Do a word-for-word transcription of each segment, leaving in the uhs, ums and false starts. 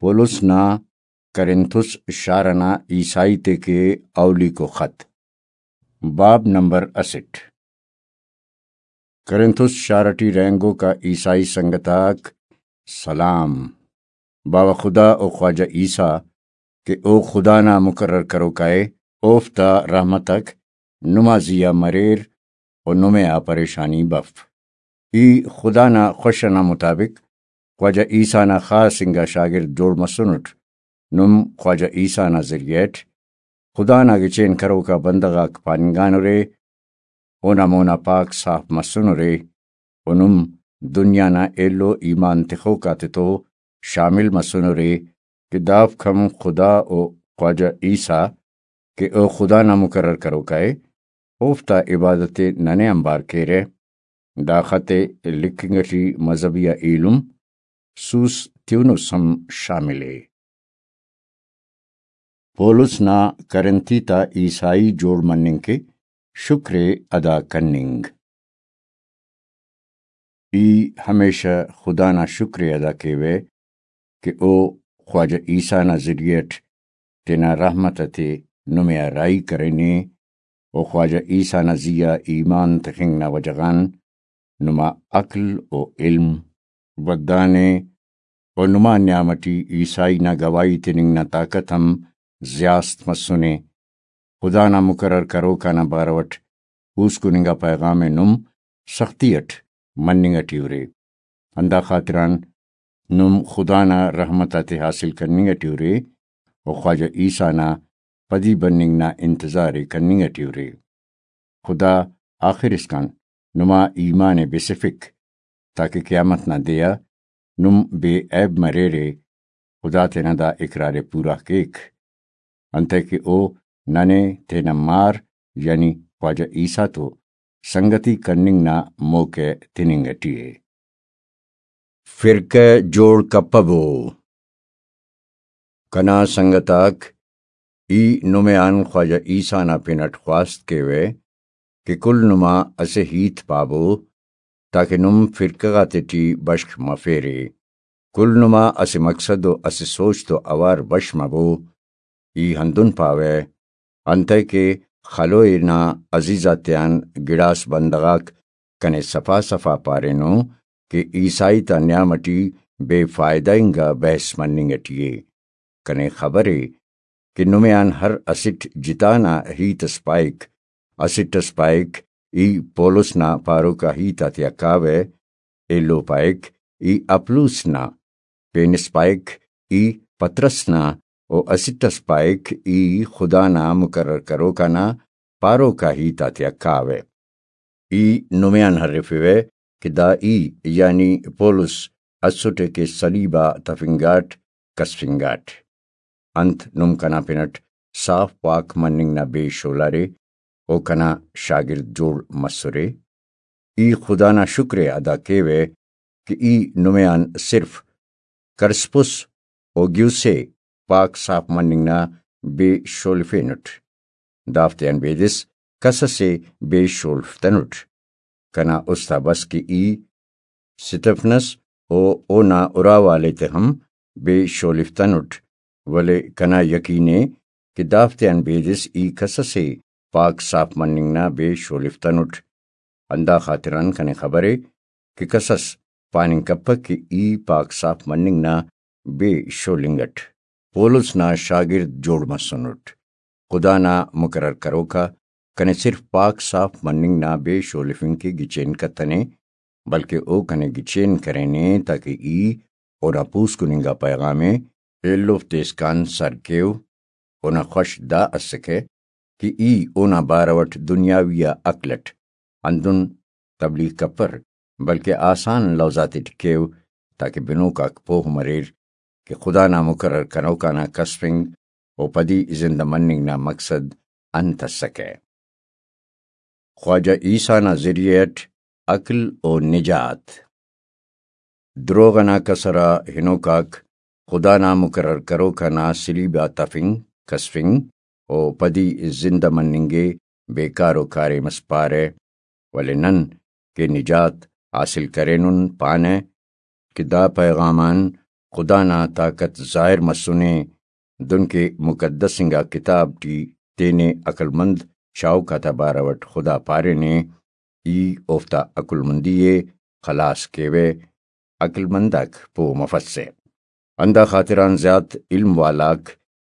پولس نا کرنتھس شار ئنا عیسائی تے کہ اولیکو خط۔ باب نمبر اسٹ۔ کرنتھس شار ٹی رہینگوکا عیسائی سنگت آک سلام۔ باوہ خدا و خواجہ عیسیٰ کہ او خدا نا مقرر کروکا ءِ، اوفتا رحمتک نما زیہا مریر و نمے آ پریشانی بف۔ ای خدا نا خوش ئنا مطابق خواجہ عیسیٰ نا خاص انگا شاگرد جوڑ مسنٹ۔ نم خواجہ عیسیٰ نا ذریعہ اٹ خدا نا گچین کروکا بندغ آک پاننگانرے، اونا مونا پاک صاف مسنرے و نم دنیا نا ایلو ایمان تخوک آتتو شامل مسنرے کہ دافک ہم خدا و خواجہ عیسیٰ کہ او خدا نا مقرر کروکا ءِ، اوفتا عبادت ءِ ننے آنبار کیرہ۔ دا خط ءِ لکھنگ ٹی مذہبی آ ایلم سوس تیونس ہم شامل ءِ۔ پولس نا کرنتھی تا عیسائی جوڑ مننگ کہ شکر ءِ ادا کننگ۔ ای ہمیشہ خدا نا شکر ءِ ادا کیوہ کہ او خواجہ عیسیٰ نا ذریعہ اٹ تینا رحمت اتے نمے آ راہی کرینے و خواجہ عیسیٰ نا زیہا ایمان تخنگ نا وجہ غان نما عقل و علم ودانے و نما نیام اٹی عیسائی نا گواہی تننگ نا طاقت ہم زیاست مسنے۔ خدا نا مقرر کروکا نا بارو اٹ پوسکن انگا پیغام ءِ نم سختی اٹ مننگ اٹی ارے، ہندا خاطران نم خدا نا رحمت آتے حاصل کننگ اٹی ارے و خواجہ عیسیٰ نا پدی بننگ نا انتظار ءِ کننگ اٹی ارے۔ خدا آخر اسکان نما ایمان ءِ بسفک، تاکہ قیامت نا دے آ نم بے عیب مریرے، خدا تینا دا اقرار ءِ پورا کیک، انتئے کہ او ننے تینا مار یعنی خواجہ عیسیٰ تو سنگتی کننگ نا موقع تننگ اٹی ءِ۔ فرقہ جوڑ کپبو۔ کنا سنگت آک، ای نمے آن خواجہ عیسیٰ نا پن اٹ خواست کیوہ کہ کل نما اسہ ہیت پابو، تاکہ نم فرقہ غاتے ٹی بشخ مفیرے۔ کل نما اسہ مقصد و اسہ سوچ تو اوار بش مبو۔ ای ہندن پاوہ، انتئے کہ خلوئے نا عزیز آتیان گڑاس بندغ آک کنے صفا صفا پارینو کہ عیسائی تا نیام اٹی بے فائدہ انگا بحث مننگ اٹی ءِ۔ کنے خبر ءِ کہ نمے آن ہر اسٹ جتا نا ہیت اس پائک، اسٹ اس پائک، ای پولس نا پاروکا ہیت آتیا کاوہ، ایلو پائک، ای اپلوس نا، پین اس پائک، ای پطرس نا، و اسٹ اس پائک، ای خدا نا مقرر کروکا نا پاروکا ہیت آتیا کاوہ۔ ای نمے آن ہرفیوہ کہ دا ای، یعنی پولس، اسٹ ءِ کہ صلیب آ تفنگاٹ، کسفنگاٹ۔ انت نم کنا پن اٹ صاف پاک مننگ نا بے شولارے و کنا شاگرد جوڑ مسرے؟ ای خدا نا شکر ءِ ادا کیوہ کہ ای نمے آن صرف کرسپس و گیوس ءِ پاک صاف مننگ نا بے شولفینٹ۔ دافتیان بیدس کس اسے بے شولفتنٹ۔ کنا است آ بس کہ ای ستفنس و اونا اراوالے تے ہم بے شولفتنٹ، ولے کنا یقین ءِ کہ دافتیان بیدس ای کس اسے پاک صاف مننگ نا بے شولفتنٹ۔ ہندا خاطران کنے خبر ءِ کہ کس اس پاننگ کپک کہ ای پاک صاف مننگ نا بے شولنگ اٹ پولس نا شاگرد جوڑ مسنٹ۔ خدا نا مقرر کروکا کنے صرف پاک صاف مننگ نا بے شولفنگ کہ گچین کتنے، بلکہ او کنے گچین کرینے تاکہ ای اونا پوسکن انگا پیغام ءِ ایلوفتے اسکان سر کیو۔ اونا خوش دا اسکہ کہ ای اونا بارو اٹ دنیاوی آ عقل اٹ ہندن تبلیغ کپر، بلکہ آسان لوزاتے ٹی کیو، تاکہ بنوک آک پوہ مریر کہ خدا نا مقرر کنوکانا کسفنگ و پدی زندہ مننگ نا مقصد انت اسکہ۔ خواجہ عیسیٰ نا ذریعہ اٹ عقل و نجات۔ دروغ ئنا کسر آ ہنوکاک خدا نا مقرر کروکا نا صلیب آ تفنگ، کسفنگ و پدی زندہ مننگ ءِ بیکار و کاریم اس پارہ، ولے نن کہ نجات حاصل کرینن پانہ کہ دا پیغام آن خدا نا طاقت ظاہر مسنے، دنکہ مقدس انگا کتاب ٹی تینے عقل مند چاہوک آتا بارو اٹ خدا پارینے، ای اوفتا عقل مندی ءِ خلاس کیوہ، عقل مند آک پہہ مفسہ۔ ہندا خاطران زیات علم والاک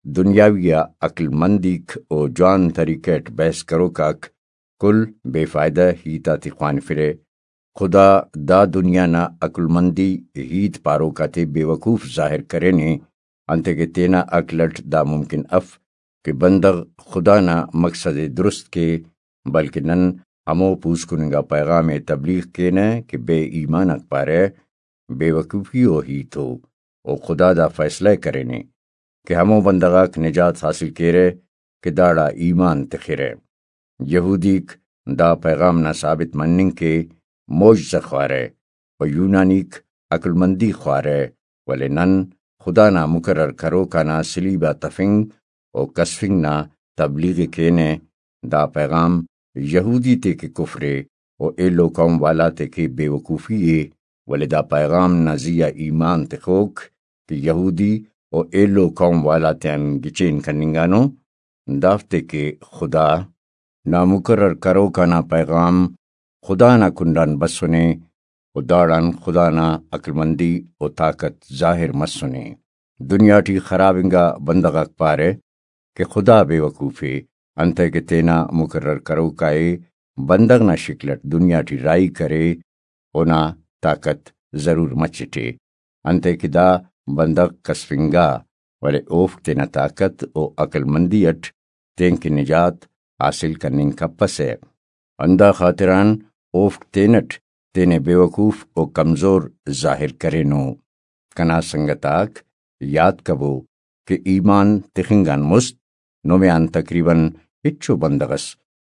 دنیاوی آ عقل مندیک و جوان طریقہ اٹ بحث کروک آک کل بے فائدہ ہیت آتے خوانفرہ۔ خدا دا دنیا نا عقل مندی ہیت پاروک آتے بے وقوف ظاہر کرینے، انتئے کہ تینا عقل اٹ دا ممکن اف کہ بندغ خدا نا مقصد ءِ درست کے، بلکہ نن ہمو پوسکن انگا پیغام ءِ تبلیغ کینہ کہ بے ایمان آک پارہ، بے وقوفی و ہیت ءُ، و خدا دا فیصلہ ءِ کرینے کہ ہمو بندغ آک نجات حاصل کیرہ کہ داڑا ایمان تخرہ۔ یہودیک دا پیغام نا ثابت مننگ کے معجزہ خوارہ و یونانیک عقل مندی خوارہ، ولے نن خدا نا مقرر کروک آنا صلیب آ تفنگ و کسفنگ نا تبلیغ ءِ کینہ۔ دا پیغام یہودی تے کہ کفر ءِ و ایلو قوم والا تے کہ بے وقوفی ءِ، ولے دا پیغام نا زی آ ایمان تخوک کہ یہودی و ایلو قوم والا تیان گچین کننگانو، دافتے کہ خدا نا مقرر کروک آنا پیغام خدا نا کنڈان بسنے و داڑان خدا نا عقل مندی و طاقت ظاہر مسنے۔ دنیا ٹی خراب انگا بندغ آک پارہ کہ خدا بے وقوف ءِ، انتئے کہ تینا مقرر کروکا ءِ بندغ نا شکل اٹ دنیا ٹی راہی کرے، اونا طاقت ضرور مچٹ ءِ، انتئے کہ دا بندغ کسفنگا، ولے اوفک تینا طاقت و عقل مندی اٹ تینکہ نجات حاصل کننگ کپسہ۔ ہندا خاطران اوفک تینٹ تینے بے وقوف و کمزور ظاہر کرینو۔ کنا سنگت آک، یات کبو کہ ایمان تخنگ آن مست نمے آن تقریباً ہچو بندغ ئس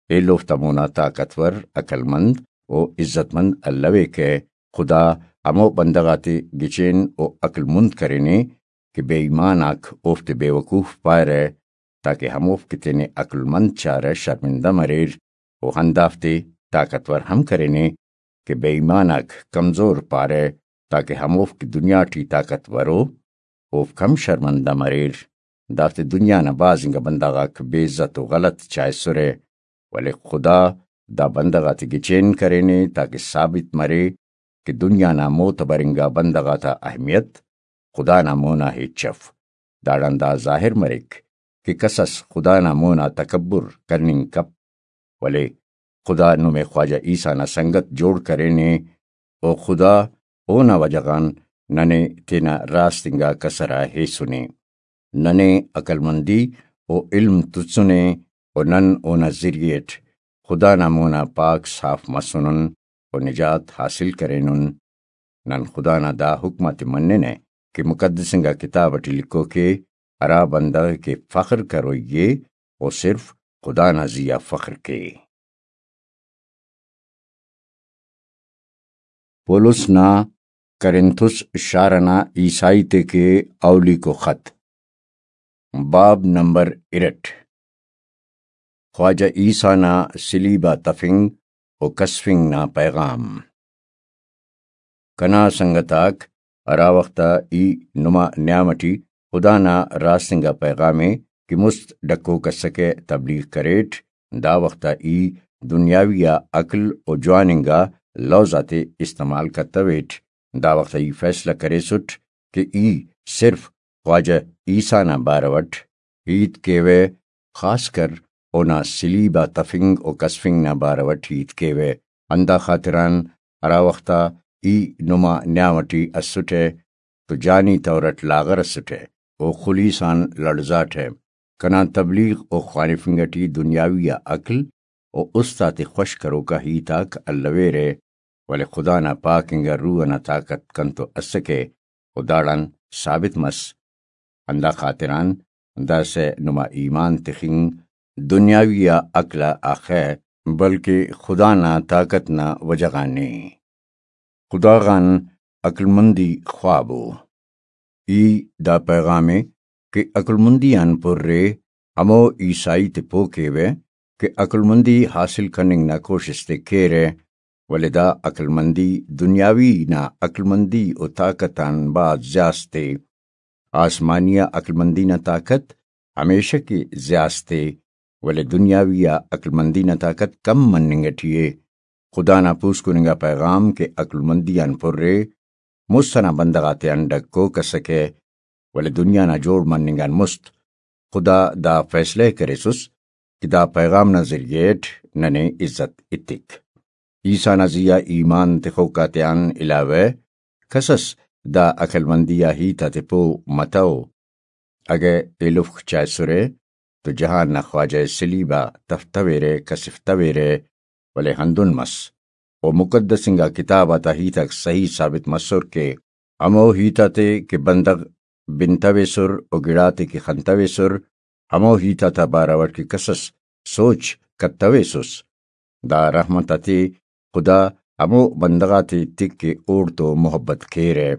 ایلوفتا مونا طاقتور، عقل مند و عزت مند الویکہ۔ خدا ہمو بندغ آتے گچین و عقل مند کرینے کہ بے ایمان آک اوفتے بے وقوف پارہ، تاکہ ہموفک کہ تینے عقل مند چارہ شرمندہ مریر، و ہندافتے طاقتور ہم کرینے کہ بے ایمان آک کمزور پارہ، تاکہ ہموفک دنیا ٹی طاقتور او، اوفک ہم شرمندہ مریر۔ دافتے دنیا نا بھاز انگا بندغ آک بے عزت و غلط چائسرہ، ولے خدا دا بندغ آتے گچین کرینے تاکہ ثابت مرے کہ دنیا نا معتبر انگا بندغ آتا اہمیت خدا نا مونا ہچ اف۔ داڑان دا ظاہر مریک کہ کس اس خدا نا مونا تکبر کننگ کپ، ولے خدا نمے خواجہ عیسیٰ نا سنگت جوڑ کرینے، و خدا اونا وجہ غان ننے تینا راست انگا کسر آ ہیسنے۔ ننے عقل مندی و علم تسنے، و نن اونا ذریعہ اٹ خدا نا مونا پاک صاف مسنن و نجات حاصل کرینن۔ نن خدا نا دا حکم آتے مننہ کہ مقدس انگا کتاب اٹی لکھوک ءِ، ہرا بندغ کہ فخر کروئی ءِ، او صرف خدا نا زی آ فخر کے۔ پولس نا کرنتھس شار ئنا عیسائی تے کہ اولیکو خط، باب نمبر ارٹ۔ خواجہ عیسیٰ نا صلیب آ تفنگ و کسفنگ نا پیغام۔ کنا سنگت آک، ہرا وخت آ ای نما نیام اٹی خدا نا راست انگا پیغام ءِ کہ مست ڈکوک ئسکہ تبلیغ کریٹ، دا وخت آ ای دنیاوی آ عقل و جوان انگا لوز آتے استعمال کتویٹ۔ دا وخت آ ای فیصلہ کریسٹ کہ ای صرف خواجہ عیسیٰ نا بارو اٹ ہیت کیوہ، خاص کر اونا صلیب آ تفنگ و کسفنگ نا بارو اٹ ہیت کیوہ۔ ہندا خاطران ہرا وخت آ ای نما نیام اٹی اسٹہ تو جانی طور اٹ لاغر اسٹہ و خلیس آن لڑزاٹہ۔ کنا تبلیغ و خوانفنگ اٹی دنیاوی آ عقل و است آتے خوش کروکا ہیت آک الویرہ، ولے خدا نا پاک انگا روح ئنا طاقت کنتو اسکہ و داڑان ثابت مس۔ ہندا خاطران داسہ نما ایمان تخنگ دنیاوی آ عقل آ اخہ، بلکہ خدا نا طاقت نا وجہ غان ءِ۔ خدا غان عقلمندی خوابو۔ ای دا پیغام ءِ کہ عقلمندی آن پُر ءِ ہمو عیسائی تے پہہ کیوہ کہ عقلمندی حاصل کننگ نا کوشست ءِ کیرہ، ولے دا عقلمندی دنیاوی نا عقلمندی و طاقت آن بھاز زیاست ءِ۔ آسمانی آ عقلمندی نا طاقت ہمیشہ کہ زیاست ءِ، ولے دنیاوی آ عقلمندی نا طاقت کم مننگ ٹی ءِ۔ خدا نا پوسکن انگا پیغام کہ عقلمندی آن پر ءِ، مست ئنا بندغ آتیان ڈکوک ئسکہ، ولے دنیا نا جوڑ مننگ آن مست خدا دا فیصلہ ءِ کریسس کہ دا پیغام نا ذریعہ اٹ ننے عزت ایتک۔ عیسیٰ نا زی آ ایمان تخوک آتیان علاوہ کسس دا عقلمندی آ ہیت آتے پہہ متو۔ اگہ ایلوفک چائسرہ تو جہان نا خواجہ ءِ صلیب آ تفتویرہ، کسفتویرہ، ولے ہندن مس۔ و مقدس انگا کتاب آتا ہیت آک صحیح ثابت مسر کہ ہمو ہیت آتے کہ بندغ بنتویسر و گڑاتے کہ خنتویسر، ہمو ہیت آتا بارو اٹ کہ کسس سوچ کتویسس۔ دا رحمت آتے خدا ہمو بندغ آتے ایتک کہ اوڑتو محبت کیرہ۔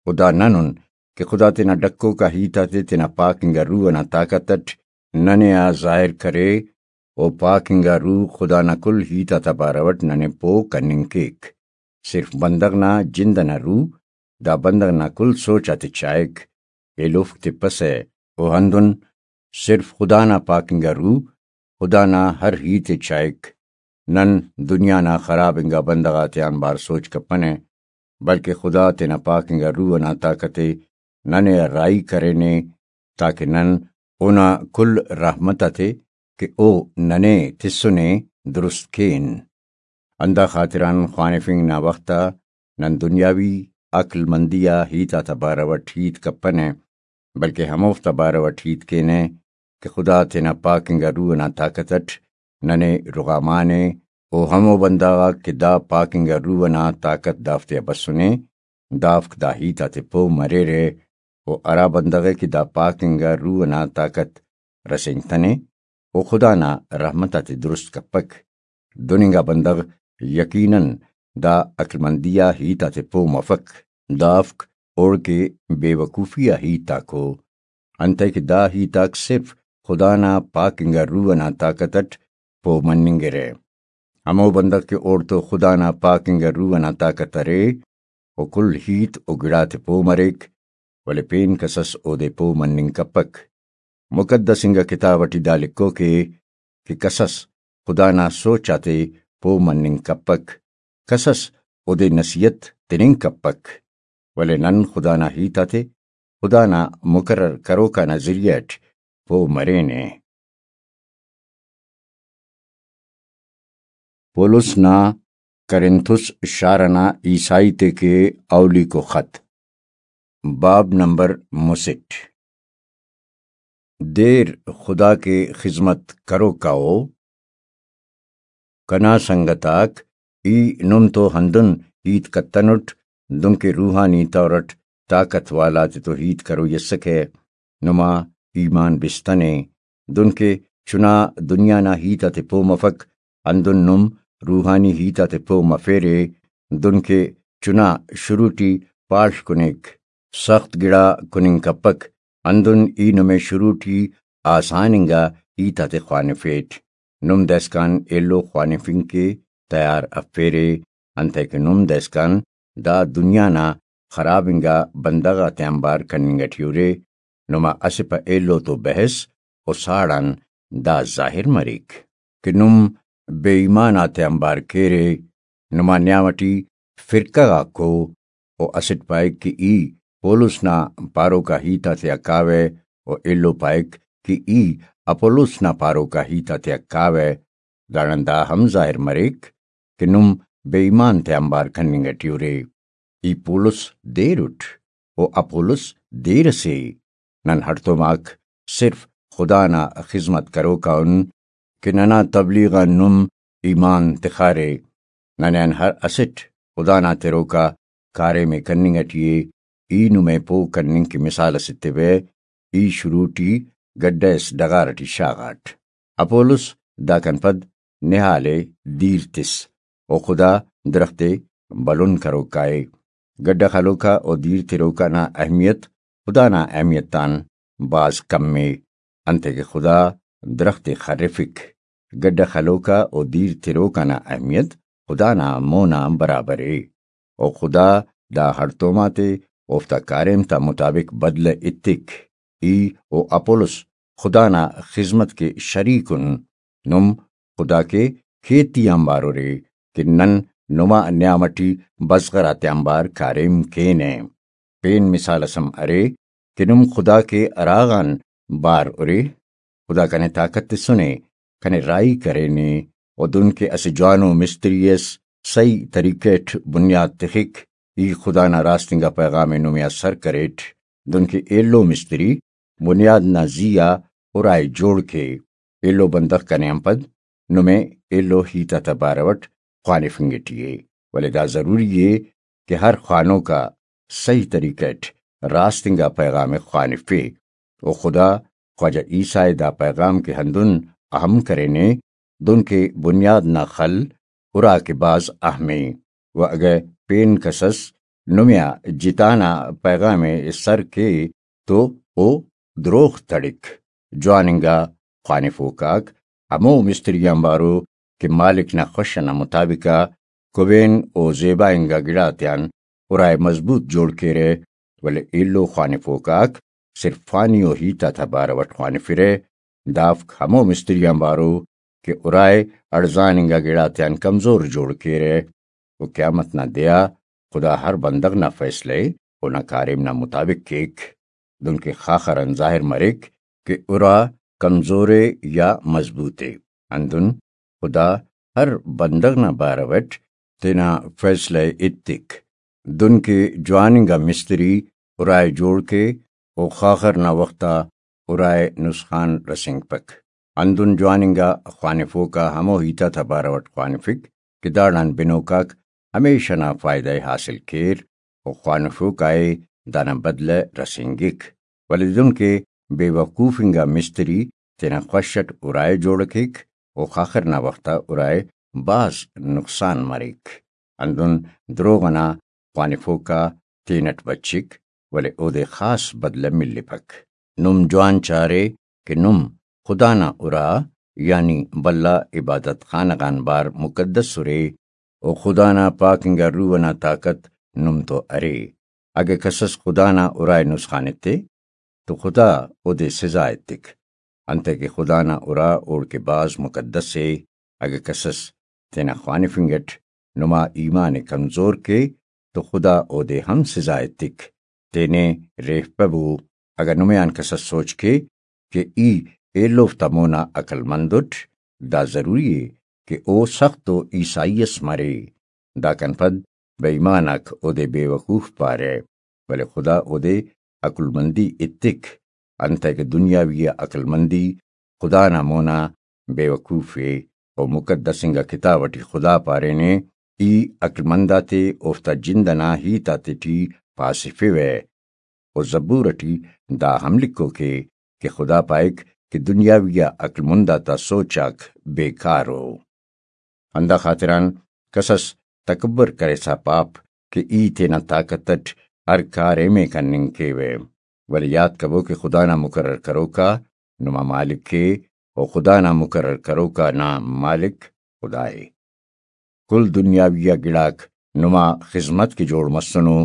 و دا نن ان کہ خدا تینا ڈکوک آ ہیت آتے تینا پاک انگا روح ئنا طاقت ئٹ ننے آ ظاہر کرے، و پاک انگا روح خدا نا کل ہیت آتا بارو ئٹ ننے پہہ کننگ کیک۔ صرف بندغ نا جند ئنا روح دا بندغ نا کل سوچ آتے چائک، ایلوفک تپسہ۔ و ہندن صرف خدا نا پاک انگا روح خدا نا ہر ہیت ءِ چائک۔ نن دنیا نا خراب انگا بندغ آتیان بار سوچ کپنہ، بلکہ خدا تینا پاک انگا روح ئنا طاقت ءِ ننے آ راہی کرینے، تاکہ نن اونا کل رحمت آتے کہ او ننے تسنے درست کین۔ ہندا خاطران خوانفنگ نا وخت آ نن دنیاوی عقل مندی آ ہیت آتا بارو اٹ ہیت کپنہ، بلکہ ہموفتا بارو اٹ ہیت کینہ کہ خدا تینا پاک انگا روح ئنا طاقت اٹ ننے رغامانے، و ہمو بندغ آک کہ دا پاک انگا روح ئنا طاقت دافتیا بسنے، دافک دا ہیت آتے پہہ مریرہ، و ہرا بندغ ءِ کہ دا پاک انگا روح ئنا طاقت رسینگتنے، و خدا نا رحمت آتے درست کپک۔ دن انگا بندغ یقیناً دا عقلمندی آ ہیت آتے پہہ مفک۔ دافک اوڑکہ بے وقوفی آ ہیت آکو، انتئے کہ دا ہیت آک صرف خدا نا پاک انگا روح ئنا طاقت اٹ پہہ مننگرہ۔ ہمو بندغ کہ اوڑتو خدا نا پاک انگا روح ئنا طاقت ارے، و کل ہیت و گڑاتے پہہ مریک، ولے پین کسس اودے پہہ مننگ کپک۔ مقدس انگا کتاب اٹی دا لکھوک ءِ کہ کسس خدا نا سوچ آتے پہہ مننگ کپک، کسس اودے نصیحت تننگ کپک، ولے نن خدا نا ہیت آتے خدا نا مقرر کروکا نا ذریعہ اٹ پہہ مرینہ۔ پولس نا کرنتھس شار ئنا عیسائی تے کہ اولیکو خط، باب نمبر مسٹ۔ دیر خدا کے خذمت کروکاؤ۔ کنا سنگت آک، ای نم تو ہندن ہیت کتنٹ، دنکہ روحانی طور اٹ طاقت والا تتو ہیت کروئی اسکہ۔ نما ایمان بستنے، دنکہ چنا دنیا نا ہیت آتے پہہ مفک، ہندن نم روحانی ہیت آتے پہہ مفیرے، دنکہ چنا شروع ٹی پاڷ کنیک، سخت گڑا کننگ کپک، ہندن ای نمے شروع ٹی آسان انگا ہیت آتے خوانفیٹ۔ نم دائسکان ایلو خوانفنگ کے تیار افیرے، انتئے کہ نم دائسکان دا دنیا نا خراب انگا بندغ آتے آنبار کننگ ٹی ارے۔ نما اسہ پہ ایلو تو بحث و ساڑان دا ظاہر مریک کہ نم بے ایمان آتے آنبار کیرے۔ نما نیام ٹی فرقہ غاکو، و اسٹ پائک کہ ای پولس نا پاروکا ہیت آتیا کاوہ، و ایلو پائک کہ ای اپولس نا پاروکا ہیت آتیا کاوہ۔ داڑان دا ہم ظاہر مریک کہ نم بے ایمان تے آنبار کننگ ٹی ارے۔ ای پولس دیر اٹ، و اپولس دیر اسے۔ نن ہڑتوم آک صرف خدا نا خذمت کروکا ان کہ ننا تبلیغ آن نم ایمان تخارے۔ ننے آن ہر اسٹ خدا نا تروکا کاریم ءِ کننگ ٹی ءِ۔ ای نمے پہہ کننگ کہ مثال اس ایتیوہ، ای شروع ٹی گڈہ اس ڈغار ٹی شاغاٹ۔ اپولس داکان پد نہال ءِ دیر تس، و خدا درخت ءِ بھلن کروکا ءِ۔ گڈہ خلوکا و دیر تروکا نا اہمیت خدا نا اہمیت آن بھاز کم ءِ، انتئے کہ خدا درخت ءِ خرفک۔ گڈہ خلوکا و دیر تروکا نا اہمیت خدا نا مون آ برابر ءِ۔ و خدا دا ہڑتوم آتے اوفتا کاریم تا مطابق بدلہ ایتک۔ ای و اپولس خدا نا خذمت کے شریک ان۔ نم خدا کے کھیتی آنبار ارے کہ نن نما نیام ٹی بزغر آتیانبار کاریم کینہ۔ پین مثال اس ہم ارے کہ نم خدا کے ہراغان بار ارے۔ خدا کنے طاقت تسنے، کنے راہی کرینے، و دن کہ اسہ جوانو مستری اس صحیح طریقہ اٹ بنیاد تخک۔ ای خدا نا راست انگا پیغام ءِ نمے آ سر کریٹ، دن کہ ایلو مستری بنیاد نا زی آ ارائے جوڑ کے۔ ایلو بندغ کنے آن پد نمے ایلو ہیت آتا بارو اٹ خوانفنگ ٹی ءِ، ولے دا ضروری ءِ کہ ہر خوانوک آ صحیح طریقہ اٹ راست انگا پیغام ءِ خوانفے۔ و خدا خواجہ عیسیٰ ءِ دا پیغام کہ ہندن اہم کرینے، دن کہ بنیاد نا خل ارا کہ بھاز اہم ءِ۔ و اگہ پین کس اس نمے آ جتا نا پیغام ءِ سر کے تو او دروغ تڑک۔ جوان انگا خوانفوک آک ہمو مستری آنبار ءُ کہ مالک نا خوش ئنا مطابق آ کبین و زیبا انگا گڑاتیان ارائے مضبوط جوڑ کیرہ، ولے ایلو خوانفوک آک صرف فانی و ہیت آتا بارو اٹ خوانفرہ، دافک ہمو مستری آنبار ءُ کہ ارائے اڑزان انگا گڑاتیان کمزور جوڑ کیرہ۔ و قیامت نا دے آ خدا ہر بندغ نا فیصلہ ءِ اونا کاریم نا مطابق کیک، دنکہ خاخر آن ظاہر مریک کہ ارا کمزور ءِ یا مضبوط ءِ۔ ہندن خدا ہر بندغ نا بارو اٹ تینا فیصلہ ءِ ایتک۔ دنکہ جوان انگا مستری ارائے جوڑ کے و خاخر نا وخت آ ارائے نسخان رسینگپک۔ ہندن جوان انگا خوانفوک آ ہمو ہیت آتا بارو اٹ خوانفک کہ داڑان بنوک آک ہمیش ئنا فائدہ ءِ حاصل کیر و خوانفوک آ ءِ دانا بدلہ رسینگک۔ ولے دنکہ بے وقوف انگا مستری تینا خوش اٹ ارائے جوڑ کیک و خاخر نا وخت آ ارائے بھاز نقصان مریک۔ ہندن دروغ ئنا خوانفوک آ تینٹ بچک، ولے اودے خاص بدلہ ملپک۔ نم جوان چارے کہ نم خدا نا ارا، یعنی بھلا عبادت خانہ غان بار مقدس ارے، و خدا نا پاک انگا روح ئنا طاقت نم تو ارے۔ اگہ کسس خدا نا ارائے نسخان ایتے، تو خدا اودے سزا ایتک، انتئے کہ خدا نا ارا اوڑکہ بھاز مقدس ءِ۔ اگہ کسس تینا خوانفنگ اٹ نما ایمان ءِ کمزور کے، تو خدا اودے ہم سزا ایتک۔ تینے ریفپبو۔ اگہ نمے آن کسس سوچ کے کہ ای ایلوفتا مونا عقل مند اٹ، دا ضروری ءِ کہ او سخت و عیسائی اس مرے۔ داکان پد بے ایمان آک اودے بے وقوف پارہ، ولے خدا اودے عقل مندی ایتک، انتئے کہ دنیاوی آ عقل مندی خدا نا مونا بے وقوف ءِ۔ و مقدس انگا کتاب اٹی خدا پارینے، ای عقل مند آتے اوفتا جند ئنا ہیت آتے ٹی پاسفوہ۔ و زبور اٹی دا ہم لکھوک ءِ کہ خدا پائک کہ دنیاوی آ عقل مند آتا سوچ آک بیکار ءُ۔ ہندا خاطران کسس تکبر کرسا پاپ کہ ای تینا طاقت اٹ ہر کاریم ءِ کننگ کیوہ، ولے یات کبو کہ خدا نا مقرر کروکا نما مالک ءِ، و خدا نا مقرر کروکا نا مالک خدا ءِ۔ کل دنیاوی آ گڑاک نما خذمت کہ جوڑ مسنو،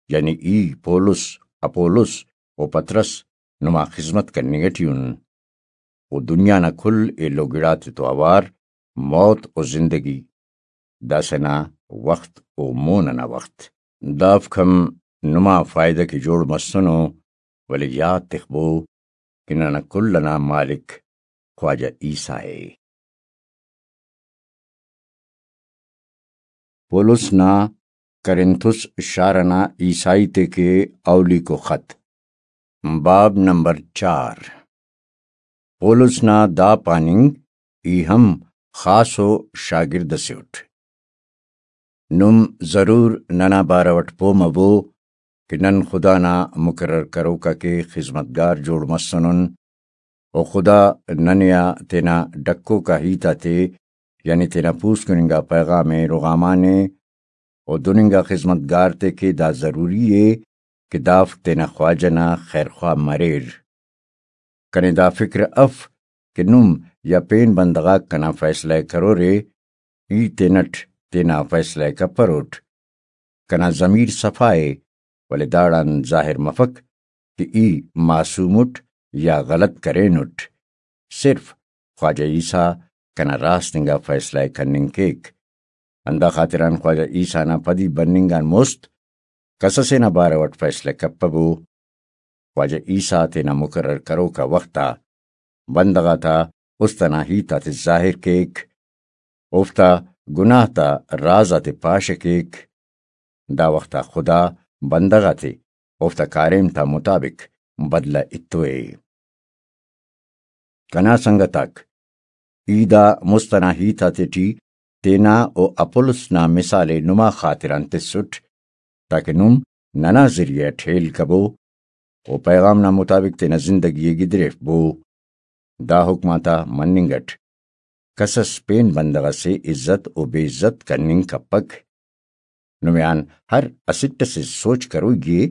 یعنی ای پولس، اپولس و پطرس نما خذمت کننگ ٹی ان۔ و دنیا نا کل ایلو گڑاتے تو اوار، موت و زندگی، داسہ نا وخت و مون ئنا وخت۔ دافک ہم نما فائدہ کہ جوڑ مسنو، ولے یات تخبو کہ ننا کل ئنا مالک خواجہ عیسیٰ ءِ۔ پولس نا کرنتھس شار ئنا عیسائی تے کہ اولیکو خط، باب نمبر چار۔ پولس نا دا پاننگ ای ہم خاصو شاگرد ئسے اٹ۔ نم ضرور ننا بارو اٹ پہہ مبو کہ نن خدا نا مقرر کروکا کہ خذمتگار جوڑ مسنن، و خدا ننے آ تینا ڈکوکا ہیت آتے، یعنی تینا پوسکن انگا پیغام ءِ رغامانے، و دن انگا خذمتگار تے کہ دا ضروری ءِ کہ دافک تینا خواجہ نا خیرخواہ مریر۔ کنے دا فکر اف کہ نم یا پین بندغ آک کنا فیصلہ ءِ کرورے، ای تینٹ تینا فیصلہ ءِ کپروٹ۔ کنا ضمیر صفا ءِ، ولے داڑان ظاہر مفک کہ ای معصوم اٹ یا غلط کرینٹ۔ صرف خواجہ عیسیٰ کنا راست انگا فیصلہ ءِ کننگ کیک۔ ہندا خاطران خواجہ عیسیٰ نا پدی بننگ آن مست کس ئسے نا بارو اٹ فیصلہ کپبو۔ خواجہ عیسیٰ تینا مقرر کروکا وخت آ بندغ آتا است ئنا ہیت آتے ظاہر کیک، اوفتا گناہ تا راز آتے پاش کیک۔ دا وخت آ خدا بندغ آتے اوفتا کاریم تا مطابق بدلہ ایتوے۔ کنا سنگت آک، ای دا مست ئنا ہیت آتیٹی تینا و اپولس نا مثال ءِ نما خاطران تسٹ، تاکہ نم ننا ذریعہ اٹ ہیل کبو و پیغام نا مطابق تینا زندگی ءِ گدریفبو۔ دا حکم آتا مننگ اٹ کس اس پین بندغ اسے عزت و بے عزت کننگ کپک۔ نمے آن ہر اسٹ اسے سوچ کروئی ءِ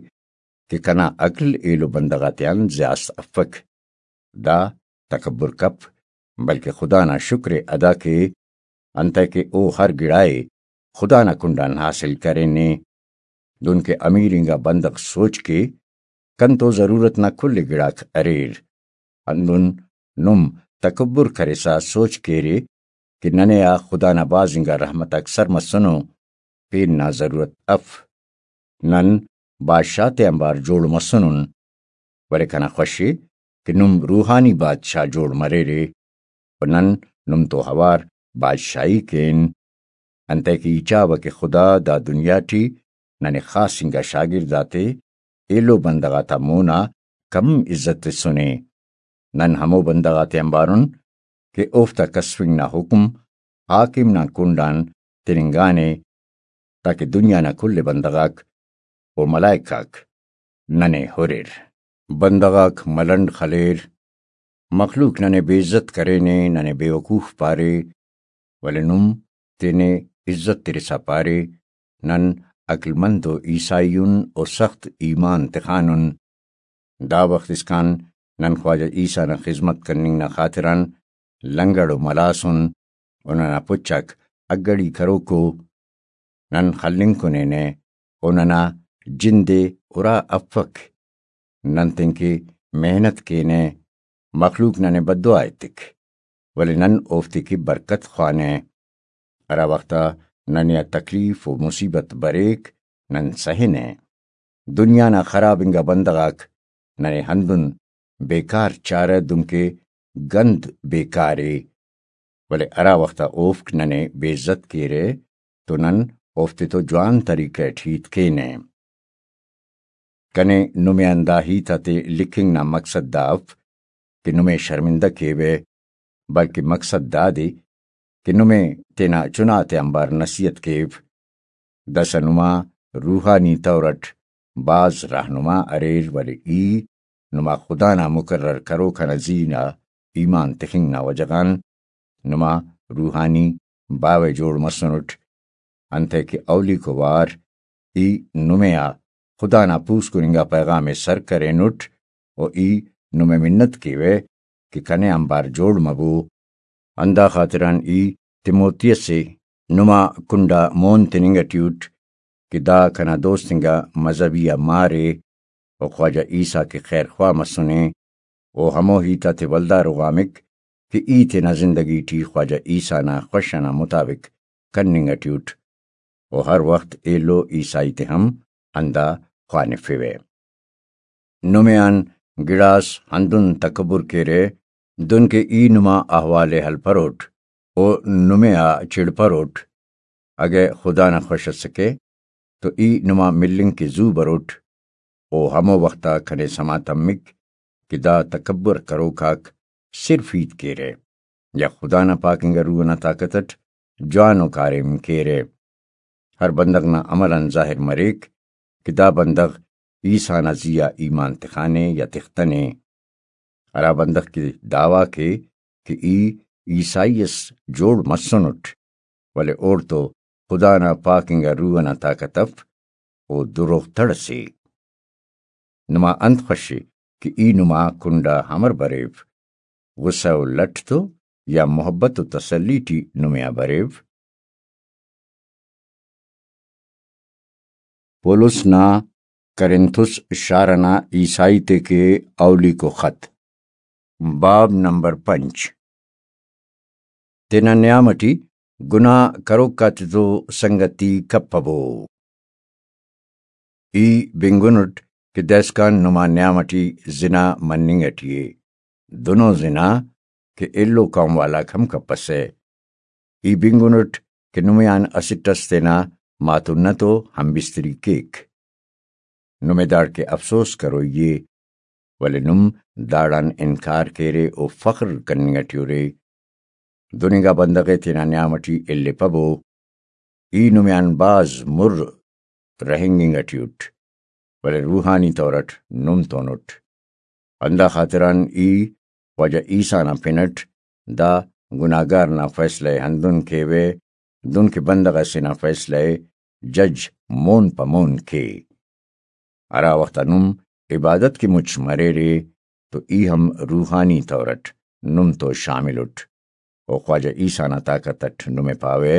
کہ کنا عقل ایلو بندغ آتیان زیات افک۔ دا تکبر کپ، بلکہ خدا نا شکر ءِ ادا کے، انتئے کہ او ہر گڑا ءِ خدا نا کنڈان حاصل کرینے۔ دنکہ امیر انگا بندغ سوچ کے، کنتو ضرورت نا کل گڑاک اریر۔ ہندن نم تکبر کرسا سوچ کیرے کہ ننے آ خدا نا بھاز انگا رحمت آک سر مسنو، پین نا ضرورت اف۔ نن بادشاہ تے آنبار جوڑ مسنن، ولے کنا خوش ءِ کہ نم روحانی بادشاہ جوڑ مریرے و نن نم تو اوار بادشاہی کین۔ انتئے کہ ای چاوہ کہ خدا دا دنیا ٹی ننے خاص انگا شاگرد آتے ایلو بندغ آتا مون آ کم عزت تسنے۔ نن ہمو بندغ آتے آنبارن کہ اوفتا کسفنگ نا حکم حاکم نا کنڈ آن تننگانے، تاکہ دنیا نا کل بندغ آک و ملائک آک ننے ہریر۔ بندغ آک ملنڈ خلیر، مخلوق ننے بے عزت کرینے، ننے بے وقوف پارے، ولے نم تینے عزت ترسا پارے، نن عقل مند و عیسائی ان و سخت ایمان تخانن۔ دا وخت اسکان نن خواجہ عیسیٰ نا خذمت کننگ نا خاطران لنگڑ و ملاس ان، و ننا پچ آک اگڑی کروکو۔ نن خلنگ کنینہ و ننا جند ءِ ارا افک۔ نن تینکہ محنت کینہ، مخلوق ننے بددعا ایتک، ولے نن اوفتے کہ برکت خوانہ۔ ہرا وخت آ ننے آ تکلیف و مصیبت بریک، نن سہنہ۔ دنیا نا خراب انگا بندغ آک ننے ہندن بیکار چارہ، دنکہ گند بیکار ءِ، ولے ہرا وخت آ اوفک ننے بے عزت کیرہ تو نن اوفتے تو جوان طریقہ ٹی ہیت کینہ۔ کنے نمے آن دا ہیت آتے لکھنگ نا مقصد دا اف کہ نمے شرمندہ کیوہ، بلکہ مقصد دادے کہ نمے تینا چنا تے آنبار نصیحت کیو۔ داسہ نما روحانی طور اٹ بھاز رہنما اریر، ولے ای نما خدا نا مقرر کروک آ نا زی نا ایمان تخنگ نا وجہ غان نما روحانی باوہ جوڑ مسنٹ، انتئے کہ اولیکو وار ای نمے آ خدا نا پوسکن انگا پیغام ءِ سر کرینٹ و ای نمے منت کیوہ کہ کنے آنبار جوڑ مبو۔ ہندا خاطران ای تیموتیس ءِ نما کنڈا مون تننگ ٹی اٹ کہ دا کنا دوست انگا مذہبی آ مار ءِ و خواجہ عیسیٰ کہ خیر خواہ مسنے، او ہمو ہیت آتے ولدا رغامک کہ ای تینا زندگی ٹی خواجہ عیسیٰ نا خوش ئنا مطابق کننگ ٹی اٹ، و ہر وخت ایلو عیسائی تے ہم ہندا خوانفوہ۔ نمے آن گڑاس ہندن تکبر کیرہ، دنکہ ای نما احوال ءِ ہلپروٹ، او نمے آ چڑپروٹ۔ اگہ خدا نا خوش اسکہ تو ای نما ملنگ کہ زو بروٹ۔ او ہمو وخت آ کنے سما تمک کہ دا تکبر کروک آک صرف ہیت کیرہ یا خدا نا پاک انگا روح ئنا طاقت ئٹ جوانو کاریم کیرہ۔ ہر بندغ نا عمل آن ظاہر مریک کہ دا بندغ عیسیٰ نا زی آ ایمان تخانے یا تختنے۔ ہرا بندغ کہ دعویٰ کے کہ ای عیسائی اس جوڑ مسنٹ، ولے اوڑتو خدا نا پاک انگا روح ئنا طاقت اف، او دروغ تڑ ئسے۔ نما انت خوش ءِ کہ ای نما کنڈا امر بریو؟ غصہ و لٹ تو یا محبت و تسلی ٹی نمے آ بریو؟ پولس نا کرنتھس شار ئنا عیسائی تے کہ اولیکو خط۔ باب نمبر پنچ۔ تینا نیام ئٹی گناہ کروک آتتو سنگتی کپبو۔ ای بنگنٹ کہ دائسکان نما نیام ئٹی زنا مننگ ئٹی ءِ، دنو زنا کہ ایلو قوم والاک ہم کپسہ۔ ای بنگنٹ کہ نمے آن اسٹ ئس تینا ماتونہ تو ہمبستری کیک۔ نمے داڑکہ افسوس کروئی ءِ، ولے نم داڑان انکار کیرے و فخر کننگ ئٹی اُرے۔ دن انگا بندغ ءِ تینا نیام ئٹی الیپبو۔ ای نمے آن بھاز مر رہینگنگ ئٹی اُٹ، ولے روحانی طور ئٹ نم تون اُٹ۔ ہندا خاطران ای خواجہ عیسیٰ نا پن ئٹ دا گناہگار نا فیصلہ ءِ ہندن کیوہ، دن کہ بندغ ئسے نا فیصلہ ءِ جج مون پہ مون کے۔ ہرا وخت آ نم عبادت کہ مچ مریرے تو ای ہم روحانی طور ئٹ نم تو شامل اُٹ و خواجہ عیسیٰ نا طاقت ئٹ نمے پاوہ،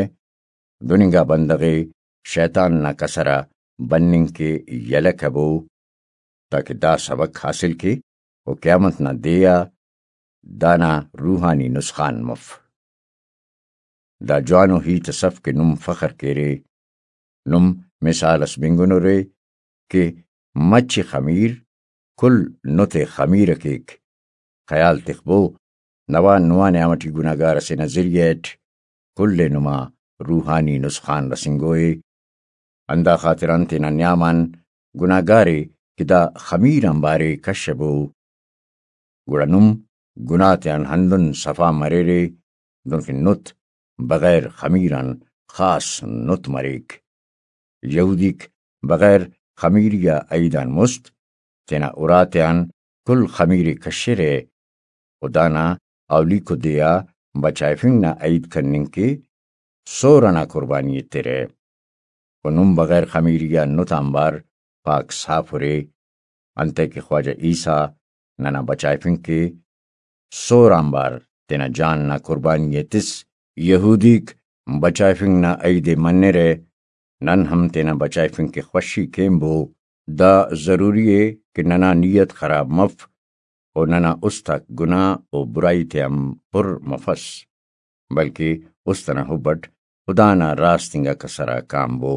دن انگا بندغ ءِ شیطان نا کسر آ بننگ کہ یلہ کبو، تاکہ دا سبق حاصل کے و قیامت نا دے آ دانا روحانی نسخان مف۔ دا جوانو ہیت ئس اف کہ نم فخر کیرے۔ نم مثال ئس بنگنرے کہ مچ خمیر کل نت ءِ خمیرہ کیک۔ خیال تخبو، نوا نما نیام ئٹی گناہگار ئسے نا ذریعہ ئٹ کل ءِ نما روحانی نسخان رسینگوئے۔ ہندا خاطران تینا نیام آن گناہگار ءِ کہ دا خمیر آنبار ءِ کشبو، گڑا نم گناہ تیان ہندن صفا مریرے، دنکہ نت بغیر خمیر آن خاص نت مریک۔ یہودیک بغیر خمیری آ عید آن مست تینا اُراتیان کل خمیر ءِ کشرہ و دانا اولیکو دے آ بچائفنگ نا عید کننگ کہ سور ئنا قربانی ایترہ۔ و نم بغیر خمیری آ نت آنبار پاک صاف اُرے، انتئے کہ خواجہ عیسیٰ ننا بچائفنگ کہ سور آنبار تینا جان نا قربانی ءِ تس۔ یہودیک بچائفنگ نا عید ءِ منرہ، نن ہم تینا بچائفنگ کہ خوشی کینبو۔ دا ضروری ءِ کہ ننا نیت خراب مف و ننا است آک گناہ و برائی تیان پر مفس، بلکہ است ئنا حب ئٹ خدا نا راست انگا کسر آ کانبو۔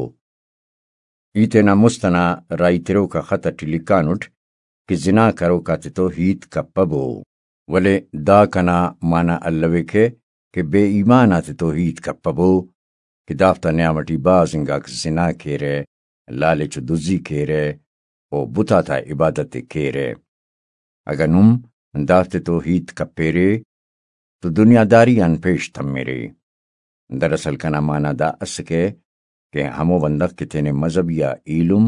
ای تینا مست ئنا راہی تروکا خط ئٹی لکھانٹ کہ زنا کروک آتتو ہیت کپبو، ولے دا کنا معنی الوکہ کہ بے ایمان آتتو ہیت کپبو کہ دافتا نیام ئٹی بھاز انگاک زنا کیرہ، لالچ و دزی کیرہ و بت آتا عبادت ءِ کیرہ۔ اگہ نم دافتتو ہیت کپیرے تو دنیاداری آن پیش تمرے۔ دراصل کنا معنی دا اسکہ کہ ہمو بندغ کہ تینے مذہبی آ ایلم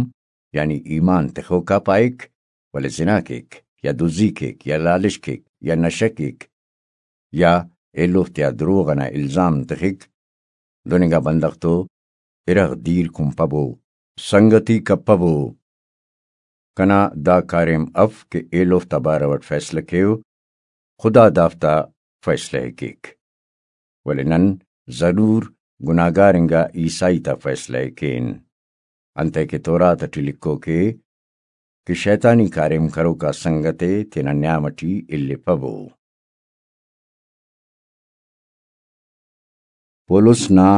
یعنی ایمان تخوکا پائک، ولے زنا کیک یا دزی کیک یا لالچ کیک یا نشہ کیک یا ایلوفتیا دروغ ئنا الزام تخک، دن انگا بندغ تو ارغ دیر کنپبو، سنگتی کپبو۔ کنا دا کاریم اف کہ ایلوفتا بارو ئٹ فیصلہ کیو، خدا دافتا فیصلہ ءِ کیک۔ ولے نن ضرور گناہگار انگا عیسائی تا فیصلہ ءِ کین، انتئے کہ تورات ئٹی لکھوک ءِ کہ شیطانی کاریم کروکا سنگت ءِ تینا نیام ئٹی الیپبو۔ پولس نا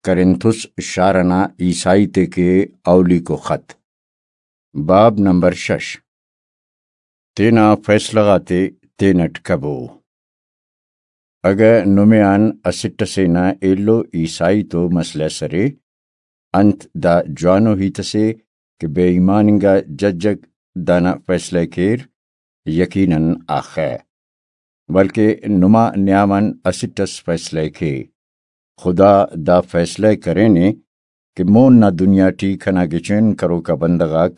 کرنتھس شار ئنا عیسائی تے کہ اولیکو خط۔ باب نمبر شش۔ تینا فیصلہ غاتے تینٹ کبو۔ اگہ نمے آن اسٹ ئسے نا ایلو عیسائی تو مسئلہ ئس ارے، انت دا جوانو ہیت ئسے کہ بے ایمان انگا ججک دانا فیصلہ ءِ کیر؟ یقیناً آخہ، بلکہ نما نیام آن اسٹ ئس فیصلہ ءِ کے۔ خدا دا فیصلہ ءِ کرینے کہ مون نا دنیا ٹی کنا گچین کروکا بندغ آک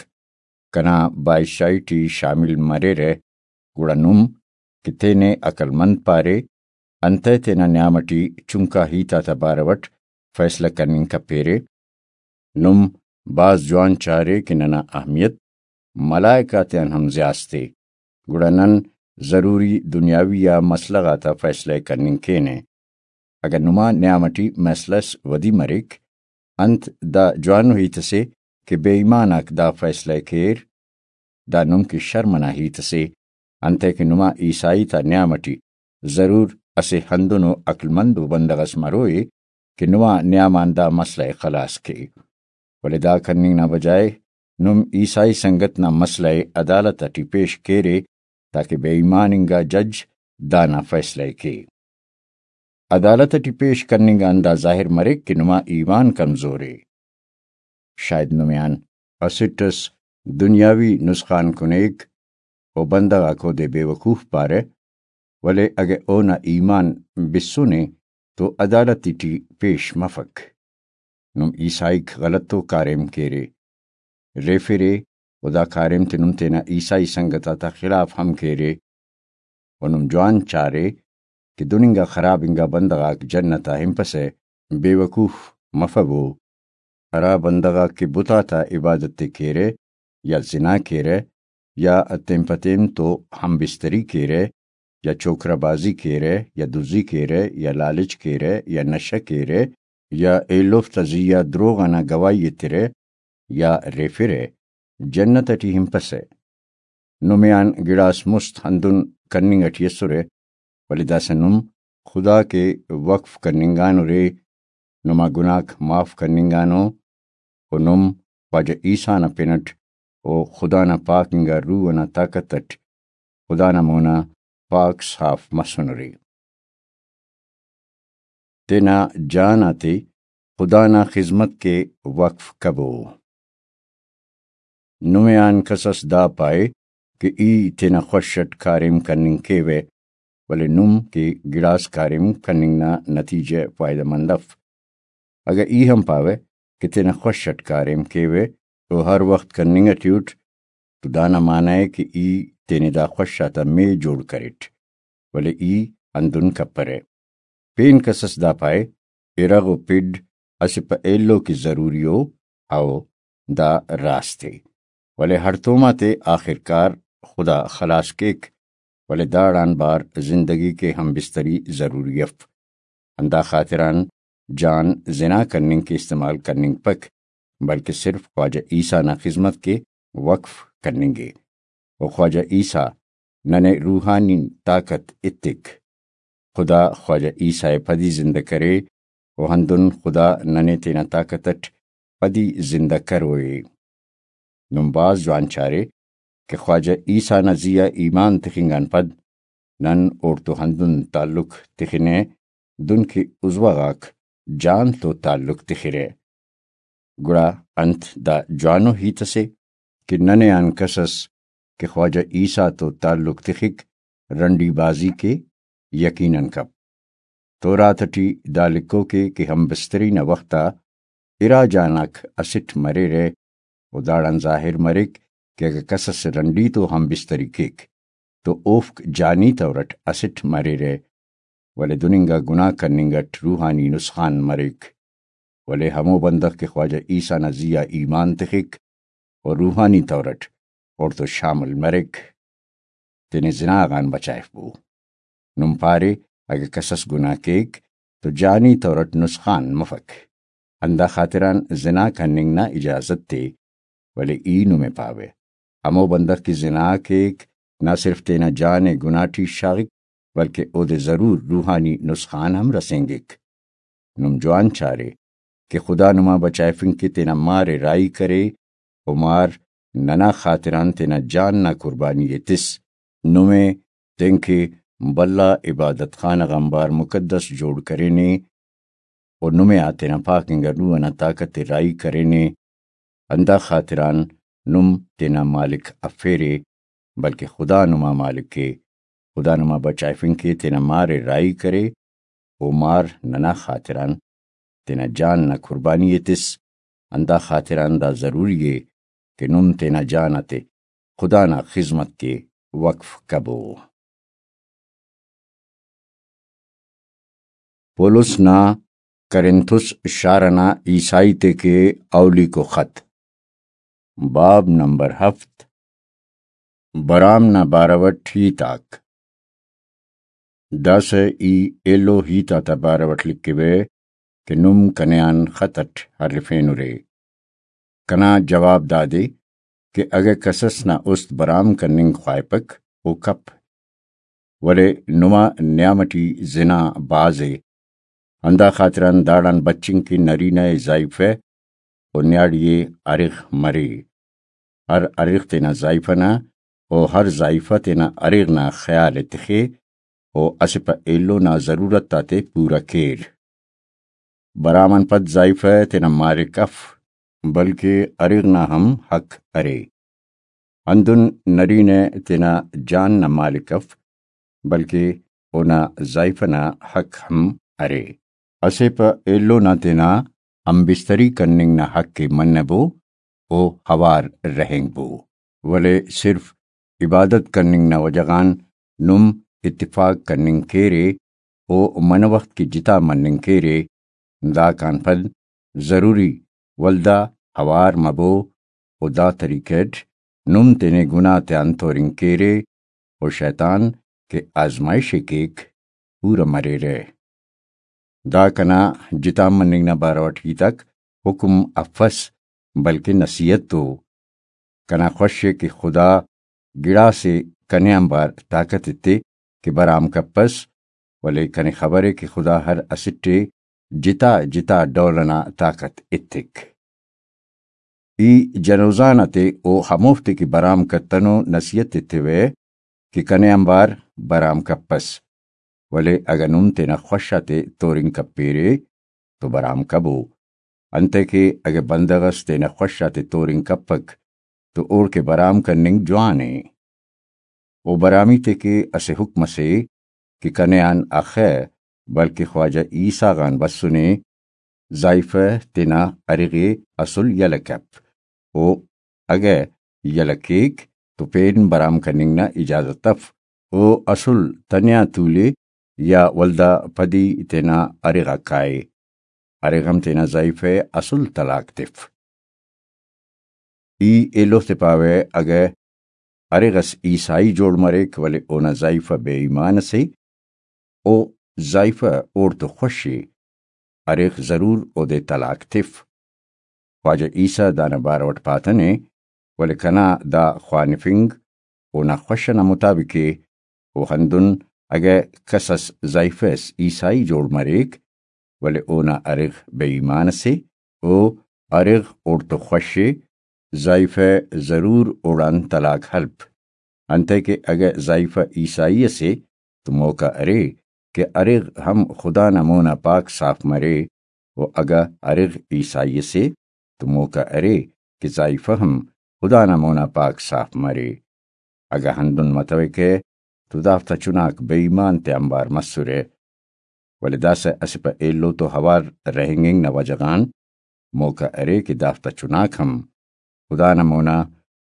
کنا بادشاہی ٹی شامل مریرہ، گڑا نم کہ تینے عقل مند پارے، انتئے تینا نیام ٹی چنکا ہیت آتا بارو ئٹ فیصلہ کننگ کپیرے؟ نم بھاز جوان چارے کہ ننا اہمیت ملائک آتیان ہم زیات ءِ، گڑا نن ضروری دنیاوی آ مسئلہ غاتا فیصلہ ءِ کننگ کینہ۔ اگہ نما نیام ٹی مسئلہ ئس ودی مریک، انت دا جوانو ہیت ئسے کہ بے ایمان آک دا فیصلہ ءِ کیر؟ دا نم کہ شرم ئنا ہیت اسے، انتئے کہ نما عیسائی تا نیام ئٹی ضرور اسہ ہندنو عقل مند و بندغ ئس مروئے کہ نما نیام آن دا مسئلہ ءِ خلاص کے۔ ولے دا کننگ نا بجائے نم عیسائی سنگت نا مسئلہ ءِ عدالت ئٹی پیش کیرے، تاکہ بے ایمان انگا جج دانا فیصلہ ءِ کے۔ عدالت ئٹی پیش کننگ آن دا ظاہر مریک کہ نما ایمان کمزور ءِ۔ شاید نمے آن اسٹ ئس دنیاوی نسخان کنیک و بندغ آک اودے بے وقوف پارہ، ولے اگہ اونا ایمان بسنے تو عدالت ٹی پیش مفک۔ نم عیسائیک غلطو کاریم کیرے، ریفرے و دا کاریم تے نم تینا عیسائی سنگت آتا خلاف ہم کیرے۔ و نم جوان چارے کہ دن انگا خراب انگا بندغ آک جنت آ ہنپسہ، بے وقوف مفبو۔ ہرا بندغ آک کہ بت آتا عبادت تے کیرہ، یا زنا کیرہ، یا تین پہ تین تو ہم بستری کیرہ، یا چوکرہ بازی کیرہ، یا دزی کیرہ، یا لالچ کیرہ، یا نشہ کیرہ، یا ایلوفتا زی آ دروغ ئنا گواہی ایترہ، یا ریفرہ، جنت ٹی ہنپسہ۔ نمے آن گڑاس مست ہندن کننگ ٹی اسرہ، ولے داسہ نم خدا کے وقف کننگانرے، نما گناہک معاف کننگانو، و نم خواجہ عیسیٰ نا پن اٹ و خدا نا پاک انگا روح ئنا طاقت اٹ خدا نا مونا پاک صاف مسنرے۔ تینا جان آتے خدا نا خذمت کے وقف کبو۔ نمے آن کسس دا پائے کہ ای تینا خوش اٹ کاریم کننگ کیوہ، ولے نم کہ گڑاس کاریم کننگ نا نتیجہ فائدہ مند اف۔ اگہ ای ہم پاوہ کہ تینا خوش اٹ کاریم کیوہ و ہر وخت کننگ اٹی اٹ، تو دانا معنی ء کہ ای تینے دا خوش آتا مے جوڑ کریٹ، ولے ای ہندن کپرہ۔ پین کسس دا پائے، ارغ و پڈ اسہ پہ ایلو کہ ضروری ء، او دا راست ء، ولے ہڑتوم آتے آخر کار خدا خلاص کیک، ولے داڑان بار زندگی کے ہم بستری ضروری اف۔ ہندا خاطران جان زنا کننگ کے استعمال کننگپک، بلکہ صرف خواجہ عیسیٰ نا خذمت کے وقف کننگے۔ و خواجہ عیسیٰ ننے روحانی طاقت ایتک۔ خدا خواجہ عیسیٰ ء پدی زندہ کرے، و ہندن خدا ننے تینا طاقت اٹ پدی زندہ کروئے۔ نم بھاز جوان چارے کہ خواجہ عیسیٰ نا زی آ ایمان تخنگ آن پد نن اوڑتو ہندن تعلق تخنہ، دن کہ عضوہ غاک جان تو تعلق تخرہ۔ گڑا انت دا جوانو ہیت اسے کہ ننے آن کس اس کہ خواجہ عیسیٰ تو تعلق تخک، رنڈی بازی کے؟ یقیناً کپ۔ تورات ٹی دا لکھوکے کہ ہم بستری نا وخت آ ارا جان آک اسٹ مریرہ، و داڑان ظاہر مریک کہ اگہ کس اس رنڈی تو ہم بستری کیک تو اوفک جانی طور اٹ اسٹ مریرہ، ولے دن انگا گناہ کننگ اٹ روحانی نسخان مریک۔ ولے ہمو بندغ کہ خواجہ عیسیٰ نا زی آ ایمان تخک و روحانی طور اٹ اوڑتون شامل مریک، تینے زنا غان بچائفبو۔ نم پارے اگہ کس اس گناہ کیک تو جانی طور اٹ نسخان مفک، ہندا خاطران زنا کننگ نا اجازت تے۔ ولے ای نمے پاوہ، ہمو بندغ کہ زنا کیک، نہ صرف تینا جان ء گناہ ٹی شاغک، بلکہ اودے ضرور روحانی نسخان ہم رسینگک۔ نم جوان چارے کہ خدا نما بچائفنگ کہ تینا مار ء راہی کرے، و مار ننا خاطران تینا جان نا قربانی ء تس۔ نمے تینکہ بھلا عبادت خانہ غان بار مقدس جوڑ کرینے، و نمے آ تینا پاک انگا روح ئنا طاقت ء راہی کرینے۔ ہندا خاطران نم تینا مالک افیرے، بلکہ خدا نما مالک ء۔ خدا نما بچائفنگ کے تینا مار ء راہی کرے، و مار ننا خاطران تینا جان نا قربانی ء تس۔ ہندا خاطران دا ضروری ء کہ نم تینا جان آتے خدا نا خذمت کے وقف کبو۔ پولس نا کرنتھس شار ئنا عیسائی تے کے اولیکو خط، باب نمبر ہفت، برام نا بارو اٹ ہیت آک۔ داسہ ای ایلو ہیت آتا بارو اٹ لکھوہ کہ نم کنے آن خط اٹ ہرفینرے۔ کنا جواب دادے کہ اگہ کسس نا است برام کننگ خواہپک، او کپ، ولے نما نیام ٹی زنا بھاز ءِ، ہندا خاطران داڑان بچنگ کہ نرینہ ءِ زائیفہ و نیاڑی ءِ ارغ مرے۔ ہر ارغ تینا زائیفہ نا و ہر زائیفہ تینا ارغ نا خیال ءِ تخے و اسہ پہ ایلو نا ضرورت آتے پورہ کیر۔ برام آن پد زائیفہ تینا مالک اف، بلکہ ارغ نا ہم حق ارے۔ ہندن نرینہ تینا جان نا مالک اف، بلکہ اونا زائیفہ نا حق ہم ارے۔ اسہ پہ ایلو نا تینا ہمبستری کننگ نا حق ءِ منبو، او ہوار رہینگبو، ولے صرف عبادت کننگ نا وجہ غان نم اتفاق کننگ کیرے، او منہ وخت کہ جتا مننگ کیرے، داکان پد ضروری ولدا ہوار مبو، و دا طریقہ اٹ نم تینے گناہ تیان تورنگ کیرے، و شیطان کہ آزمائش ءِ کیک، پورہ مریرہ۔ دا کنا جتا مننگ نا بارو اٹ ہیتاک حکم افس، بلکہ نصیحت ءُ۔ کنا خوش ءِ کہ خدا گڑاسے کنے آنبار طاقت ایتے کہ برام کپس، ولے کنے خبر ءِ کہ خدا ہر اسٹ ءِ جتا جتا ڈول ئنا طاقت ایتک۔ ای جنوزان آتے او ہموفتے کہ برام کتنو نصیحت ایتیوہ کہ کنے آنبار برام کپس، ولے اگہ نم تینا خوش آتے تورنگ کپیرے تو برام کبو، انتئے کہ اگہ بندغ ئس تینا خوش آتے تورنگ کپک تو اوڑکہ برام کننگ جوان ءِ۔ او برامی تے کہ اسہ حکم ئسے کہ کنے آن اخہ، بلکہ خواجہ عیسیٰ غان بسنے، زائیفہ تینا ارغ ءِ اسل یلہ کپ، او اگہ یلہ کیک تو پین برام کننگ نا اجازت اف۔ او اسل تنیا تولے یا ولدا پدی تینا ارغ آ کائے، ارغ ہم تینا زائیفہ ءِ اسل طلاق تف۔ ای ایلوفتے پاوہ، اگہ ارغ اس عیسائی جوڑ مریک، ولے اونا زائیفہ بے ایمان اسے، او زائیفہ اوڑتو خوش ءِ، ارغ ضرور اودے طلاق تف۔ خواجہ عیسیٰ دانا بارو اٹ پاتنے، ولے کنا دا خوانفنگ اونا خوش ئنا مطابق ءِ۔ و ہندن اگہ کس اس زائیفہ اس عیسائی جوڑ مریک، ولے اونا ارغ بے ایمان اسے، او ارغ اوڑتو خوش ءِ، زائیفہ ضرور اوڑان طلاق ہلپ۔ انتئے کہ اگہ زائیفہ عیسائی اسے تو موقع ارے کہ ارغ ہم خدا نا مونا پاک صاف مرے، و اگہ ارغ عیسائی اسے تو موقع ارے کہ زائیفہ ہم خدا نا مونا پاک صاف مرے۔ اگہ ہندن متوکہ تو دافتا چناک بے ایمان تے آنبار مسرہ۔ ولے داسہ اسہ پہ ایلو تو ہوار رہینگنگ نا وجہ غان موقع ارے کہ دافتا چناک ہم خدا نا مونا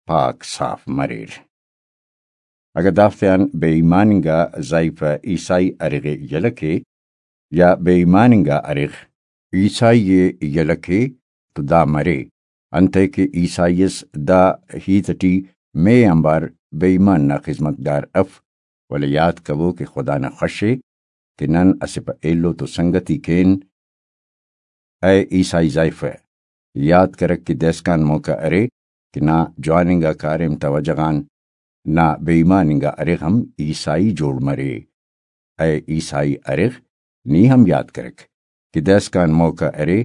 پاک صاف مریر۔ اگہ دافتیان بے ایمان انگا زائیفہ عیسائی ارغ ءِ یلہ کے، یا بے ایمان انگا ارغ عیسائی ءِ یلہ کے، تو دا مرے، انتئے کہ عیسائی اس دا ہیت ٹی مے آنبار بے ایمان نا خذمتگار اف، ولے یات کبو کہ خدا نا خوش ءِ کہ نن اسہ پہ ایلو تو سنگتی کین۔ اے عیسائی زائیفہ، یات کرک کہ دائسکان موقع ارے کہ نا جوان انگا کاریم تا وجہ غان نا بے ایمان انگا ارغ ہم عیسائی جوڑ مرے۔ اے عیسائی ارغ، نی ہم یات کرک کہ دائسکان موقع ارے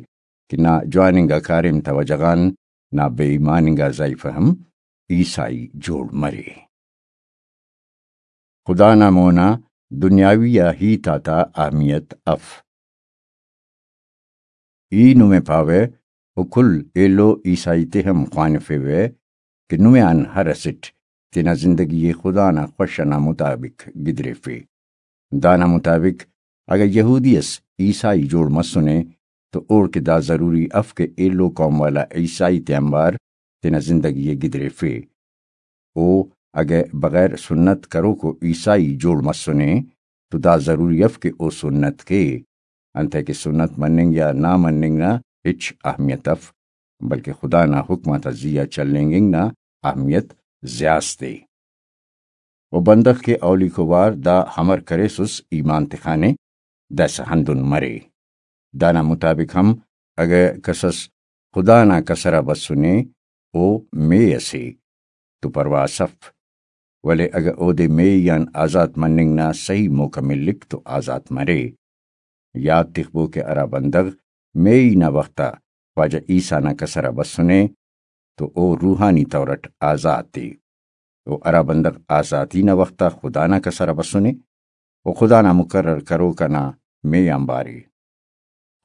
کہ نا جوان انگا کاریم تا وجہ غان نا بے ایمان انگا زائیفہ ہم عیسائی جوڑ مرے۔ خدا نا مونا دنیاوی آ ہیت آتا اہمیت اف۔ ای نمے پاوہ، و کل ایلو عیسائی تے ہم خوانفیوہ کہ نمے آن ہر اسٹ تینا زندگی ءِ خدا نا خوش ئنا مطابق گدریفے۔ دانا مطابق اگہ یہودی اس عیسائی جوڑ مسنے تو اوڑکہ دا ضروری اف کہ ایلو قوم والا عیسائی تے آنبار تینا زندگی ءِ گدریفے۔ او اگہ بغیر سنت کروکو عیسائی جوڑ مسنے تو دا ضروری اف کہ او سنت کے، انتئے کہ سنت مننگ یا نا مننگ نا ہچ اہمیت اف، بلکہ خدا نا حکم آتا زی آ چلینگنگ نا اہمیت زیات ءِ۔ و بندغ کہ اولیکو وار دا امر کریسس ایمان تخانے، داسہ ہندن مرے۔ دانا مطابق ہم اگہ کس اس خدا نا کسر آ بسنے، او مے ئسے تو پرواہ ئس اف، ولے اگہ اودے مے آن آزات مننگ نا سہی موقع ملک تو آزات مرے۔ یات تخبو کہ ہرا بندغ مے ای نا وخت آ خواجہ عیسیٰ نا کسر آ بسنے تو او روحانی طور اٹ آزات ءِ، و ہرا بندغ آزاتی نا وخت آ خدا نا کسر آ بسنے، او خدا نا مقرر کروک آ نا مے آنبار ءِ۔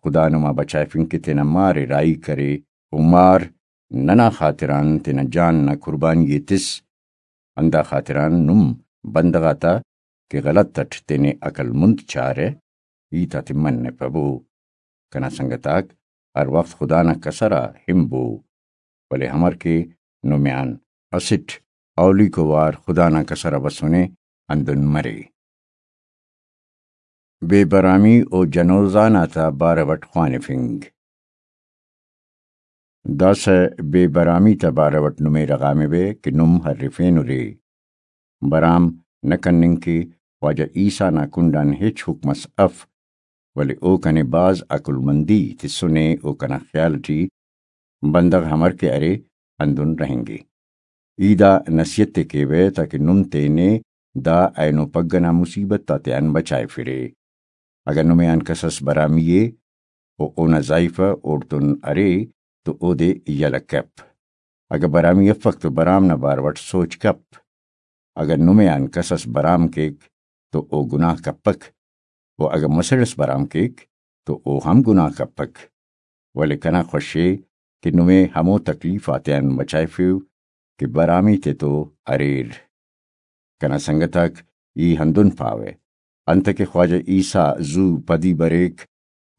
خدا نما بچائفنگ کہ تینا مار ءِ راہی کرے، و مار ننا خاطران تینا جان نا قربانی ءِ تس، ہندا خاطران نم بندغ آتا کہ غلط اٹ تینے عقل مند چارہ، ہیت آتے منپبو۔ کنا سنگت آک، ہر وخت خدا نا کسر آ ہنبو، ولے امر کہ نمے آن اسٹ اولیکو وار خدا نا کسر آ بسنے، ہندن مرے۔ بے برامی و جنوزان آتا بارو اٹ خوانفنگ۔ داسہ بے برامی تا بارو اٹ نمے رغانبے کہ نم ہرفینرے۔ برام نہ کننگ کہ خواجہ عیسیٰ نا کنڈ آن ہچ حکم اس اف، ولے او کنے بھاز عقل مندی تسنے و کنا خیال ٹی بندغ امر کہ ارے ہندن رہینگے۔ ای دا نصیحت ءِ کیوہ تاکہ نم تینے دا اینو پگہ نا مصیبت آتیان بچائفرے۔ اگہ نمے آن کس اس برامی ءِ و اونا زائیفہ اوڑتون ارے تو اودے یلہ کپ۔ اگہ برامی افک تو برام نا بارو اٹ سوچ کپ۔ اگہ نمے آن کس اس برام کیک تو او گناہ کپک، و اگہ مسڑ اس برام کیک تو او ہم گناہ کپک۔ ولے کنا خوش ءِ کہ نمے ہمو تکلیف آتیان بچائفیو کہ برامی تتو اریر۔ کنا سنگت آک، ای ہندن پاوہ، انتئے کہ خواجہ عیسیٰ زو پدی بریک،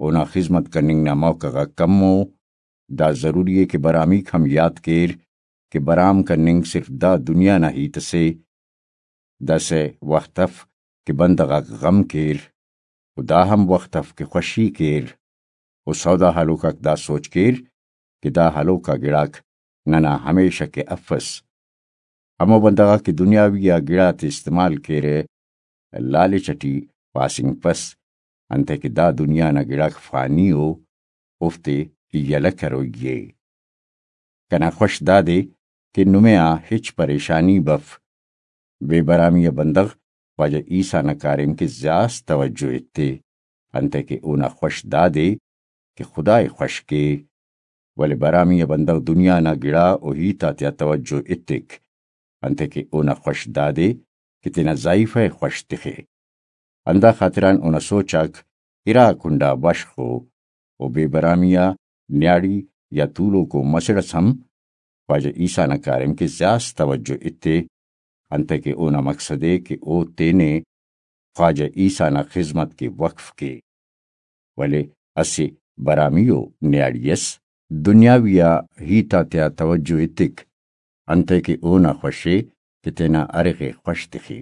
اونا خذمت کننگ نا موقع غاک کم ءُ۔ دا ضروری ءِ کہ برامیک ہم یات کیر کہ برام کننگ صرف دا دنیا نا ہیت اسے۔ داسہ وخت اف کہ بندغ آک غم کیر، و دا ہم وخت اف کہ خوشی کیر، و سودا ہلوک آک دا سوچ کیر کہ دا ہلوک آ گڑاک ننا ہمیشہ کہ افس۔ ہمو بندغ آک کہ دنیاوی آ گڑاتے استعمال کیرہ، لالچ اٹی پاسنگپس، انتئے کہ دا دنیا نا گڑاک فانی ءُ، اوفتے یلہ کروئی ءِ۔ کنا خوش دادے کہ نمے آ ہچ پریشانی بف۔ بے برامی آ بندغ خواجہ عیسیٰ نا کاریم کہ زیاس توجہ ایتے، انتئے کہ اونا خوش دادے کہ خدائے خوش کے۔ ولے برامی آ بندغ دنیا نا گڑا و ہیت آتیا توجہ ایتک، انتئے کہ اونا خوش دادے کہ تینا زائیفہ ءِ خوش تخے۔ ہندا خاطران اونا سوچ آک ارا کنڈا بشخ ءُ، و بے برامی آ نیاڑی یا تولوکو مسڑ اس ہم خواجہ عیسیٰ نا کاریم کہ زیاس توجہ ایتے، انتئے کہ اونا مقصد ءِ کہ او تینے خواجہ عیسیٰ نا خذمت کہ وقف کے۔ ولے اسہ برامی ءُ نیاڑی اس دنیاوی آ ہیت آتیا توجہ ایتک، انتئے کہ اونا خوش ءِ کہ تینا ارغ ءِ خوش تخے۔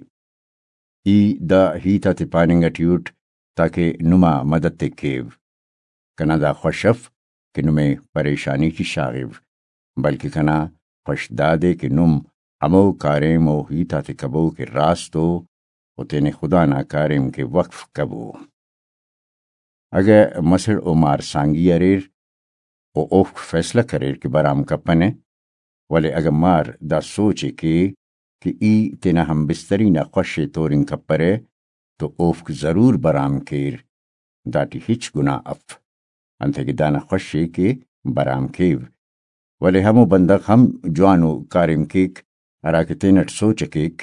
ای دا ہیت آتے پاننگ اٹی اٹ تاکہ نما مدد تے کیو۔ کنا دا خوش اف کہ نمے پریشانی ٹی شاغو، بلکہ کنا خوش دادے کہ نم ہمو کاریم و ہیت آتے کبو کہ راست ءُ، و تینے خدا نا کاریم کہ وقف کبو۔ اگہ مسڑ و مار سانگی اریر و اوفک فیصلہ کریر کہ برام کپنہ، ولے اگہ مار دا سوچ ءِ کے کہ ای تینا ہم بستری نا خوش ءِ تورنگ کپرہ تو اوفک ضرور برام کیر، داٹی ہچ گناہ اف، انتئے کہ دانا خوش ءِ کہ برام کیو۔ ولے ہمو بندغ ہم جوانو کاریم کیک، ہراکہ تینٹ سوچ ءِ کیک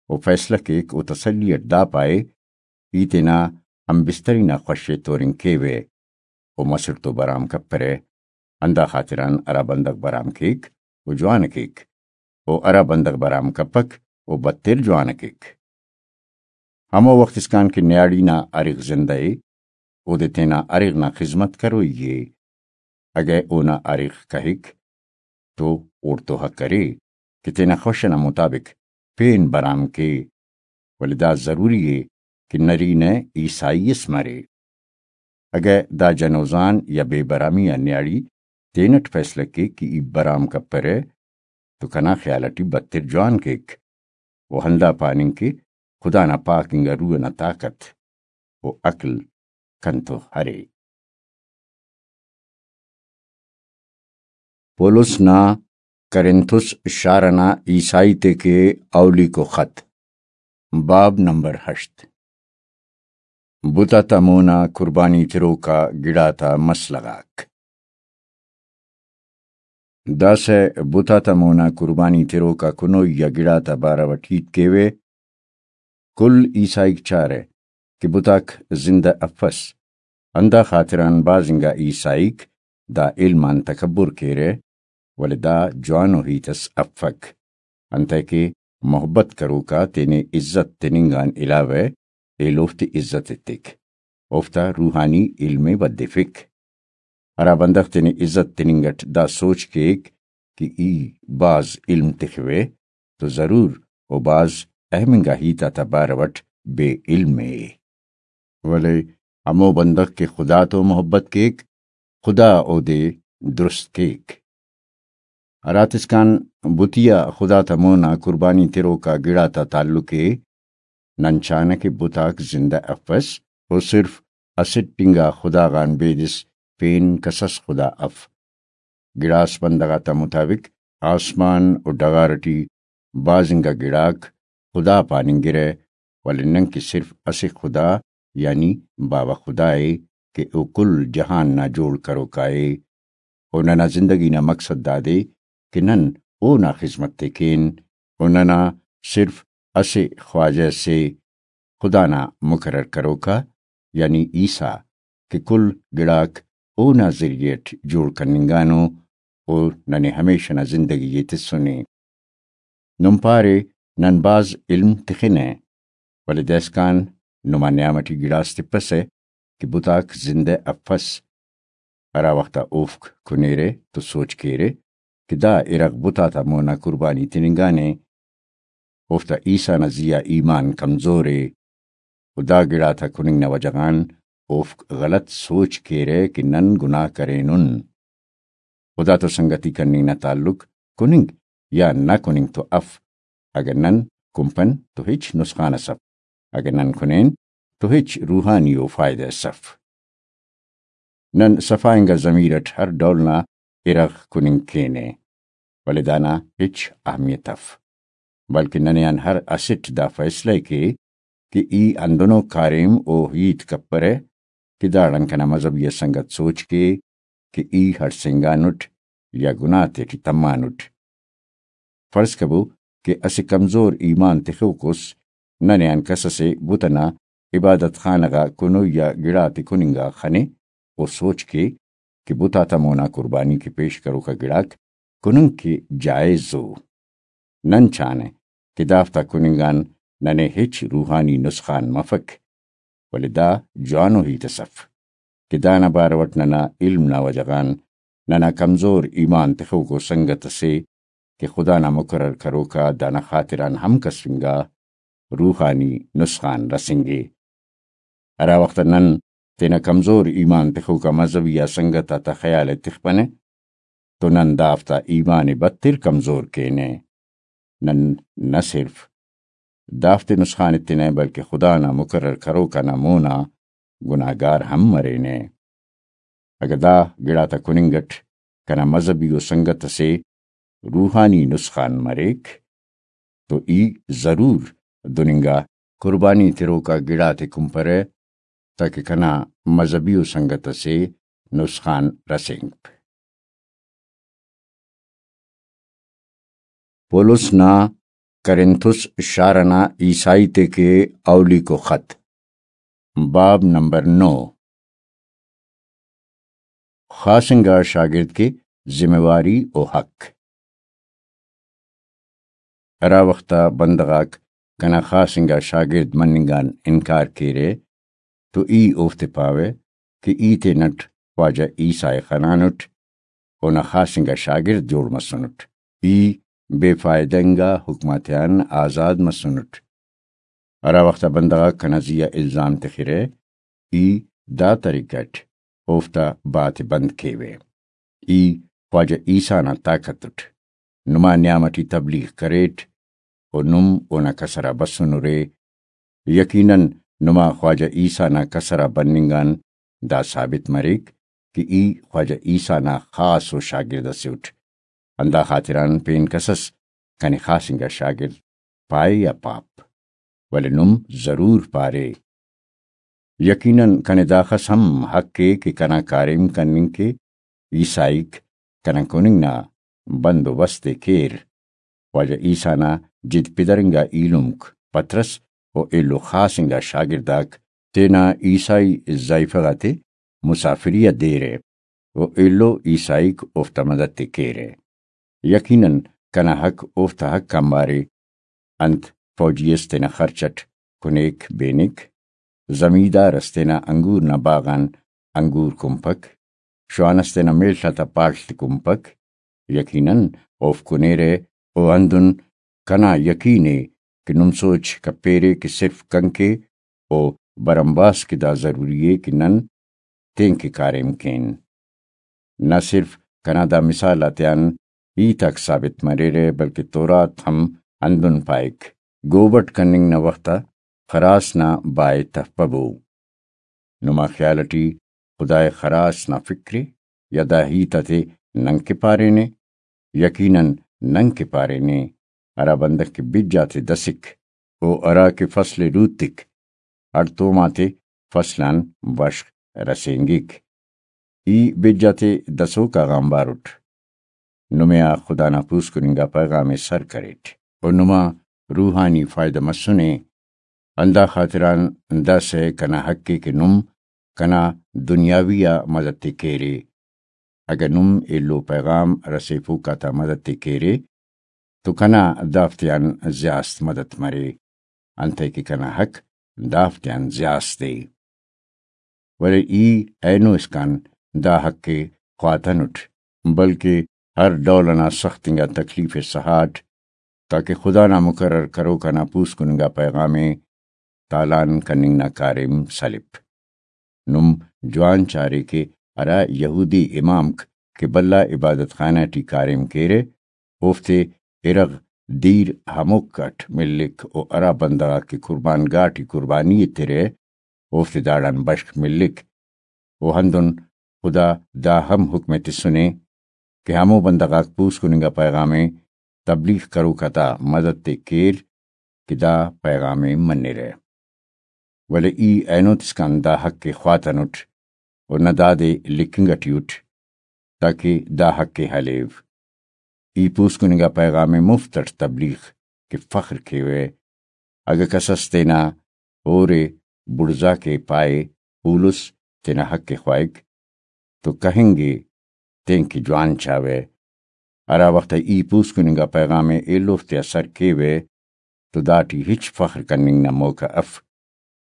و فیصلہ کیک و تسلی اٹ دا پائے، ای تینا ہم بستری نا خوش ءِ تورنگ کیوہ و مسڑ تو برام کپرہ۔ ہندا خاطران ہرا بندغ برام کیک، او جوان ءِ کیک، او ہرا بندغ برام کپک، او بدتر جوان ءِ کیک۔ ہمو وخت اسکان کہ نیاڑی نا ارغ زندہ ءِ، اودے تینا ارغ نا خذمت کروئی ءِ۔ اگہ اونا ارغ کہک تو اوڑتو حق ارے کہ تینا خوش ئنا مطابق پین برام کے، ولے دا ضروری ءِ کہ نرینہ عیسائی اس مرے۔ اگہ دا جنوزان یا بے برامی آ نیاڑی تینٹ فیصلہ کیک کہ ای برام کپرہ تو کنا خیال اٹی بدتر جوان کیک، و ہندا پاننگ کہ خدا نا پاک انگا روح ئنا طاقت و عقل کنتو ارے۔ پولس نا کرنتھس شار ئنا عیسائی تے کہ اولیکو خط، باب نمبر ہشت۔ بت آتا مونا قربانی تروکا گڑاتا مسئلہ غاک۔ داسہ بت آتا مونا قربانی تروکا کنوئی آ گڑاتا بارو اٹ ہیت کیوہ۔ کل عیسائیک چارہ کہ بتاک زندہ افس، ہندا خاطران بھاز انگا عیسائیک دا علم آن تکبر کیرہ، ولے دا جوانو ہیت اس افک، انتئے کہ محبت کروکا تینے عزت تننگ آن علاوہ ایلوفتے عزت ایتک، اوفتا روحانی علم ءِ ودفک۔ ہرا بندغ تینے عزت تننگ اٹ دا سوچ کیک کہ ای بھاز علم تخوہ تو ضرور او بھاز اہم انگا ہیت آتا بارو اٹ بے علم ءِ۔ ولے ہمو بندغ کہ خدا تو محبت کیک، خدا اودے درست کیک۔ ہراتسکان بتی آ خدا تا مونا قربانی تروکا گڑاتا تعلق ءِ، نن چانہ کہ بتاک زندہ افس، او صرف اسٹ انگا خدا غان بیدس پین کسس خدا اف۔ گڑاس بندغ آتا مطابق آسمان و ڈغار ٹی بھاز انگا گڑاک خدا پاننگرہ، ولے ننکہ صرف اسہ خدا یعنی باوہ خدا ءِ کہ او کل جہان نا جوڑ کروکا ءِ۔ او ننا زندگی نا مقصد دادے کہ نن اونا خذمت ءِ کین۔ او ننا صرف اسہ خواجہ سے خدا نا مقرر کروکا یعنی عیسیٰ کہ کل گڑاک اونا ذریعہ اٹ جوڑ کننگانو، او ننے ہمیشہ نا زندگی ءِ تسنے۔ نم پارے نن بھاز علم تخنہ، ولے دائسکان نما نیام اٹی گڑاس تپسہ کہ بتاک زندہ افس۔ ہرا وخت آ اوفک کنیرہ تو سوچ کیرہ کہ دا ارغ بت آتا مونا قربانی تننگانے، اوفتا عیسیٰ نا زی آ ایمان کمزور ءِ، و دا گڑاتا کننگ نا وجہ غان اوفک غلط سوچ کیرہ کہ نن گناہ کرینن۔ خدا تو سنگتی کننگ نا تعلق کننگ یا نہ کننگ تو اف، اگہ نن کنپن تو ہچ نسخان اس اف، اگہ نن کنین تو ہچ روحانی و فائدہ اس اف۔ نن صفا انگا ضمیر اٹ ہر ڈول نا ارغ کننگ کینہ، ولے دانا ہچ اہمیت اف، بلکہ ننے آن ہر اسٹ دا فیصلہ ءِ کے کہ ای ہندنو کاریم و ہیت کپرہ کہ داڑان کنا مذہبی آ سنگت سوچ کے کہ ای ہڑسینگانٹ یا گناہ تیٹی تمانٹ۔ فرض کبو کہ اسہ کمزور ایمان تخوک اس، ننے آن کس ئسے بت ئنا عبادت خانہ غا کنوئی آ گڑاتے کننگا خنے، او سوچ کے کہ بت آتا مونا قربانی کہ پیش کروکا گڑاک کننگ کہ جائز ءُ۔ نن چانہ کہ دافتا کننگ آن ننے ہچ روحانی نسخان مفک، ولے دا جوانو ہیت اس اف کہ دانا بارو اٹ ننا علم نا وجہ غان ننا کمزور ایمان تخوکو سنگت ئسے کہ خدا نا مقرر کروکا دانا خاطران ہم کسفنگا، روحانی نسخان رسینگے۔ ہرا وخت نن تینا کمزور ایمان تخوکا مذہبی آ سنگت آتا خیال ءِ تخپنہ تو نن دافتا ایمان ءِ بتر کمزور کینہ۔ نن نہ صرف دافتے نسخان ایتنہ بلکہ خدا نا مقرر کروکا نا مونا گناہگار ہم مرینہ۔ اگہ دا گڑاتا کننگ اٹ کنا مذہبی و سنگت ئسے روحانی نسخان مریک تو ای ضرور دن انگا قربانی تروکا گڑاتے کنپرہ تاکہ کنا مذہبی و سنگت ئسے نسخان رسینگپ۔ پولس نا کرنتھس شار ئنا عیسائی تے کہ اولیکو خط، باب نمبر نو۔ خاص انگا شاگرد کہ ذمہ واری و حق۔ ہرا وخت آ بندغ آک کنا خاص انگا شاگرد مننگ آن انکار کیرہ تو ای اوفتے پاوہ کہ ای تینٹ خواجہ عیسیٰ ءِ خنانٹ، اونا خاص انگا شاگرد جوڑ مسنٹ، ای بے فائدہ انگا حکم آتیان آزاد مسنٹ۔ ہرا وخت آ بندغ آک کنا زی آ الزام تخرہ، ای دا طریقہ اٹ اوفتا بات ءِ بند کیوہ۔ ای خواجہ عیسیٰ نا طاقت اٹ نما نیام اٹی تبلیغ کریٹ و نم اونا کسر آ بسنرے۔ یقیناً نما خواجہ عیسیٰ نا کسر آ بننگ آن دا ثابت مریک کہ ای خواجہ عیسیٰ نا خاص و شاگرد اسے اٹ، ہندا خاطران پین کس اس کنے خاص انگا شاگرد پائے یا پاپ، ولے نم ضرور پارے۔ یقیناً کنے داخس ہم حق ءِ کہ کنا کاریم کننگ کے عیسائیک کنا کننگ نا بند و بست ءِ کیر۔ واجہ عیسیٰ نا جد پدرنگا ایلمک پطرس و ایلو خاص انگا شاگرداک تینا عیسائی زائیفہ غاتے مسافری آ دیرہ و ایلو عیسائیک اوفتا مدد ءِ کیرہ۔ یقیناً کنا حق اوفتا حق آنبارے۔ انت فوجی اس تینا خرچ اٹ کنیک بینک، زمیدار اس تینا انگور نا باغ آن انگور کنپک، شوان اس تینا میڷ آتا پاڷ تے کنپک، یقیناً اوفک کنیرہ۔ و ہندن کنا یقین ءِ کہ نم سوچ کپیرے کہ صرف کنکے و برمباس کہ دا ضروری ءِ کہ نن تینکہ کاریم کین۔ نہ صرف کنا دا مثال آتیان ہیت آک ثابت مریرہ، بلکہ تورات ہم ہندن پائک، گوبٹ کننگ نا وخت آ خراس نا بائے تفپبو۔ نما خیال اٹی خدائے خراس نا فکر ءِ یا دا ہیت آتے نن کہ پارینے؟ یقیناً نن کہ پارینے، ہرا بندغ کہ بج آتے دسک، او ہرا کہ فصل ءِ روتک، ہڑتوم آتے فصل آن بشخ رسینگک۔ ای بج آتے دسوکا غا آنبار اٹ۔ نمے آ خدا نا پوسکن انگا پیغام ءِ سر کریٹ و نما روحانی فائدہ مسنے۔ ہندا خاطران داسہ کنا حق ءِ کہ نم کنا دنیاوی آ مدد ءِ کیرے۔ اگہ نم ایلو پیغام رسیفوک آتا مدد ءِ کیرے تو کنا دافتیان زیاست مدد مرے، انتئے کہ کنا حق دافتیان زیاست ءِ۔ ولے ای اینو اسکان دا حق ءِ خواتنٹ، بلکہ ہر ڈول ئنا سخت انگا تکلیف ءِ سہاٹ، تاکہ خدا نا مقرر کروک آ نا پوسکن انگا پیغام ءِ تالان کننگ نا کاریم سلپ۔ نم جوان چارے کہ ہرا یہودی امامک کہ بھلا عبادت خانہ ٹی کاریم کیرہ، اوفتے ارغ دیر ہمک اٹ ملک و ہرا بندغ آک کہ قربان گاہ ٹی قربانی ایترہ، اوفتے داڑان بشخ ملک۔ و ہندن خدا دا ہم حکم ءِ تسنے کہ ہمو بندغ آک پوسکن انگا پیغام ءِ تبلیغ کروک آتا مدد ءِ کیر کہ دا پیغام ءِ منرہ۔ ولے ای اینو تسکان دا حق ءِ خواتنٹ و نہ دادے لکھنگ ٹی اٹ، تاکہ دا حق ءِ ہلیو۔ ای پوسکن انگا پیغام ءِ مفت اٹ تبلیغ کہ فخر کیوہ۔ اگہ کس اس تینا ہورے بڑزا کے پائے، پولس تینا حق ءِ خواہک، تو کہنگ ءِ تینکہ جوان چاوہ۔ ہرا وخت ای پوسکن انگا پیغام ءِ ایلوفتیا سر کیوہ تو داٹی ہچ فخر کننگ نا موقع اف،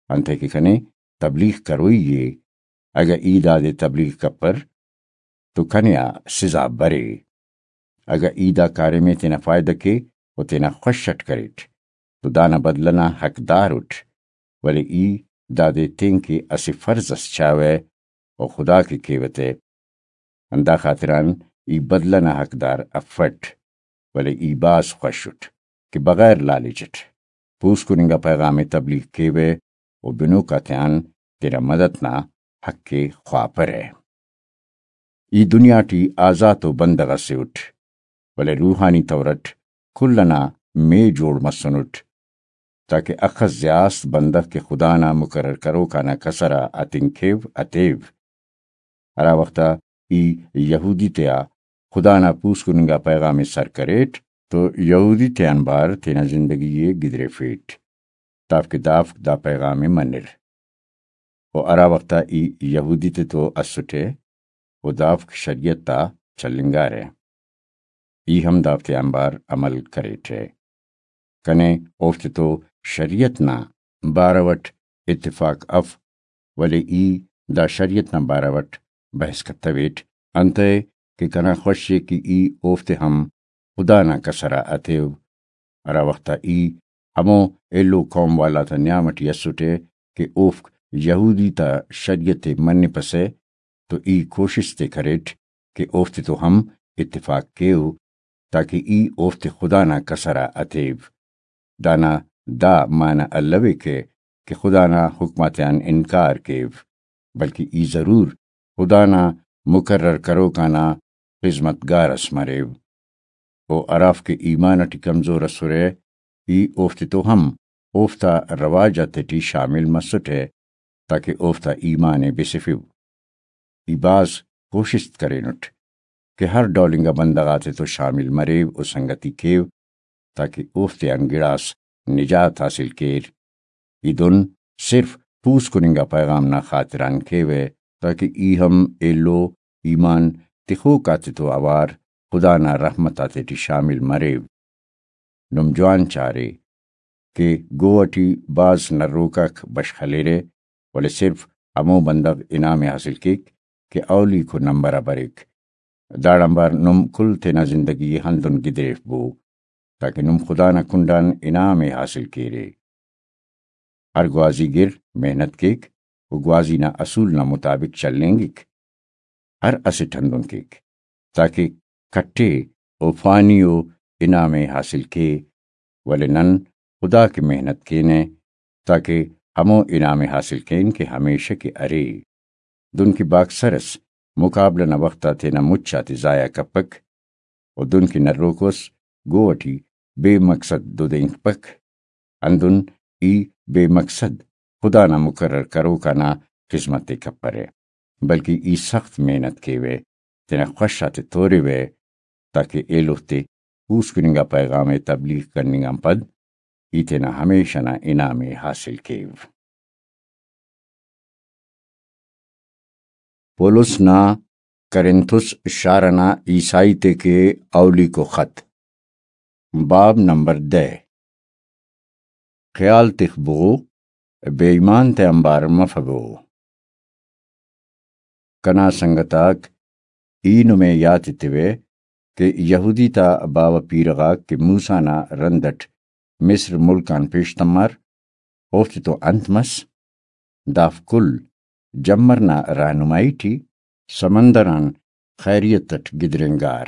انتئے کہ کنے تبلیغ کروئی ءِ۔ اگہ ای دادے تبلیغ کپر تو کنے آ سزا برے۔ اگہ ای دا کاریم ءِ تینا فائدہ کے و تینا خوش اٹ کریٹ تو دانا بدلہ نا حقدار اٹ، ولے ای دادے تینکہ اسہ فرض اس چاوہ و خدا کے کیوہ تہ۔ ہندا خاطران ای بدلہ نا حقدار افٹ، ولے ای بھاز خوش اٹ کہ بغیر لالچ اٹ پوسکن انگا پیغام ءِ تبلیغ کیوہ و بنوک آتیان تینا مدد نا حق ءِ خواپرہ۔ ای دنیا ٹی آزاتو بندغ اسے اٹ، ولے روحانی طور اٹ کل ئنا مے جوڑ مسنٹ، تاکہ اخس زیاست بندغ کہ خدا نا مقرر کروک آنا کسر آ اتنگ کیو، اتیو۔ ہرا وخت آ ای یہودی تیا خدا نا پوسکن انگا پیغام ءِ سر کریٹ تو یہودی تیان بار تینا زندگی ءِ گدریفیٹ، تافک دافک دا پیغام ءِ منر۔ و ہرا وخت آ ای یہودی تتو اسٹہ و دافک شریعت آ چلینگارہ، ای ہم دافتے آنبار عمل کریٹہ۔ کنے اوفتے تو شریعت نا بارو اٹ اتفاق اف، ولے ای دا شریعت نا بارو اٹ بحث کتویٹ، انتئے کہ کنا خوش ءِ کہ ای اوفتے ہم خدا نا کسر آ اتیو۔ ہرا وخت آ ای ہمو ایلو قوم والا تا نیام اٹی اسٹہ کہ اوفک یہودی تا شریعت ءِ منپسہ تو ای کوشست ءِ کریٹ کہ اوفتے تو ہم اتفاق کیو، تاکہ ای اوفتے خدا نا کسر آ اتیو۔ دانا دا معنہ الویکہ کہ خدا نا حکم آتیان انکار کیو، بلکہ ای ضرور خدا نا مقرر کروک آنا خذمت گار اس مریو۔ و ہرافک ایمان اٹی کمزور اسرہ، ای اوفتے تو ہم اوفتا رواج آتیٹی شامل مسٹہ، تاکہ اوفتا ایمان ء بسفو۔ ای بھاز کوشست کرینٹ کہ ہر ڈول انگا بندغ آتے تو شامل مریو و سنگتی کیو، تاکہ اوفتیان گڑاس نجات حاصل کیر۔ ای دن صرف پوسکن انگا پیغام نا خاطران کیوہ، تاکہ ای ہم ایلو ایمان تخوک آتے تو اوار خدا نا رحمت آتیٹی شامل مریو۔ نم جوان چارے کہ گو اٹی بھاز نروکاک بشخ ہلیرہ، ولے صرف ہمو بندغ انعام ء حاصل کیک کہ اولیکو نمبر آ بریک۔ داڑان بار نم کل تینا زندگی ء ہندن گدریفبو، تاکہ نم خدا نا کنڈان انعام ء حاصل کیرے۔ ہر گوازی گر محنت کیک و گوازی نا اصول نا مطابق چلینگک۔ ہر اسٹ ہندن کیک، تاکہ کٹے و فانی و انعام ء حاصل کے، ولے نن خدا کہ محنت کینہ، تاکہ ہمو انعام ء حاصل کین کہ ہمیشہ کہ ارے۔ دنکہ باکسر اس مقابلہ نا وخت آ تینا مچ آتے ضائع کپک، و دنکہ نروک اس گو اٹی بے مقصد دودینگپک، ہندن ای بے مقصد خدا نا مقرر کروکا نا خذمت ء کپرہ، بلکہ ای سخت محنت کیوہ، تینا خوش آتے توریوہ، تاکہ ایلوفتے پوسکن انگا پیغام ء تبلیغ کننگ آن پد ای تینا ہمیشہ نا انعام ء حاصل کیو۔ پولس نا کرنتھس شار ئنا عیسائی تے کہ اولیکو خط، باب نمبر دہ۔ خیال تخبو، بے ایمان تے آنبار مفبو۔ کنا سنگت آک، ای نمے یات ایتیوہ کہ یہودی تا باوہ پیرہ غاک کہ موسیٰ نا رند اٹ مصر ملک آن پیش تمار، اوفتے تو انت مس؟ دافک کل جمر نا رہنمائی ٹی سمندر آن خیریت اٹ گدرینگار۔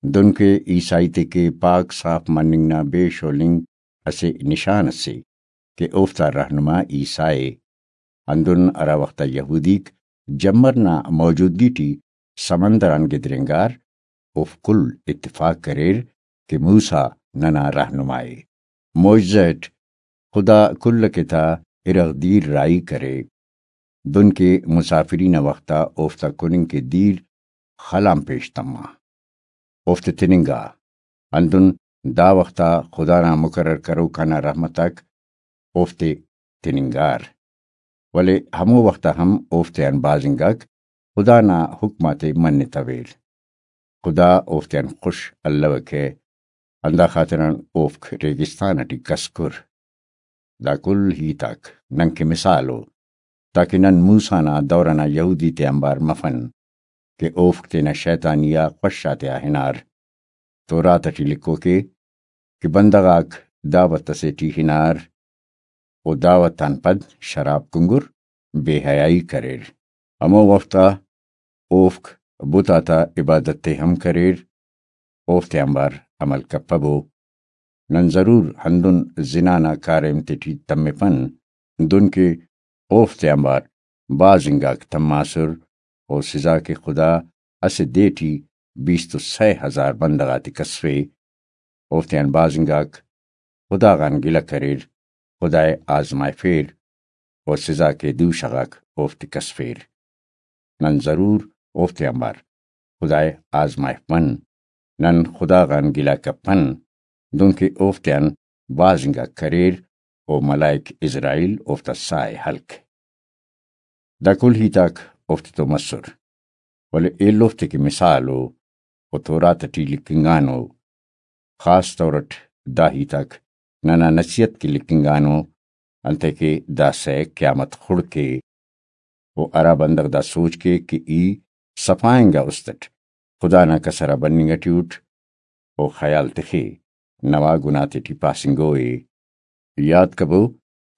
دنکہ عیسائی تے کہ پاک صاف مننگ نا بے شولنگ اسہ نشان اسے کہ اوفتا رہنما عیسیٰ ءِ۔ ہندن ہرا وخت آ یہودیک جمر نا موجودگی ٹی سمندر آن گدرینگار، اوفک کل اتفاق کریر کہ موسیٰ ننا رہنما ءِ۔ معجزہ اٹ خدا کل ئکے تا ارغ دیر راہی کرے۔ دنکہ مسافری نا وخت آ اوفتا کننگ کہ دیر خل آن پیش تما، اوفتے تننگا۔ ہندن دا وخت آ خدا نا مقرر کروکا نا رحمت آک اوفتے تننگار، ولے ہمو وخت آ ہم اوفتیان بھاز انگاک خدا نا حکم آتے منتویر۔ خدا اوفتیان خوش الوکہ، ہندا خاطران اوفک ریگستان اٹی کسکر۔ دا کل ہیت آک ننکہ مثال ءُ، تاکہ نن موسیٰ نا دور ئنا یہودی تے آنبار مفن کہ اوفک تینا شیطانی آ خوش آتیا ہنار۔ تورات اٹی لکھوکے کہ بندغ آک دعوت اسے ٹی ہنار، و دعوت آن پد شراب کنگر، بے حیائی کریر۔ ہمو وخت آ اوفک بت آتا عبادت تے ہم کریر، اوفتے آنبار عمل کپبو۔ نن ضرور ہندن زنا نا کاریم تیٹی تمپن، دنکہ اوفتے آنبار بھاز انگاک تماسر، و سزا کہ خدا اسہ دے ٹی بیست و سئے ہزار بندغ آتے کسفے، اوفتیان بھاز انگاک خدا غان گلہ کریر، خدائے آزمائفیر، و سزا کہ دوشہ غاک اوفتے کسفیر۔ نن ضرور اوفتے آنبار خدائے آزمائفبن۔ نن خدا غان گلہ کپن، دنکہ اوفتیان بھاز انگا کریر، و ملائک عزرائیل اوفتا ساہ ءِ ہلک۔ دا کل ہیت آک اوفتے تو مسر، ولے ایلوفتے کہ مثال ءُ، و تورات ٹی لکھنگانو۔ خاص طور اٹ دا ہیت آک ننا نصیحت کہ لکھنگانو، انتئے کہ داسہ قیامت خڑک ءِ، و ہرا بندغ دا سوچ کیک کہ ای صفا انگا است اٹ خدا نا کسر آ بننگ ٹی اٹ، و خیال تخے نوا گناہ تیٹی پاسنگو ءِ۔ یات کبو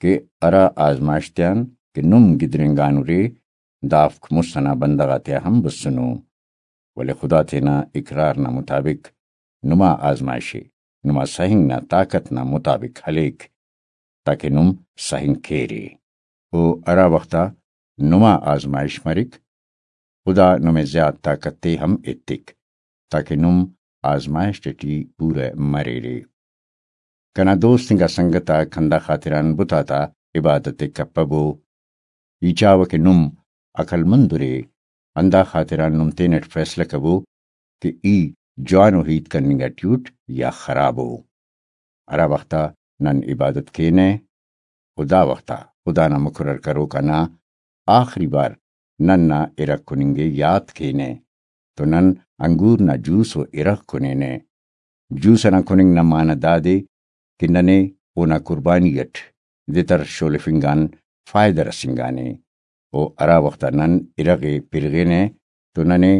کہ ہرا آزمائش تیان کہ نم گدرینگانرے، دافک مست ئنا بندغ آتیا ہم بسنو، ولے خدا تینا اقرار نا مطابق نما آزمائش ءِ نما سہنگ نا طاقت نا مطابق ہلیک، تاکہ نم سہنگ کیرے۔ و ہرا وخت آ نما آزمائش مریک، خدا نمے زیات طاقت تے ہم ایتک، تاکہ نم آزمائشت ٹی پورہ مریرے۔ کنا دوست انگا سنگت آک ہندا خاطران بت آتا عبادت ءِ کپبو۔ ای چاوہ کہ نم عقل مند ارے، ہندا خاطران نم تینٹ فیصلہ کبو کہ ای جوانو ہیت کننگ ٹی اٹ یا خرابو۔ ہرا وخت آ نن عبادت کینہ، و دا وخت آ خدا نا مقرر کروک آ نا آخری وار نن نا ارغ کننگ ءِ یات کینہ، تو نن انگور نا جوس و ارغ کنینہ۔ جوس ئنا کننگ نا معنہ دادے کہ ننے اونا قربانی ئٹ دتر شولفنگ آن فائدہ رسینگانے، و ہرا وخت آ نن ارغ ءِ پرغینہ تو ننے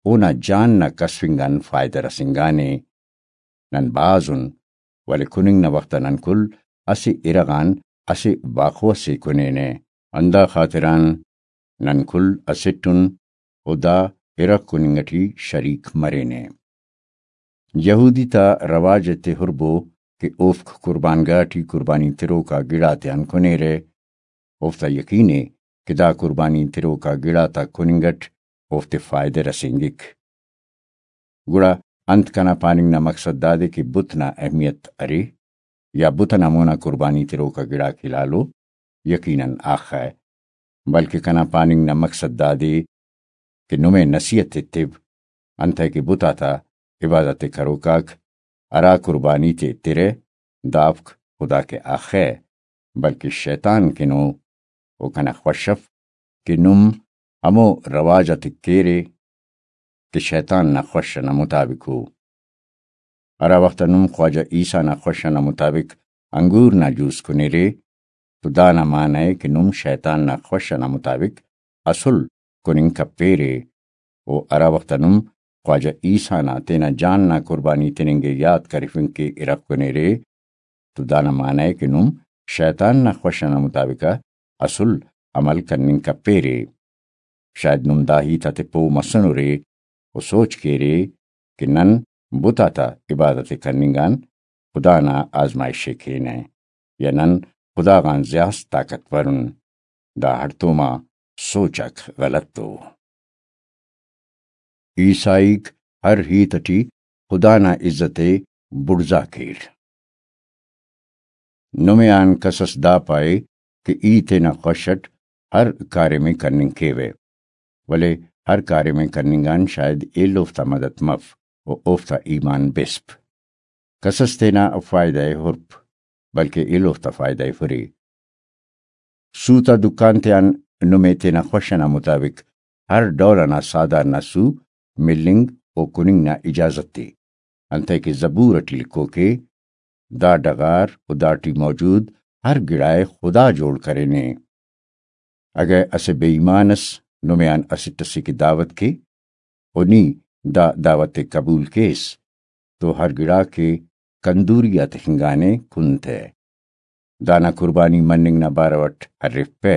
اونا جان نا کسفنگ آن فائدہ رسینگانے۔ نن بھاز ان، ولے کننگ نا وخت آ نن کل اسہ ارغ آن اسہ باخو ئسے کنینہ۔ ہندا خاطران نن کل اسٹ ان و دا ارغ کننگ ٹی شریک مرینہ۔ یہودی تا رواج تے ہربو کہ اوفک قربان گاہ ٹی قربانی تروکا گڑاتیان کنیرہ۔ اوفتا یقین ءِ کہ دا قربانی تروکا گڑاتا کننگ اٹ اوفتے فائدہ رسینگک۔ گڑا انت کنا پاننگ نا مقصد دادے کہ بت نا اہمیت ارے یا بت ئنا مونا قربانی تروکا گڑاک ہلالو؟ یقیناً آخہ، بلکہ کنا پاننگ نا مقصد دادے کہ نمے نصیحت ایتو، انتئے کہ بت آتا عبادت ءِ کروکاک ہرا قربانی تے ایترہ، دافک خدا کہ آخہ، بلکہ شیطان کن ءُ۔ و کنا خوش اف کہ نم ہمو رواج آتے کیرے کہ شیطان نا خوش ئنا مطابق ءُ۔ ہرا وخت آ نم خواجہ عیسیٰ نا خوش ئنا مطابق انگور نا جوس کنیرے، تو دانا معنہ ءِ کہ نم شیطان نا خوش ئنا مطابق اسل کننگ کپیرے۔ و ہرا وخت آ نم خواجہ عیسیٰ نا تینا جان نا قربانی تننگ ءِ یات کرفنگ کہ ارغ کنیرے، تو دانا معنہ ءِ کہ نم شیطان نا خوش ئنا مطابق آ اسل عمل کننگ کپیرے۔ شاید نم دا ہیت آتے پہہ مسنرے و سوچ کیرے کہ نن بت آتا عبادت ءِ کننگ آن خدا نا آزمائش ءِ کینہ یا نن خدا غان زیات طاقتور ان۔ دا ہڑتوما سوچ آک غلط ءُ۔ عیسائیک ہر ہیت ٹی خدا نا عزت ءِ بڑزا کیر۔ نمے آن کس اس دا پائے کہ ای تینا خوش اٹ ہر کاریم ءِ کننگ کیوہ، ولے ہر کاریم ءِ کننگ آن شاید ایلوفتا مدد مف و اوفتا ایمان بسپ۔ کس اس تینا فائدہ ءِ ہرپ، بلکہ ایلوفتا فائدہ ءِ ہرے۔ سو تا دکان تیان نمے تینا خوش ئنا مطابق ہر ڈول ئنا ساہدار نا سو ملنگ و کننگ نا اجازت ءِ، انتئے کہ زبور ٹی لکھوک ءِ، دا ڈغار و داٹی موجود ہر گڑا ءِ خدا جوڑ کرینے۔ اگہ اسہ بے ایمان اس نمے آن اسٹ ئسے کہ دعوت کے، و نی دا دعوت ءِ قبول کیس، تو ہر گڑاک ءِ کندوری آ تخنگانے کن تہ۔ دانا قربانی مننگ نا بارو اٹ ہرفپہ،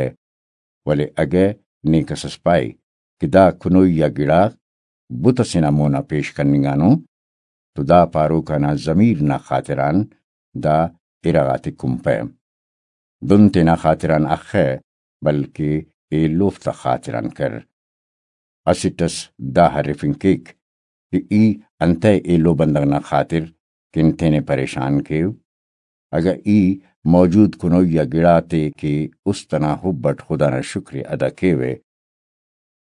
ولے اگہ نے کس اس پائے کہ دا کنوئی آ گڑا بت ئسے نا مونا پیش کننگانو، تو دا پاروک آنا ضمیر نا خاطران دا ارغ آتے کنپہ۔ دن تینا خاطران اخہ، بلکہ ایلوفتا خاطران کر۔ اسٹ اس دا ہرفنگ کیک کہ ای انتئے ایلو بندغ نا خاطر کن تینے پریشان کیو؟ اگہ ای موجود کنوئی آ گڑاتے کہ است ئنا حب اٹ خدا نا شکر ءِ ادا کیوہ،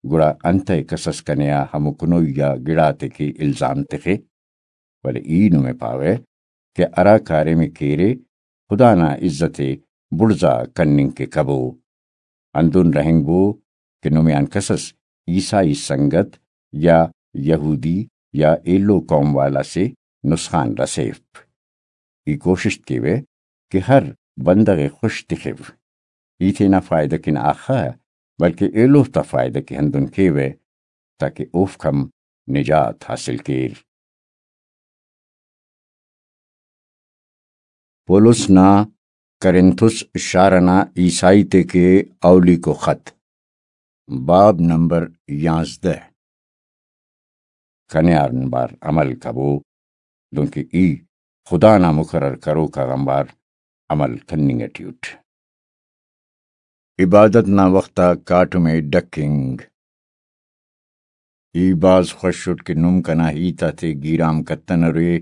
گڑا انتئے کس اس کنے آ ہمو کنوئی آ گڑاتے کہ الزام تخے؟ ولے ای نمے پاوہ کہ ہرا کاریم ءِ کیرے، خدا نا عزت ءِ بڑزا کننگ کہ کبو۔ ہندن رہینگبو کہ نمے آن کس اس عیسائی سنگت یا یہودی یا ایلو قوم والا سے نسخان رسیفپ۔ ای کوشست کیوہ کہ ہر بندغ ءِ خوش تخو۔ ای تینا فائدہ کن آخا، بلکہ ایلوفتا فائدہ کہ ہندن کیوہ، تاکہ اوفک ہم نجات حاصل کیر۔ پولس نا کرنتھس شار ئنا عیسائی تے کہ اولیکو خط، باب نمبر یانزدہ۔ کنے آنبار عمل کبو، دنکہ ای خدا نا مقرر کروک آغانبار عمل کننگ ٹی اٹ۔ عبادت نا وخت آ کاٹم ءِ ڈکنگ۔ ای بھاز خوش اٹ کہ نم کنا ہیت آتے گیرام کتنرے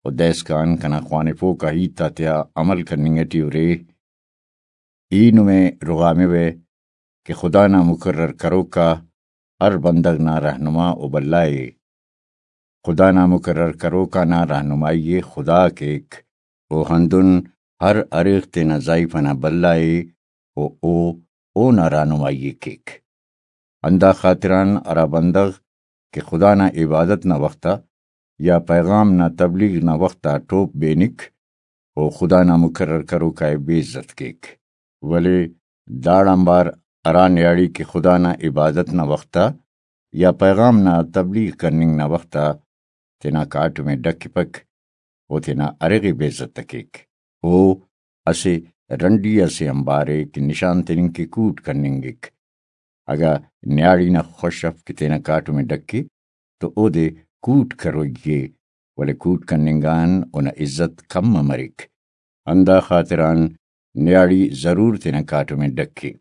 و دائسکان کنا خوانفوکا ہیت آتیا عمل کننگ ٹی ارے۔ ای نمے رغاموہ کہ خدا نا مقرر کروکا ہر بندغ نا رہنما و بھلا ءِ۔ خدا نا مقرر کروکا نا رہنمائی ءِ خدا کیک، و ہندن ہر اریغ تینا زائیفہ نا بھلا ءِ و او اونا رہنمائی ءِ کیک۔ ہندا خاطران ہرا بندغ کہ خدا نا عبادت نا وخت آ یا پیغام نا تبلیغ نا وخت آ ٹوپ بینک، او خدا نا مقرر کروکا ءِ بے عزت کیک۔ ولے داڑانبار ہرا نیاڑی کہ خدا نا عبادت نا وخت آ یا پیغام نا تبلیغ کننگ نا وخت آ تینا کاٹم ءِ ڈکپک، او تینا ارغ ءِ بے عزت کیک۔ او اسہ رنڈی اسے آنبار ءِ کہ نشان تننگ کہ کوٹ کننگک۔ اگہ نیاڑی نا خوش اف کہ تینا کاٹم ءِ ڈکے تو اودے کوٹ کروئی ءِ، ولے کوٹ کننگ آن اونا عزت کم مریک۔ ہندا خاطران نیاڑی ضرور تینا کاٹم ءِ ڈکے۔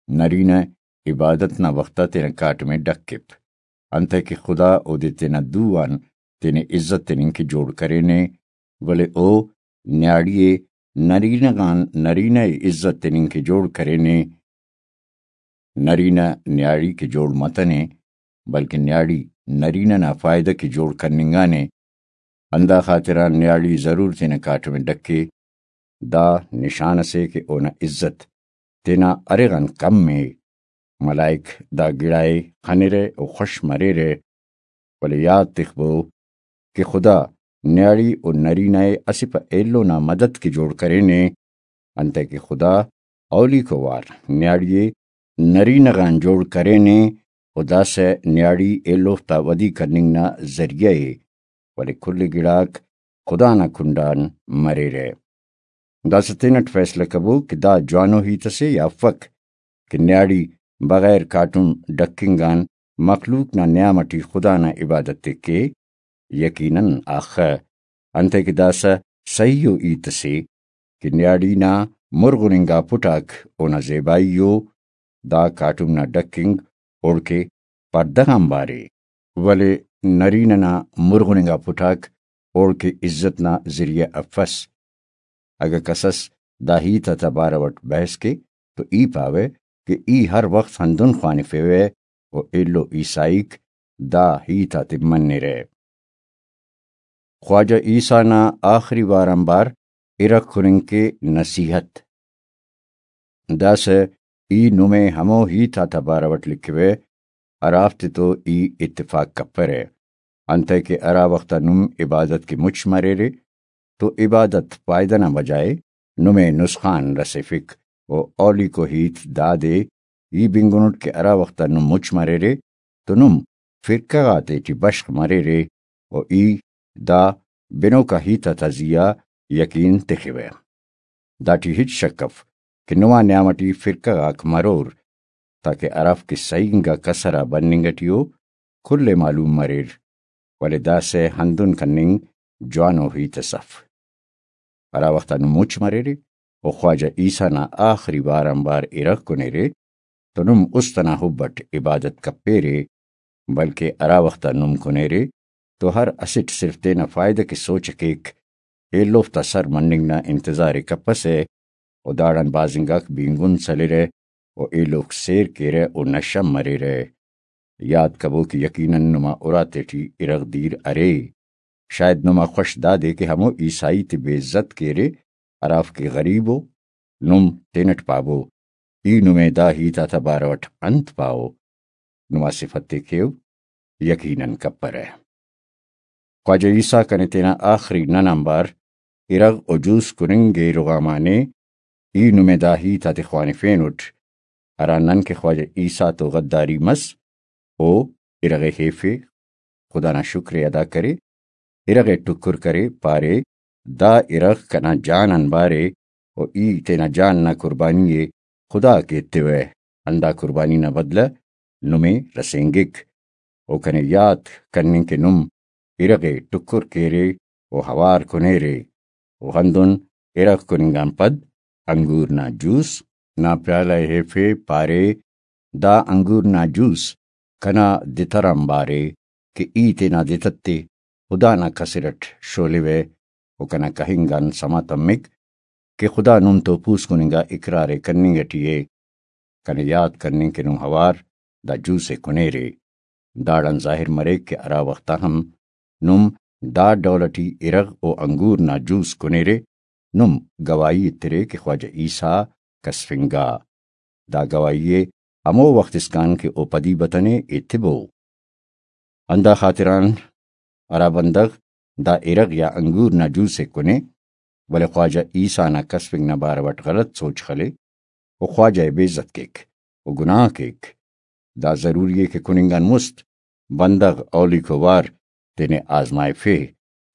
نرینہ عبادت نا وخت آ تینا کاٹم ءِ ڈکپ، انتئے کہ خدا اودے تینا دو آن تینے عزت تننگ کہ جوڑ کرینے، ولے او نیاڑی ءِ نرینہ غان نرینہ ءِ عزت تننگ کہ جوڑ کرینے۔ نرینہ نیاڑی کہ جوڑ متنے، بلکن نیاڑی نرینہ نا فائدہ کہ جوڑ کننگانے۔ ہندا خاطران نیاڑی ضرور تینا کاٹم ءِ ڈکے۔ دا نشان اسے کہ اونا عزت تینا ارغ آن کم ءِ۔ ملائک دا گڑا ءِ خنرہ و خوش مریرہ۔ ولے یات تخبو کہ خدا نیاڑی و نرینہ ءِ اسہ پہ ایلو نا مدد کہ جوڑ کرینے، انتئے کہ خدا اولیکو وار نیاڑی ءِ نرینہ غان جوڑ کرینے و داسہ نیاڑی ایلوفتا ودی کننگ نا ذریعہ ءِ، ولے کل گڑاک خدا نا کنڈان مریرہ۔ داسہ تینٹ فیصلہ کبو کہ دا جوانو ہیت اسے یا افک کہ نیاڑی بغیر کاٹم ڈکنگ آن مخلوق نا نیام اٹی خدا نا عبادت ءِ کے؟ یقیناً اخہ، انتئے کہ داسہ سہی ءُ ہیت اسے کہ نیاڑی نا مرغن انگا پٹاک اونا زیبائی ءُ، دا کاٹم نا ڈکنگ اوڑکہ پڑدہ غان بارے، ولے نرینہ نا مرغن انگا پٹاک اوڑکہ عزت نا ذریعہ افس۔ اگہ کسس دا ہیت آتا بارو اٹ بحث کے تو ای پاوہ کہ ای ہر وخت ہندن خوانفیوہ و ایلو عیسائیک دا ہیت آتے منرہ۔ خواجہ عیسیٰ نا آخری وار آنبار ارغ کننگ کے نصیحت۔ داسہ ای نمے ہمو ہیت آتا بارو اٹ لکھوہ ہرافتے تو ای اتفاق کپرہ، انتئے کہ ہرا وخت آ نم عبادت کہ مچ مریرے تو عبادت فائدہ نا بجائے نمے نسخان رسیفک، و اولیکو ہیت دادے ای بنگنٹ کہ ہرا وخت آ نم مچ مریرے تو نم فرقہ غاتے ٹی بشخ مریرے و ای دا بنوکا ہیت آتا زیہا یقین تخوہ۔ داٹی ہچ شک اف کہ نما نیام اٹی فرقہ غاک مرور، تاکہ ہرافک کہ صحیح انگا کسر آ بننگ اٹی ءُ کل ءِ معلوم مریر، ولے داسہ ہندن کننگ جوانو ہیت اس اف۔ ہرا وخت آ نم مچ مریرے و خواجہ عیسیٰ نا آخری وار آنبار ارغ کنیرے تو نم است ئنا حب اٹ عبادت کپیرے، بلکہ ہرا وخت آ نم کنیرے تو ہر اسٹ صرف تینا فائدہ کہ سوچ کیک، ایلوفتا سر مننگ نا انتظار ءِ کپسہ و داڑان بھاز انگاک بینگن سلرہ و ایلوفک سیر کیرہ و نشہ مریرہ۔ یات کبو کہ یقیناً نما اراتے ٹی ارغ دیر ارے۔ شاید نما خوش دادے کہ ہمو عیسائی تے بے عزت کیرے ہرافک کہ غریب ءُ۔ نم تینٹ پابو، ای نمے دا ہیت آتا بارو اٹ انت پاو؟ نما صفت تے کیو، یقیناً کپرہ۔ خواجہ عیسیٰ کنے تینا آخری نن آنبار ارغ و جوس کننگ ءِ رغامانے، ای نمے دا ہیت آتے خوانفینٹ، ہرا نن کہ خواجہ عیسیٰ تو غداری مس، او ارغ ءِ ہیفے، خدا نا شکر ءِ ادا کرے، ارغ ءِ ٹکر کرے، پارے، دا ارغ کنا جان آنبارے و ای تینا جان نا قربانی ءِ خدا کے ایتوہ، ہندا قربانی نا بدلہ نمے رسینگک۔ او کنے یات کننگ کہ نم ارغ ءِ ٹکر کیرے و ہوار کنیرے و ہندن ارغ کننگ آن پد انگور نا جوس نا پیالہ ءِ ہیفے، پارے، دا انگور نا جوس کنا دتر آنبار ءِ کہ ای تینا دتت تے خدا نا کسر اٹ شولوہ و کنا کہنگ آن سما تمک کہ خدا نم تو پوسکن انگا اقرار ءِ کننگ اٹی ءِ۔ کنے یات کننگ کہ نم اوار دا جوس ءِ کنیرے۔ داڑان ظاہر مریک کہ ہرا وخت آ ہم نم دا ڈول اٹی ارغ و انگور نا جوس کنیرے، نم گواہی ایترے کہ خواجہ عیسیٰ کسفنگا۔ دا گواہی ءِ ہمو وخت اسکان کہ او پدی بتنے ایتبو۔ ہندا خاطران ہرا بندغ دا ارغ یا انگور نا جوس ءِ کنے، ولے خواجہ عیسیٰ نا کسفنگ نا بارو اٹ غلط سوچ خلے، و خواجہ ءِ بے عزت کیک و گناہ کیک۔ دا ضروری ءِ کہ کننگ آن مست بندغ اولیکو وار تینے آزمائفے،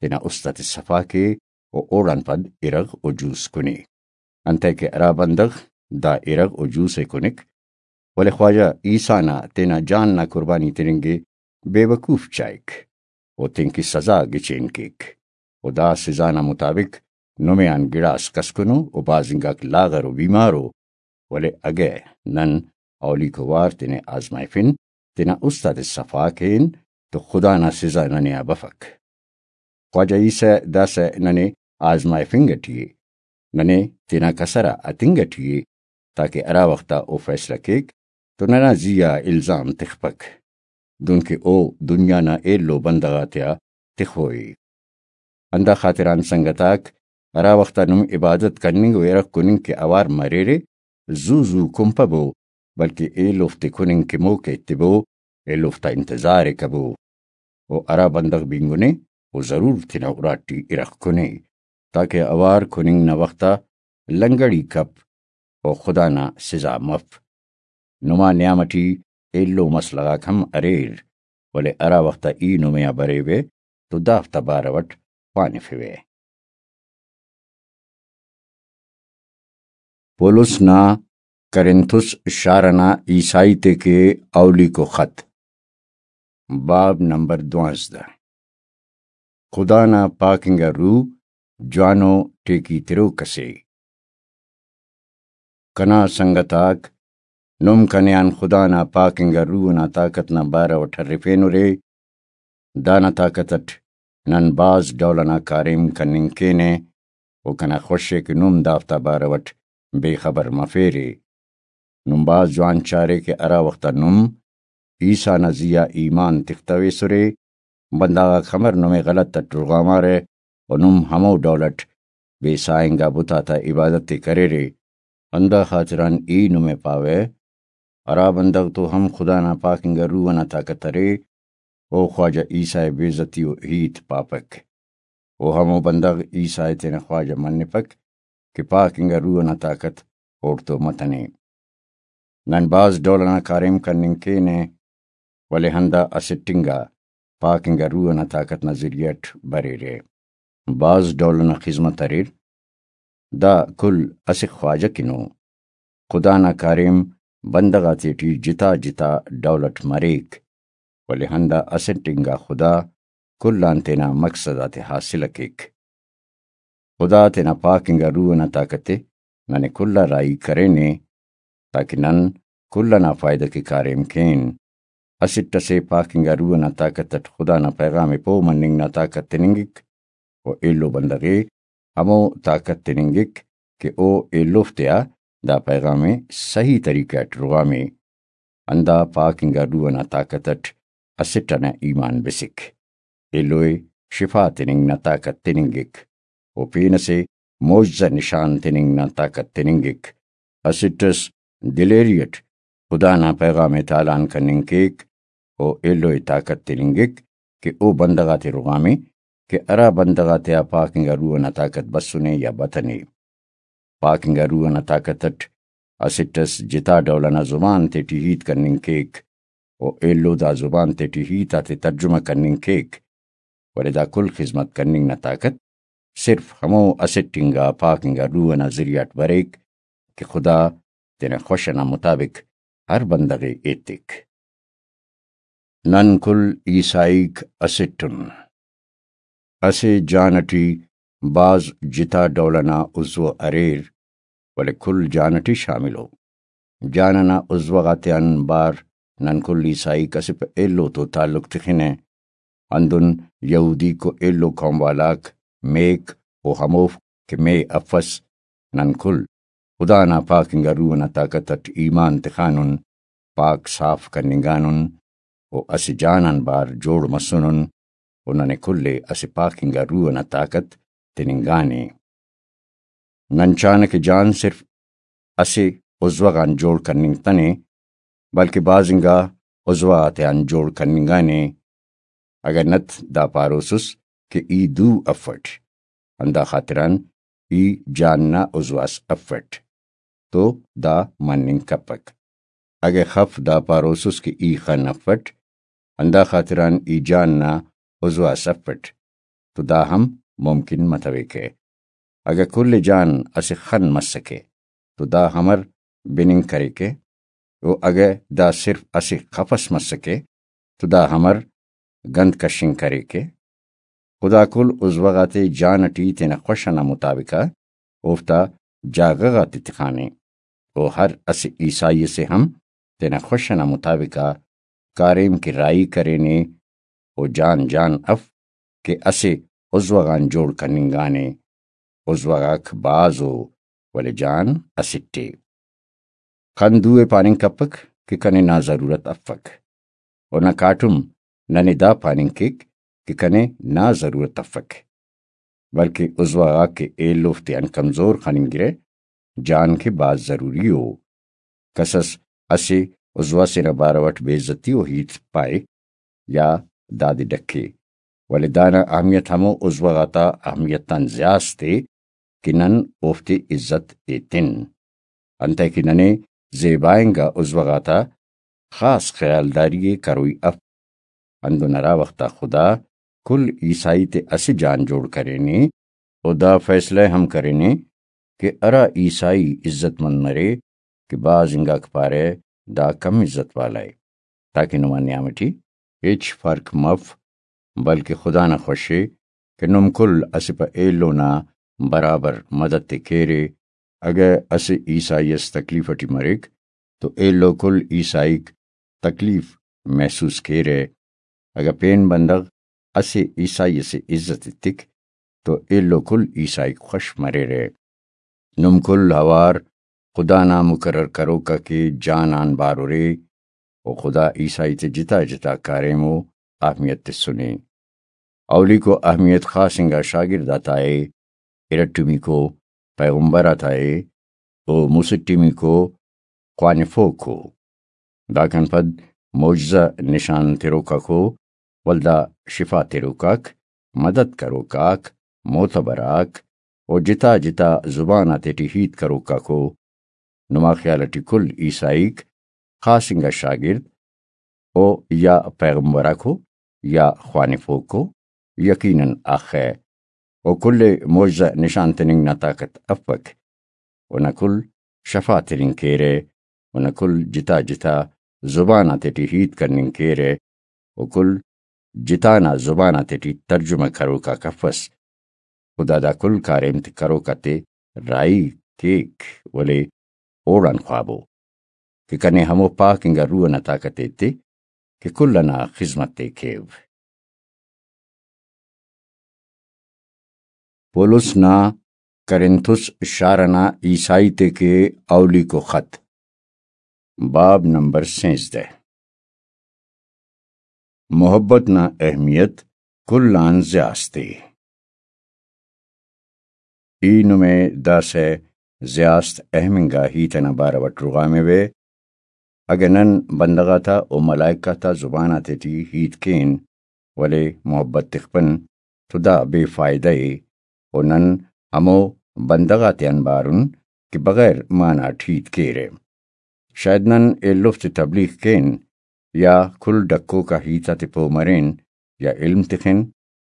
تینا است آتے صفا کے و اوڑان پد ارغ و جوس کنے۔ انتئے کہ ہرا بندغ دا ارغ و جوس ءِ کنک، ولے خواجہ عیسیٰ نا تینا جان نا قربانی تننگ ءِ بے وقوف چائک و تینکہ سزا گچین کیک۔ و دا سزا نا مطابق نمے آن گڑاس کسکنو و بھاز انگاک لاغر و بیمار ءُ، ولے اگہ نن اولیکو وار تینے آزمائفن، تینا است آتے صفا کین تو خدا نا سزا ننے آ بفک۔ خواجہ عیسیٰ داسہ ننے آزمائفنگ اٹی ءِ، ننے تینا کسر آ ہتنگ اٹی ءِ، تاکہ ہرا وخت آ او فیصلہ کیک تو ننا زی آ الزام تخپک، دنکہ او دنیا نا ایلو بندغ آتیا تخوئی۔ ہندا خاطران سنگت آک، ہرا وخت آ نم عبادت کننگ و ارغ کننگ کہ اوار مریرے، زو زو کنپبو، بلکہ ایلوفتے کننگ کہ موقع ایتبو، ایلوفتا انتظار ءِ کبو۔ و ہرا بندغ بینگنے، او ضرور تینا اراٹی ارغ کنے، تاکہ اوار کننگ نا وخت آ لنگڑی کپ و خدا نا سزا مف۔ نما نیام اٹی ایلو مسئلہ غاک ہم اریر، ولے ہرا وخت آ ای نمے آ بریوہ تو دافتا بارو اٹ خوانفوہ۔ پولس نا کرنتھس شار ئنا عیسائی تے کہ اولیکو خط، باب نمبر دوانزدہ۔ خدا نا پاک انگا روح جوانو ٹیکی تروک اسے۔ کنا سنگت آک، نم کنے آن خدا نا پاک انگا روح ئنا طاقت نا بارو اٹ ہرفینرے۔ دانا طاقت اٹ نن بھاز ڈول ئنا کاریم کننگ کینہ، و کنا خوش ءِ کہ نم دافتا بارو اٹ بے خبر مفیرے۔ نم بھاز جوان چارے کہ ہرا وخت آ نم عیسیٰ نا زی آ ایمان تختویسرے، بندغ آک خمر نمے غلط اٹ رغامارہ و نم ہمو ڈول اٹ بے ساہ انگا بت آتا عبادت ءِ کریرے۔ ہندا خاطران ای نمے پاوہ، ہرا بندغ تو ہم خدا نا پاک انگا روح ئنا طاقت ارے، او خواجہ عیسیٰ ءِ بے عزتی و ہیت پاپک۔ او ہمو بندغ عیسیٰ ءِ تینا خواجہ منپک کہ پاک انگا روح ئنا طاقت اوڑتون متنے۔ نن بھاز ڈول ئنا کاریم کننگ کینہ، ولے ہندا اسٹ انگا پاک انگا روح ئنا طاقت نا ذریعہ اٹ بریرہ۔ بھاز ڈول ئنا خذمت اریر۔ دا کل اسہ خواجہ کن ءُ۔ خدا نا کاریم بندغ آتیٹی جتا جتا ڈول اٹ مریک، ولے ہندا اسٹ انگا خدا کل آن تینا مقصد آتے حاصل ءِ کیک۔ خدا تینا پاک انگا روح ئنا طاقت ءِ ننے کل آ راہی کرینے، تاکہ نن کل ئنا فائدہ کہ کاریم کین۔ اسٹ اسے پاک انگا روح ئنا طاقت اٹ خدا نا پیغام ءِ پہہ مننگ نا طاقت تننگک، و ایلو بندغ ءِ ہمو طاقت تننگک کہ او ایلوفتیا دا پیغام ءِ صحیح طریقہ اٹ رغامے۔ ہندا پاک انگا روح ئنا طاقت اٹ اسٹ ئنا ایمان بسک۔ ایلو ءِ شفا تننگ نا طاقت تننگک، و پین اسے معجزہ نشان تننگ نا طاقت تننگک۔ اسٹ اس دلیری اٹ خدا نا پیغام ءِ تالان کننگ کیک، و ایلو ءِ طاقت تننگک کہ او بندغ آتے رغامے کہ ہرا بندغ آتیا پاک انگا روح ئنا طاقت بسنے یا بتنے۔ پاک انگا روح ئنا طاقت اٹ اسٹ اس جتا ڈول ئنا زبان تیٹی ہیت کننگ کیک، و ایلو دا زبان تیٹی ہیت آتے ترجمہ کننگ کیک، ولے دا کل خذمت کننگ نا طاقت صرف ہمو اسٹ انگا پاک انگا روح ئنا ذریعہ اٹ بریک کہ خدا تینا خوش ئنا مطابق ہر بندغ ءِ ایتک۔ نن کل عیسائیک اسٹ ان۔ اسہ جان اٹی بھاز جتا ڈول ئنا عضو اریر، ولے کل جان اٹی شامل ءُ۔ جان ئنا عضو غاتیان بار نن کل عیسائیک اسہ پہ ایلو تو تعلق تخنہ۔ ہندن یہودیک و ایلو قوم والاک میک و ہموفک کہ مے افس، نن کل خدا نا پاک انگا روح نا طاقت اٹ ایمان تخانن، پاک صاف کننگانن و اسہ جان آن بار جوڑ مسنن و ننے کل ءِ اسہ پاک انگا روح نا طاقت تننگانے۔ نن چانہ کہ جان صرف اسہ عضوہ غان جوڑ کننگتنے، بلکہ بھاز انگا عضوہ غاتیان جوڑ کننگانے۔ اگہ نت دا پاروسس کہ ای دو افٹ، ہندا خاطران ای جان نا عضوہ اس افٹ، تو دا مننگ کپک۔ اگہ خف دا پاروسس کہ ای خن افٹ، ہندا خاطران ای جان نا عضوہ اس افٹ، تو دا ہم ممکن متویکہ۔ اگہ کل جان اسہ خن مسکہ، تو دا امر بننگ کریکہ؟ و اگہ دا صرف اسہ خف اس مسکہ، تو دا امر گند کشنگ کریکہ؟ خدا کل عضوہ غاتے جان اٹی تینا خوش انا مطابق آ اوفتا جاگہ غاتے تخانے، و ہر اسہ عیسائی ئسے ہم تینا خوش انا مطابق آ کاریم کہ راہی کرینے، و جان جان اف کہ اسہ عضوہ غان جوڑ کننگانے۔ عضوہ غاک بھاز ءُ، ولے جان اسٹ ءِ۔ خن دو ءِ پاننگ کپک کہ کنے نا ضرورت افک، و نہ کاٹم ننے دا پاننگ کیک کہ کنے نا ضرورت افک، بلکہ عضوہ غاک کہ ایلوفتے آن کمزور خننگرہ، جان کہ بھاز ضروری ءُ۔ کسس اسہ عضوہ سے نا بارو اٹ بے عزتی ءُ ہیت پائے یا دادے ڈکے، ولے دانا اہمیت ہمو عضوہ غاتا اہمیت آن زیات ءِ کہ نن اوفتے عزت ایتن۔ انتئے کہ ننے زیبا انگا عضوہ غاتا خاص خیالداری ءِ کروئی اف۔ ہندن ہرا وخت آ خدا کل عیسائی تے اسہ جان جوڑ کرینے، و دا فیصلہ ہم کرینے کہ ہرا عیسائی عزت مند مرے کہ بھاز انگاک پارہ دا کم عزت والا ءِ، تاکہ نما نیام ٹی ہچ فرق مف، بلکہ خدا نا خوش ءِ کہ نم کل اسہ پہ ایلو نا برابر مدد تے کیرے۔ اگہ اسہ عیسائی اس تکلیف ٹی مریک تو ایلو کل عیسائیک تکلیف محسوس کیرہ۔ اگہ پین بندغ اسہ عیسائی ئسے عزت ایتک تو ایلو کل عیسائیک خوش مریرہ۔ نم کل اوار خدا نا مقرر کروک آ کہ جان آن بار ارے، و خدا عیسائی تے جتا جتا کاریم و اہمیت تسنے۔ اولیکو اہمیت خاص انگا شاگرد آتا ءِ، ارٹمیکو پیغمبر آتا ءِ، و مسٹمیکو خوانفوکو۔ داکان پد معجزہ نشان تروکاکو، ولدا شفا تروکاک، مدد کروکاک، معتبر آک، و جتا جتا زبان آتیٹی ہیت کروکاکو۔ نما خیال ٹی کل عیسائیک خاص انگا شاگرد او یا پیغمبراکو یا خوانفوکو، یقیناً آخہ۔ او کل ءِ معجزہ نشان تننگ نا طاقت افک۔ اونا کل شفا تننگ کیرہ، اونا کل جتا جتا زبان آتیٹی ہیت کننگ کیرہ، او کل جتا نا زبان آتیٹی ترجمہ کروکاک افس۔ خدا دا کل کاریم تے کروک آتے راہی کیک، ولے اوڑان خوابو کہ کنے ہمو پاک انگا روح ئنا طاقت ایتے کہ کل ئنا خذمت تے کیو۔ پولس نا کرنتھس شار ئنا عیسائی تے کہ اولیکو خط، باب نمبر سینزدہ۔ محبت نا اہمیت کل آن زیات ءِ۔ ای نمے داسہ زیات اہم انگا ہیت ئنا بارو اٹ رغاموہ۔ اگہ نن بندغ آتا و ملائک آتا زبان آتیٹی ہیت کین، ولے محبت تخپن، تو دا بے فائدہ ءِ، و نن ہمو بندغ آتیان بارن کہ بغیر معنہ اٹ ہیت کیرہ۔ شاید نن ایلوفتے تبلیغ کین یا کل ڈکوک آ ہیت آتے پہہ مرین یا علم تخن،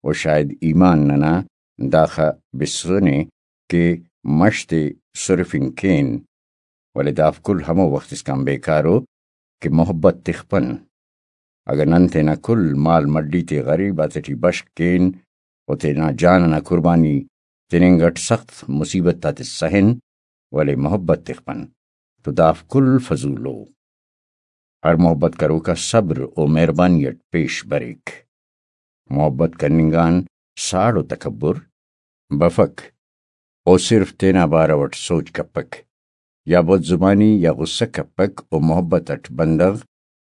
و شاید ایمان ننا داخہ بسنے کہ مش تے سرفنگ کین، ولے دافک کل ہمو وخت اسکان بیکار ءُ کہ محبت تخپن۔ اگہ نن تینا کل مال مڈی تے غریب آتیٹی بشخ کین و تینا جان ئنا قربانی تننگ اٹ سخت مصیبت آتے سہن، ولے محبت تخپن تو دافک کل فضول ءُ۔ ہر محبت کروک آ صبر و مہربانی اٹ پیش بریک۔ محبت کننگ آن ساڑ و تکبر بفک۔ او صرف تینا بارو اٹ سوچ کپک، یا بد زبانی یا غصہ کپک و محبت اٹ بندغ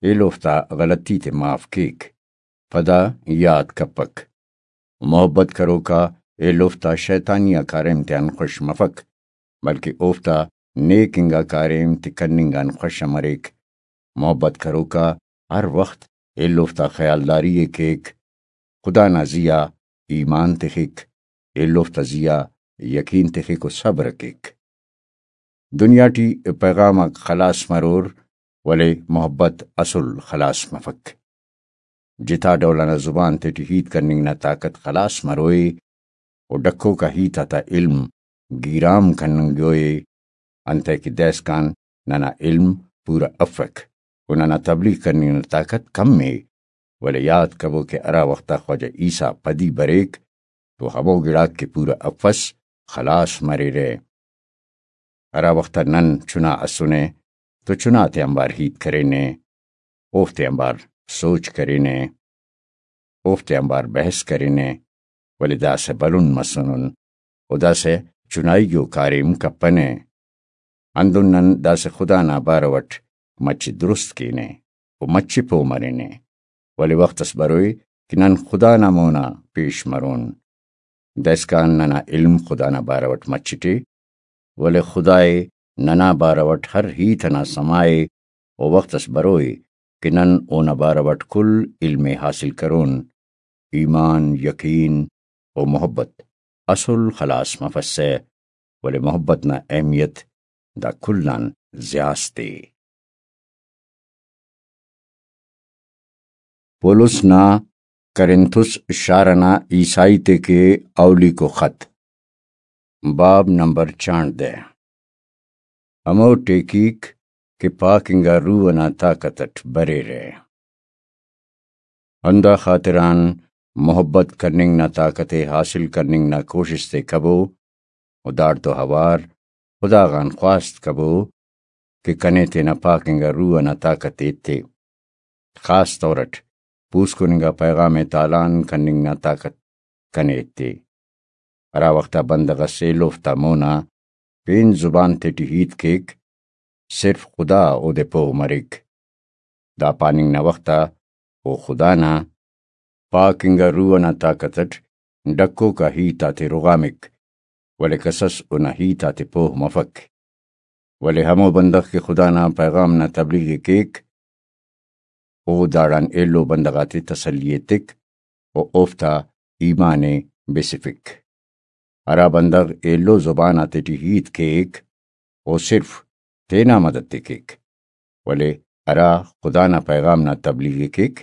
ایلوفتا غلطی تے معاف کیک، پدا یات کپک۔ محبت کروکا ایلوفتا شیطانی آ کاریم تیان خوش مفک، بلکہ اوفتا نیک انگا کاریم تے کننگ آن خوش مریک۔ محبت کروکا ہر وخت ایلوفتا خیالداری ءِ کیک، خدا نا زی آ ایمان تخک، ایلوفتا زی آ یقین تخک و صبر کیک۔ دنیا ٹی پیغام آک خلاس مرور، ولے محبت اسل خلاس مفک۔ جتا ڈول انا زبان تیٹی ہیت کننگ نا طاقت خلاس مروئے، و ڈکوک آ ہیت آتا علم گیرام کننگوئے، انتئے کہ دائسکان ننا علم پورا افک، و ننا تبلیغ کننگ نا طاقت کم ءِ، ولے یات کبو کہ ہرا وخت آ خواجہ عیسیٰ پدی بریک، تو ہمو گڑاک کہ پورا افس، خلاس مریرہ۔ ہرا وخت آ نن چنا اسنے، تو چنا تے آنبار ہیت کرینے، اوفتے آنبار سوچ کرینے، اوفتے آنبار بحث کرینے، ولے داسہ بھلن مسنن، و داسہ چنائیگو کاریم کپنہ۔ ہندن نن داسہ خدا نا بارو اٹ مچے درست کینہ و مچے پہہ مرینہ، ولے وخت اس بروئے کہ نن خدا نا مونا پیش مرون۔ دائسکان ننا علم خدا نا بارو اٹ مچٹ ءِ، ولے خدا ءِ ننا بارو اٹ ہر ہیت انا سما ءِ، و وخت اس بروئے کہ نن اونا بارو اٹ کل علم ءِ حاصل کرون۔ ایمان، یقین و محبت اسل خلاس مفسہ، ولے محبت نا اہمیت دا کل آن زیات ءِ۔ پولس نا کرنتھس شار انا عیسائی تے کے اولیکو خط، باب نمبر چانڑدہ۔ ہمو ٹیکیک کہ پاک انگا روح انا طاقت اٹ بریرہ۔ ہندا خاطران محبت کننگ نا طاقت ءِ حاصل کننگ نا کوشست ءِ کبو، و داڑتو اوار خدا غان خواست کبو کہ کنے تینا پاک انگا روح انا طاقت ءِ ایتے۔ خاص طور اٹ پوسکن انگا پیغام ءِ تالان کننگ نا طاقت کنے ایتے۔ ہرا وخت آ بندغ اس ایلوفتا مونا پین زبان تیٹی ہیت کیک، صرف خدا اودے پہہ مریک۔ دا پاننگ نا وخت آ او خدا نا پاک انگا روح انا طاقت اٹ ڈکوک آ ہیت آتے رغامک، ولے کسس اونا ہیت آتے پہہ مفک۔ ولے ہمو بندغ کہ خدا نا پیغام نا تبلیغ ءِ کیک، او داڑان ایلو بندغ آتے تسلی ایتک و اوفتا ایمان ءِ بسفک۔ ہرا بندغ ایلو زبان آتیٹی ہیت کیک، او صرف تینا مدد تے کیک، ولے ہرا خدا نا پیغام نا تبلیغ ءِ کیک،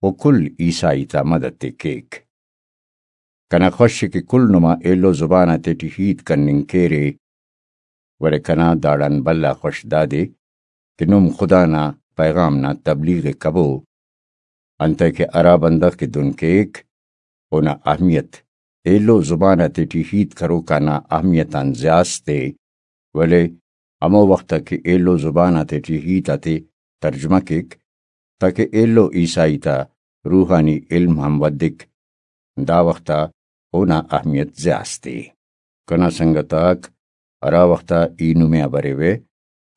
او کل عیسائی تا مدد تے کیک۔ کنا خوش ءِ کہ کل نما ایلو زبان آتیٹی ہیت کننگ کیرے، ولے کنا داڑان بھلا خوش دادے کہ نم خدا نا پیغام نا تبلیغ ءِ کبو، انتئے کہ ہرا بندغ کہ دن کیک، اونا اہمیت ایلو زبان آتیٹی ہیت کروکا نا اہمیت آن زیات ءِ، ولے ہمو وخت آ کہ ایلو زبان آتیٹی ہیت آتے ترجمہ کیک، تاکہ ایلو عیسائی تا روحانی علم ہم ودک، دا وخت آ اونا اہمیت زیات ءِ۔ کنا سنگت آک، ہرا وخت آ ای نمے آ بریوہ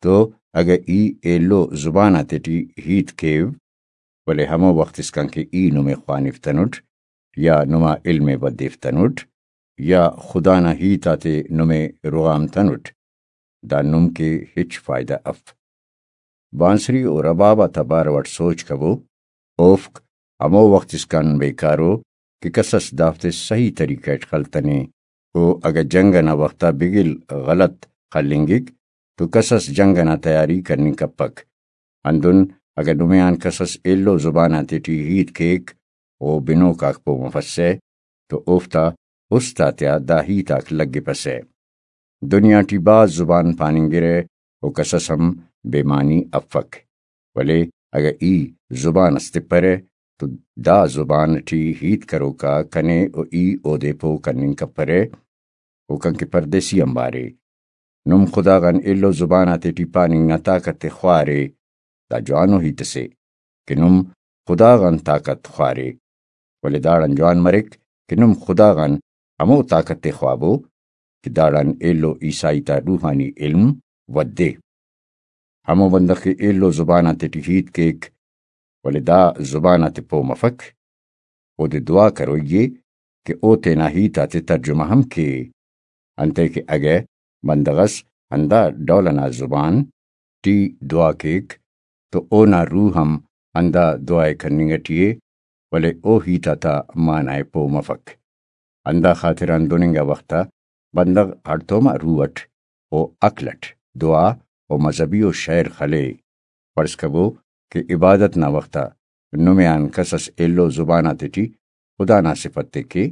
تو اگہ ای ایلو زبان آتیٹی ہیت کیو، ولے ہمو وخت اسکان کہ ای نمے خوانفتنٹ یا نما علم ءِ ودیفتنٹ یا خدا نا ہیت آتے نمے رغامتنٹ، دا نم کہ ہچ فائدہ اف۔ بانسری و رباب آتا بارو اٹ سوچ کبو، اوفک ہمو وخت اسکان بیکارو کہ کسس دافتے صحیح طریقہ اٹ خلتنے۔ و اگہ جنگ انا وخت آ بگل غلط خلنگک تو کسس جنگ انا تیاری کننگ کپک۔ ہندن اگہ نمے آن کسس ایلو زبان آتیٹی ہیت کیک و بنوک آک پہہ مفسہ تو اوفتا است آتیا دا ہیت آک لگپسہ۔ دنیا ٹی بھاز زبان پاننگرہ و کسس ہم بے معنی افک، ولے اگہ ای زبان اس تپرہ تو دا زبان ٹی ہیت کروکا کنے و ای اودے پہہ کننگ کپرہ۔ اوکان کہ پردیسی آنبار ءِ۔ نم خدا غان ایلو زبان آتیٹی پاننگ نا طاقت ءِ خوارے، دا جوانو ہیت اسے کہ نم خدا غان طاقت خوارے، ولے داڑان جوان مریک کہ نم خدا غان ہمو طاقت ءِ خوابو کہ داڑان ایلو عیسائی تا روحانی علم ودے۔ ہمو بندغ کہ ایلو زبان آتیٹی ہیت کیک، ولے دا زبان آتے پہہ مفک، اودے دعا کروئی ءِ کہ او تینا ہیت آتے ترجمہ ہم کے۔ انتئے کہ اگہ بندغ اس ہندا ڈول ئنا زبان ٹی دعا کیک، تو اونا روح ہم ہندا دعا ءِ کننگ ٹی ءِ، ولے او ہیت آتا معنی ءِ پہہ مفک۔ ہندا خاطران دن انگا وخت آ بندغ ہڑتوما روح اٹ و عقل اٹ دعا و مذہبی و شعر خلے۔ فرض کبو کہ عبادت نا وخت آ نمے آن کس اس ایلو زبان آتیٹی خدا نا صفت ءِ کے،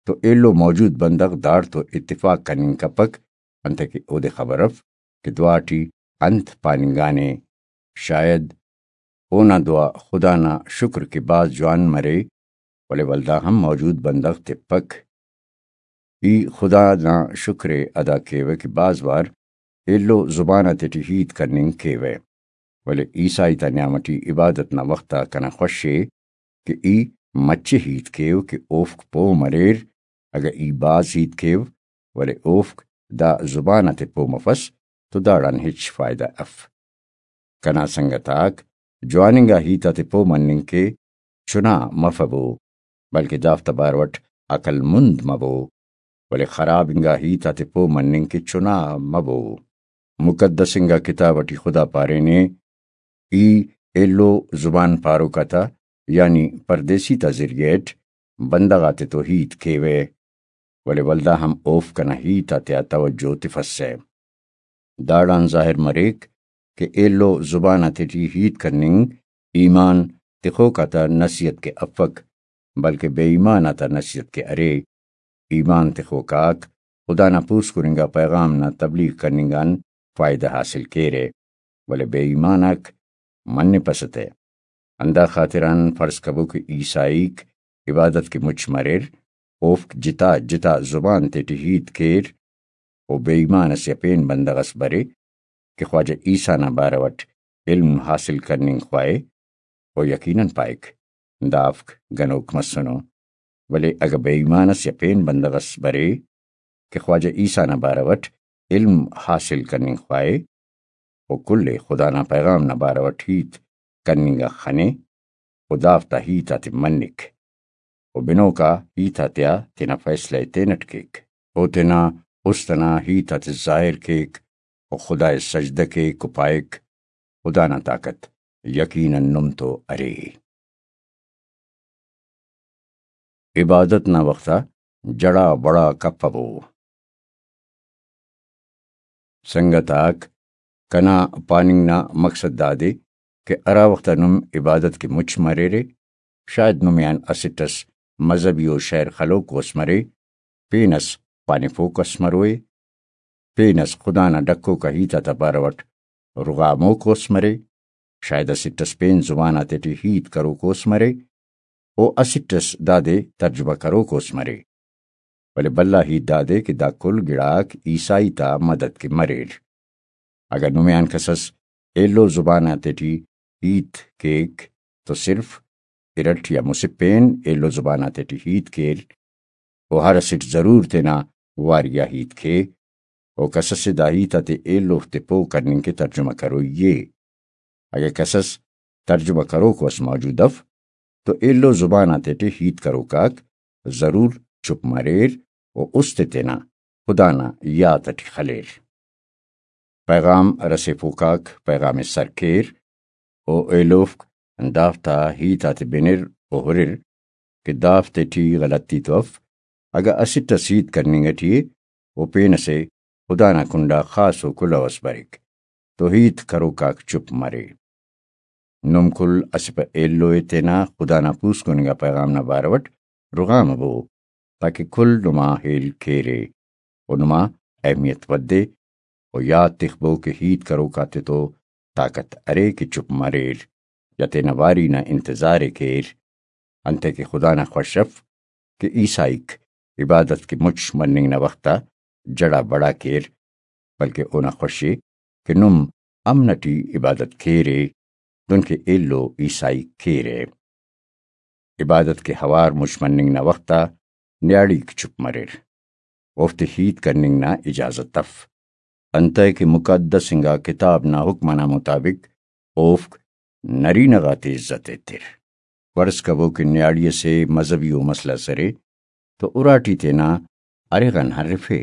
تو ایلو موجود بندغ داڑتو اتفاق کننگ کپک، انتئے کہ اودے خبر اف کہ دعا ٹی انت پاننگانے۔ شاید اونا دعا خدا نا شکر کہ بھاز جوان مرے، ولے ولدا ہم موجود بندغ تپک۔ ای خدا نا شکر ءِ ادا کیوہ کہ بھاز وار ایلو زبان آتیٹی ہیت کننگ کیوہ، ولے عیسائی تا نیام ٹی عبادت نا وخت آ کنا خوش ءِ کہ ای مچہ ہیت کیو کہ اوفک پہہ مریر۔ اگہ ای بھاز ہیت کیو، ولے اوفک دا زبان آتے پہہ مفس، تو داڑان ہچ فائدہ اف۔ کنا سنگت آک، جوان انگا ہیت آتے پہہ مننگ کہ چنا مفبو، بلکہ دافتا باروٹ عقل مند مبو، ولے خراب انگا ہیت آتے پہہ مننگ کہ چنا مبو۔ مقدس انگا کتاب ٹی خدا پارینے، ای ایلو زبان پاروک آتا، یعنی پردیسی تا ذریعہ اٹ بندغ آتتو ہیت کیوہ، ولے ولدا ہم اوفک کنا ہیت آتیا توجہ تفسہ۔ داڑان ظاہر مریک کہ ایلو زبان آتیٹی ہیت کننگ ایمان تخوک آتا نصیحت کہ افک، بلکہ بے ایمان آتا نصیحت کہ ارے۔ ایمان تخوک آک خدا نا پوسکن انگا پیغام نا تبلیغ کننگ آن فائدہ حاصل کیرہ، ولے بے ایمان آک منپسہ تہ۔ ہندا خاطران فرض کبو کہ عیسائیک عبادت کہ مچ مریر، اوفک جتا جتا زبان تیٹی ہیت کیر، و بے ایمان اسہ پین بندغ اس برے کہ خواجہ عیسیٰ نا بارو اٹ علم حاصل کننگ خواہے، و یقیناً پائک، دافک گنوک مسنو۔ ولے اگہ بے ایمان اس یا پین بندغ اس برے کہ خواجہ عیسیٰ نا بارو اٹ علم حاصل کننگ خواہے، و کل ءِ خدا نا پیغام نا بارو اٹ ہیت کننگ آ خنے، و دافتا ہیت آتے منک، و بنوکا ہیت آتیا تینا فیصلہ ءِ تینٹ کیک۔ او تینا است ئنا ہیت آتے ظاہر کیک، و خدا ءِ سجدہ کیک و پائک، خدا نا طاقت یقیناً نم تو ارے۔ عبادت نا وخت آ جڑا بڑا کپبو۔ سنگت آک، کنا پاننگ نا مقصد دادے کہ ہرا وخت آ نم عبادت کہ مچ مریرے، شاید نمے آن اسٹ اس مذہبی و شعر خلوکو اس مرے، پین اس پانفوکو اس مروئے، پین اس خدا نا ڈکوکا ہیت آتا بارو اٹ رغاموکو اس مرے، شاید اسٹ اس پین زبان آتیٹی ہیت کروکو اس مرے، و اسٹ اس دادے ترجمہ کروکو اس مرے۔ ولے بھلا ہیت دادے کہ دا کل گڑاک عیسائی تا مدد کہ مریر۔ اگہ نمے آن کس اس ایلو زبان آتیٹی ہیت کیک تو صرف ارٹ یا مسہ پین ایلو زبان آتیٹی ہیت کیر، و ہر اسٹ ضرور تینا واری آ ہیت کے، و کس اسے دا ہیت آتے ایلو تے پہہ کننگ کہ ترجمہ کروئی ءِ۔ اگہ کس اس ترجمہ کروکو اس موجود اف تو ایلو زبان آتیٹی ہیت کروک آک ضرور چپ مریر و است ءِ تینا خدا نا یات اٹی خلیر۔ پیغام رسیفوک آک پیغام ءِ سر کیر و ایلوفک دافتا ہیت آتے بنر و ہرر کہ دافتیٹی غلطی تو اف، اگہ اسٹ اس ہیت کننگ اٹی ءِ و پین اسے خدا نا کنڈا خاص و کلہو اس بریک تو ہیت کروک آک چپ مرے۔ نم کل اسہ پہ ایلو ءِ تینا خدا نا پوسکن انگا پیغام نا بارو اٹ رغامبو، تاکہ کل نما ہیل کیرے و نما اہمیت ودے و یات تخبو کہ ہیت کروک آتتو طاقت ارے کہ چپ مریر یا تینا واری نا انتظار ءِ کیر، انتئے کہ خدا نا خوش اف کہ عیسائیک عبادت کہ مچ مننگ نا وخت آ جڑا بڑا کیر، بلکہ اونا خوش ءِ کہ نم امن اٹی عبادت کیرے۔ دنکہ ایلو عیسائی کیرہ۔ عبادت کہ ہوار مچ مننگ نا وخت آ نیاڑیک چپ مریر، اوفتے ہیت کننگ نا اجازت اف، انتئے کہ مقدس انگا کتاب نا حکم ئنا مطابق اوفک نرینہ غاتے عزت ایتر۔ فرض کبو کہ نیاڑی ئسے مذہبی و مسئلہ ئس ارے تو اراٹی تینا ارغ آن ہرفے،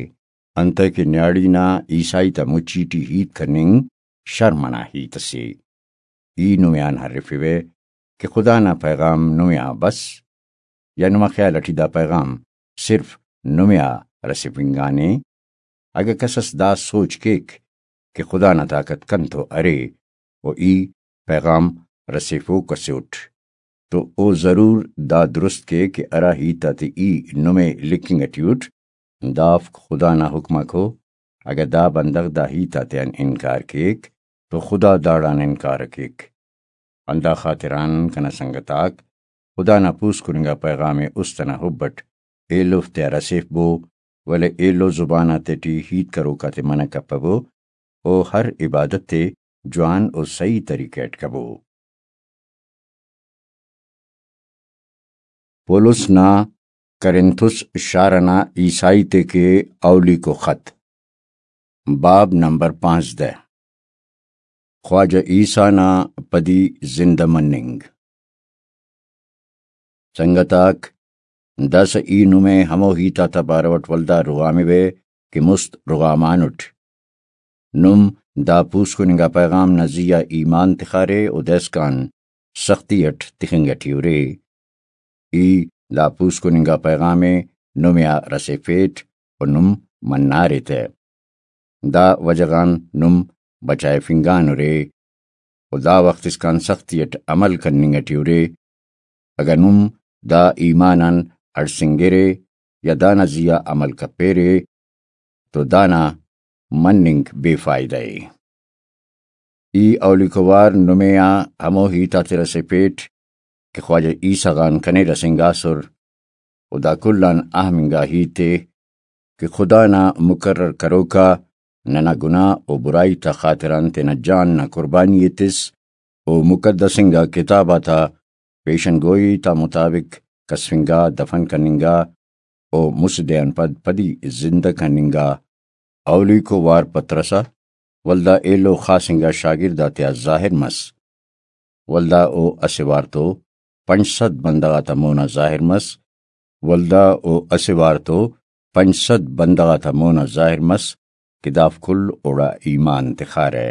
انتئے کہ نیاڑی نا عیسائی تا مچی ٹی ہیت کننگ شرم ئنا ہیت ئسے۔ ای نمے آن ہرفیوہ کہ خدا نا پیغام نمے آ بس، یا نما خیال ئٹی دا پیغام صرف نمے آ رسیفنگانے؟ اگہ کس ئس دا سوچ کیک کہ خدا نا طاقت کنتو ارے و ای پیغام رسیفوک ئسے اٹ، تو او ضرور دا درست کے کہ ہرا ہیت آتے ای نمے لکھنگ ئٹی اٹ، دافک خدا نا حکم آک ءُ۔ اگہ دا بندغ دا ہیت آتیان انکار کیک تو خدا داڑان انکار ءِ کیک۔ ہندا خاطران کنا سنگت آک، خدا نا پوسکن انگا پیغام ءِ است ئنا حب اٹ ایلو تیا رسیفبو، ولے ایلو زبان آتیٹی ہیت کروک آتے منع کپبو، او ہر عبادت ءِ جوان و سہی طریقہ اٹ کبو۔ پولس نا کرنتھس شار ئنا عیسائی تے کہ اولیکو خط، باب نمبر پانزدہ، خواجہ عیسیٰ نا پدی زندہ مننگ۔ سنگت آک، داسہ ای نمے ہمو ہیت آتا بارو اٹ ولدا رغاموے کہ مست رغامانٹ۔ نم دا پوسکن انگا پیغام نا زیہا ایمان تخارے و دائسکان سختی اٹ تخنگ ٹی ارے۔ ای دا پوسکن انگا پیغام ءِ نمے آ رسیفیٹ و نم منارے تہ۔ دا وجہ غان نم بچائفنگانرے و دا وخت اسکان سختی اٹ عمل کننگ ٹی ارے۔ اگہ نم دا ایمان آن ہڑسنگرے یا دانا زیہا عمل کپیرے تو دانا مننگ بے فائدہ ءِ۔ ای اولیکو وار نمے آ ہمو ہیت آتے رسیفیٹ کہ خواجہ عیسیٰ غان کنے رسینگاسر، و دا کل آن اہم انگا ہیت ءِ کہ خدا نا مقرر کروکا ننا گناہ و برائی تا خاطران تینا جان نا قربانی ءِ تس، و مقدس انگا کتاب آتا پیشن گوئی تا مطابق کسفنگا، دفن کننگا، و مسہ دے آن پد پدی زندہ کننگا۔ اولیکو وار پترس آ، ولدا ایلو خاص انگا شاگرد آتیا ظاہر مس۔ ولدا او اسہ وار تو پنچ سد بندغ آتا مونا ظاہر مس۔ ولدا او اسہ وار تو پنچ سد بندغ آتا مونا ظاہر مس کہ دافک کل اوڑا ایمان تخارہ۔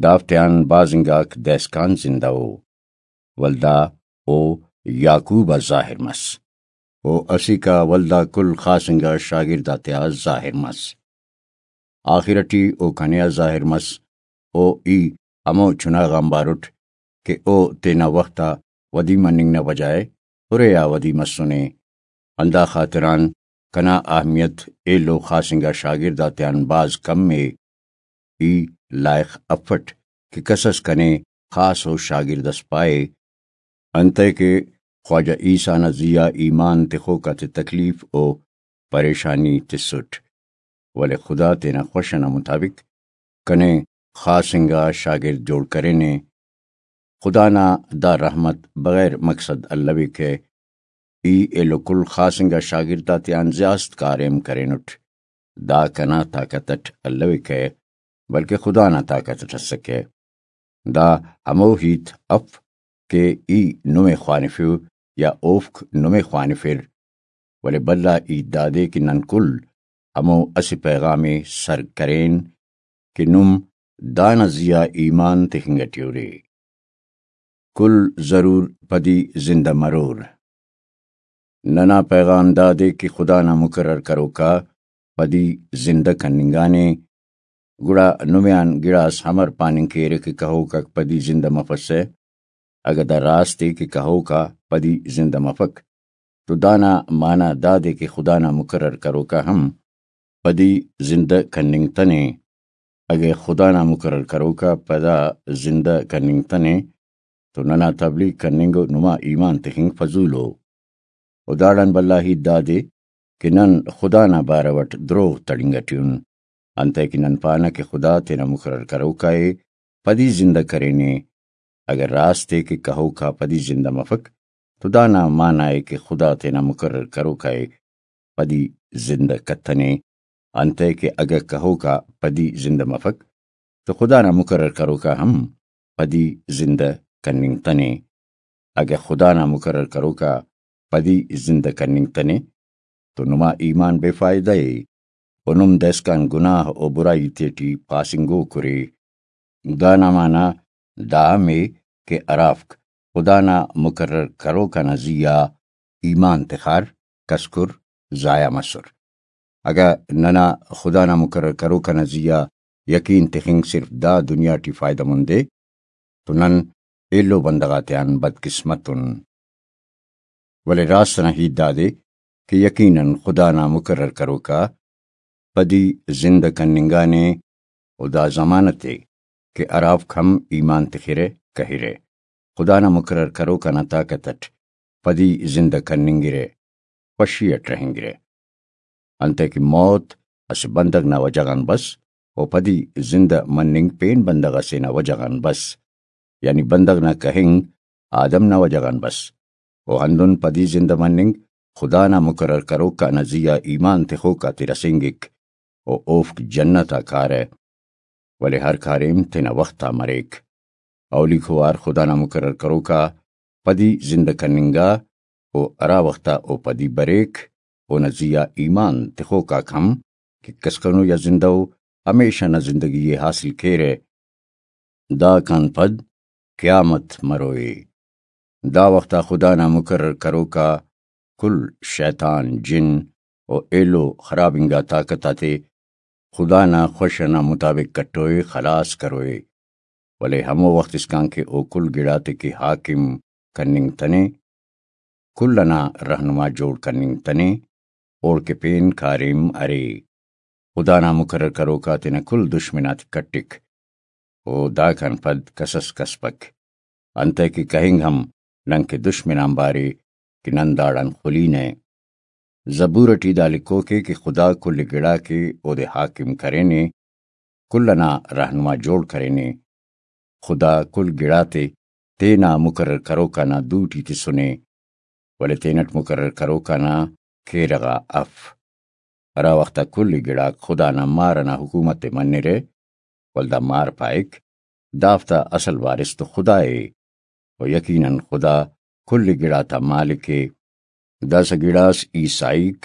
دافتیان بھاز انگاک دائسکان زندہ ءُ۔ ولدا او یعقوب آ ظاہر مس۔ او اسیکا ولدا کل خاص انگا شاگرد آتیا ظاہر مس۔ آخر ٹی او کنے آ ظاہر مس۔ او ای ہمو چناغ آنبار اٹ کہ او تینا وخت آ ودی مننگ نا بجائے ہرے آ ودی مسنے۔ ہندا خاطران کنا اہمیت ایلو خاص انگا شاگرد آتیان بھاز کم ءِ۔ ای لائخ افٹ کہ کس اس کنے خاص و شاگرد اس پائے، انتئے کہ خواجہ عیسیٰ نا زیہا ایمان تخوک آتے تکلیف و پریشانی تسٹ، ولے خدا تینا خوش ئنا مطابق کنے خاص انگا شاگرد جوڑ کرینے۔ خدا نا دا رحمت بغیر مقصد الویکہ۔ ای ایلو کل خاص انگا شاگرد آتیان زیاست کاریم کرینٹ۔ دا کنا طاقت اٹ الویکہ، بلکہ خدا نا طاقت اٹ اسکہ۔ دا ہمو ہیت اف کہ ای نمے خوانفو یا اوفک نمے خوانفر، ولے بھلا ہیت دادے کہ نن کل ہمو اسہ پیغام ءِ سر کرین کہ نم دانا زیہا ایمان تخنگ ٹی ارے۔ کل ضرور پدی زندہ مرور۔ ننا پیغام دادے کہ خدا نا مقرر کروکا پدی زندہ کننگانے، گڑا نمے آن گڑاس امر پاننگ کیرہ کہ کہوکاک پدی زندہ مفسہ؟ اگہ دا راست ءِ کہ کہوکا پدی زندہ مفک، تو دانا معنی دادے کہ خدا نا مقرر کروکا ہم پدی زندہ کننگتنے۔ اگہ خدا نا مقرر کروکا پدا زندہ کننگتنے تو ننا تبلیغ کننگ و نما ایمان تخنگ فضول ءُ۔ و داڑان بھلا ہیت دادے کہ نن خدا نا بارو اٹ دروغ تڑنگ ٹی ان، انتئے کہ نن پانہ کہ خدا تینا مقرر کروکا ءِ پدی زندہ کرینے۔ اگہ راست ءِ کہ کہوک آ پدی زندہ مفک، تو دانا معنی ءِ کہ خدا تینا مقرر کروک آ ءِ پدی زندہ کتنے، انتئے کہ اگہ کہوک آ پدی زندہ مفک، تو خدا نا مقرر کروک آ ہم پدی زندہ کننگتنے۔ اگہ خدا نا مقرر کروک آ پدی زندہ کننگتنے، تو نما ایمان بے فائدہ ءِ، و نم دائسکان گناہ و برائی تیٹی پاسنگوک ارے۔ دانا معنی دا ہم ءِ کہ ہرافک خدا نا مقرر کروک آ نا زی آ ایمان تخار، کسکر، ضائع مسر۔ اگہ ننا خدا نا مقرر کروک آ نا زی آ یقین تخنگ صرف دا دنیا ٹی فائدہ مند ءِ، تو نن ایلو بندغ آتیان بدقسمت ان۔ ولے راست ئنا ہیت دادے کہ یقیناً خدا نا مقرر کروک آ پدی زندہ کننگانے، و دا ضمانت ءِ کہ ہرافک ہم ایمان تخرہ، کہرہ، خدا نا مقرر کروک آ نا طاقت اٹ پدی زندہ کننگرہ، خوشی اٹ رہینگرہ۔ انتئے کہ موت اسہ بندغ نا وجہ غان بس، و پدی زندہ مننگ پین بندغ اسے نا وجہ غان بس، یعنی بندغ نا کہنگ آدم نا وجہ غان بس، و ہندن پدی زندہ مننگ خدا نا مقرر کروک آ نا زی آ ایمان تخوک آتے رسینگک، و اوفک جنت آ کارہ، ولے ہر کاریم تینا وخت آ مریک۔ اولیکو وار خدا نا مقرر کروک آ پدی زندہ کننگا، و ہرا وخت آ او پدی بریک، اونا زی آ ایمان تخوک آک ہم کہ کسکنو یا زندہ ءُ، ہمیشہ نا زندگی ءِ حاصل کیرہ۔ داکان پد قیامت مروئے۔ دا وخت آ خدا نا مقرر کروک آ کل شیطان، جن و ایلو خراب انگا طاقت آتے خدا نا خوش ئنا مطابق کٹوئے، خلاص کروئے، ولے ہمو وخت اسکان کہ او کل گڑاتے کہ حاکم کننگتنے، کل ئنا رہنما جوڑ کننگتنے، اوڑکہ پین کاریم ارے۔ خدا نا مقرر کروک آ تینا کل دشمن آتے کٹک۔ و داکان پد کسس کسپک۔ انتئے کہ کہنگ ہم نن کہ دشمن آنبار ءِ کہ نن داڑان خلینہ۔ زبور ٹی دا لکھوک ءِ کہ خدا کل گڑاک ءِ اودے حاکم کرینے، کل ئنا رہنما جوڑ کرینے۔ خدا کل گڑاتے تینا مقرر کروک آ نا دوٹی تسنے، ولے تینٹ مقرر کروک آ نا کیرغ آ اف۔ ہرا وخت آ کل گڑاک خدا نا مار ئنا حکومت ءِ منرہ، ولدا مار پائک، دافتا اصل وارث تو خدا ءِ، و یقیناً خدا کل گڑاتا مالک ءِ۔ داسہ گڑاس عیسائیک،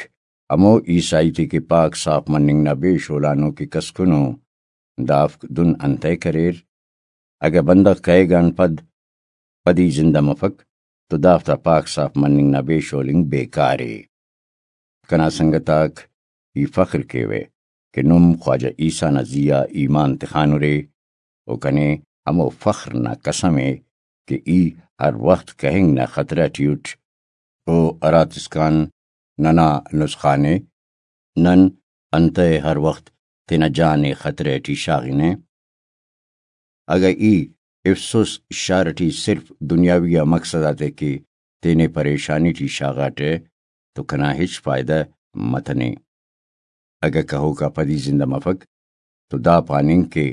ہمو عیسائی تے کہ پاک صاف مننگ نا بے شولانو کہ کسکنو، دافک دن انتئے کریر؟ اگہ بندغ کہیگان پد پدی زندہ مفک، تو دافتا پاک صاف مننگ نا بے شولنگ بیکار ءِ۔ کنا سنگت آک، ای فخر کیوہ کہ نم خواجہ عیسیٰ نا زی آ ایمان تخانرے، و کنے ہمو فخر نا قسم ءِ کہ ای ہر وخت کہنگ نا خطرہ ٹی اٹ، او ہراتسکان ننا نسخان ءِ، نن انتئے ہر وخت تینا جان ءِ خطرہ ٹی شاغنہ؟ اگہ ای افسوس شار ٹی صرف دنیاوی آ مقصد آتے کہ تینے پریشانی ٹی شاغاٹہ تو کنا ہچ فائدہ متنے۔ اگہ کہوکا پدی زندہ مفک تو دا پاننگ کہ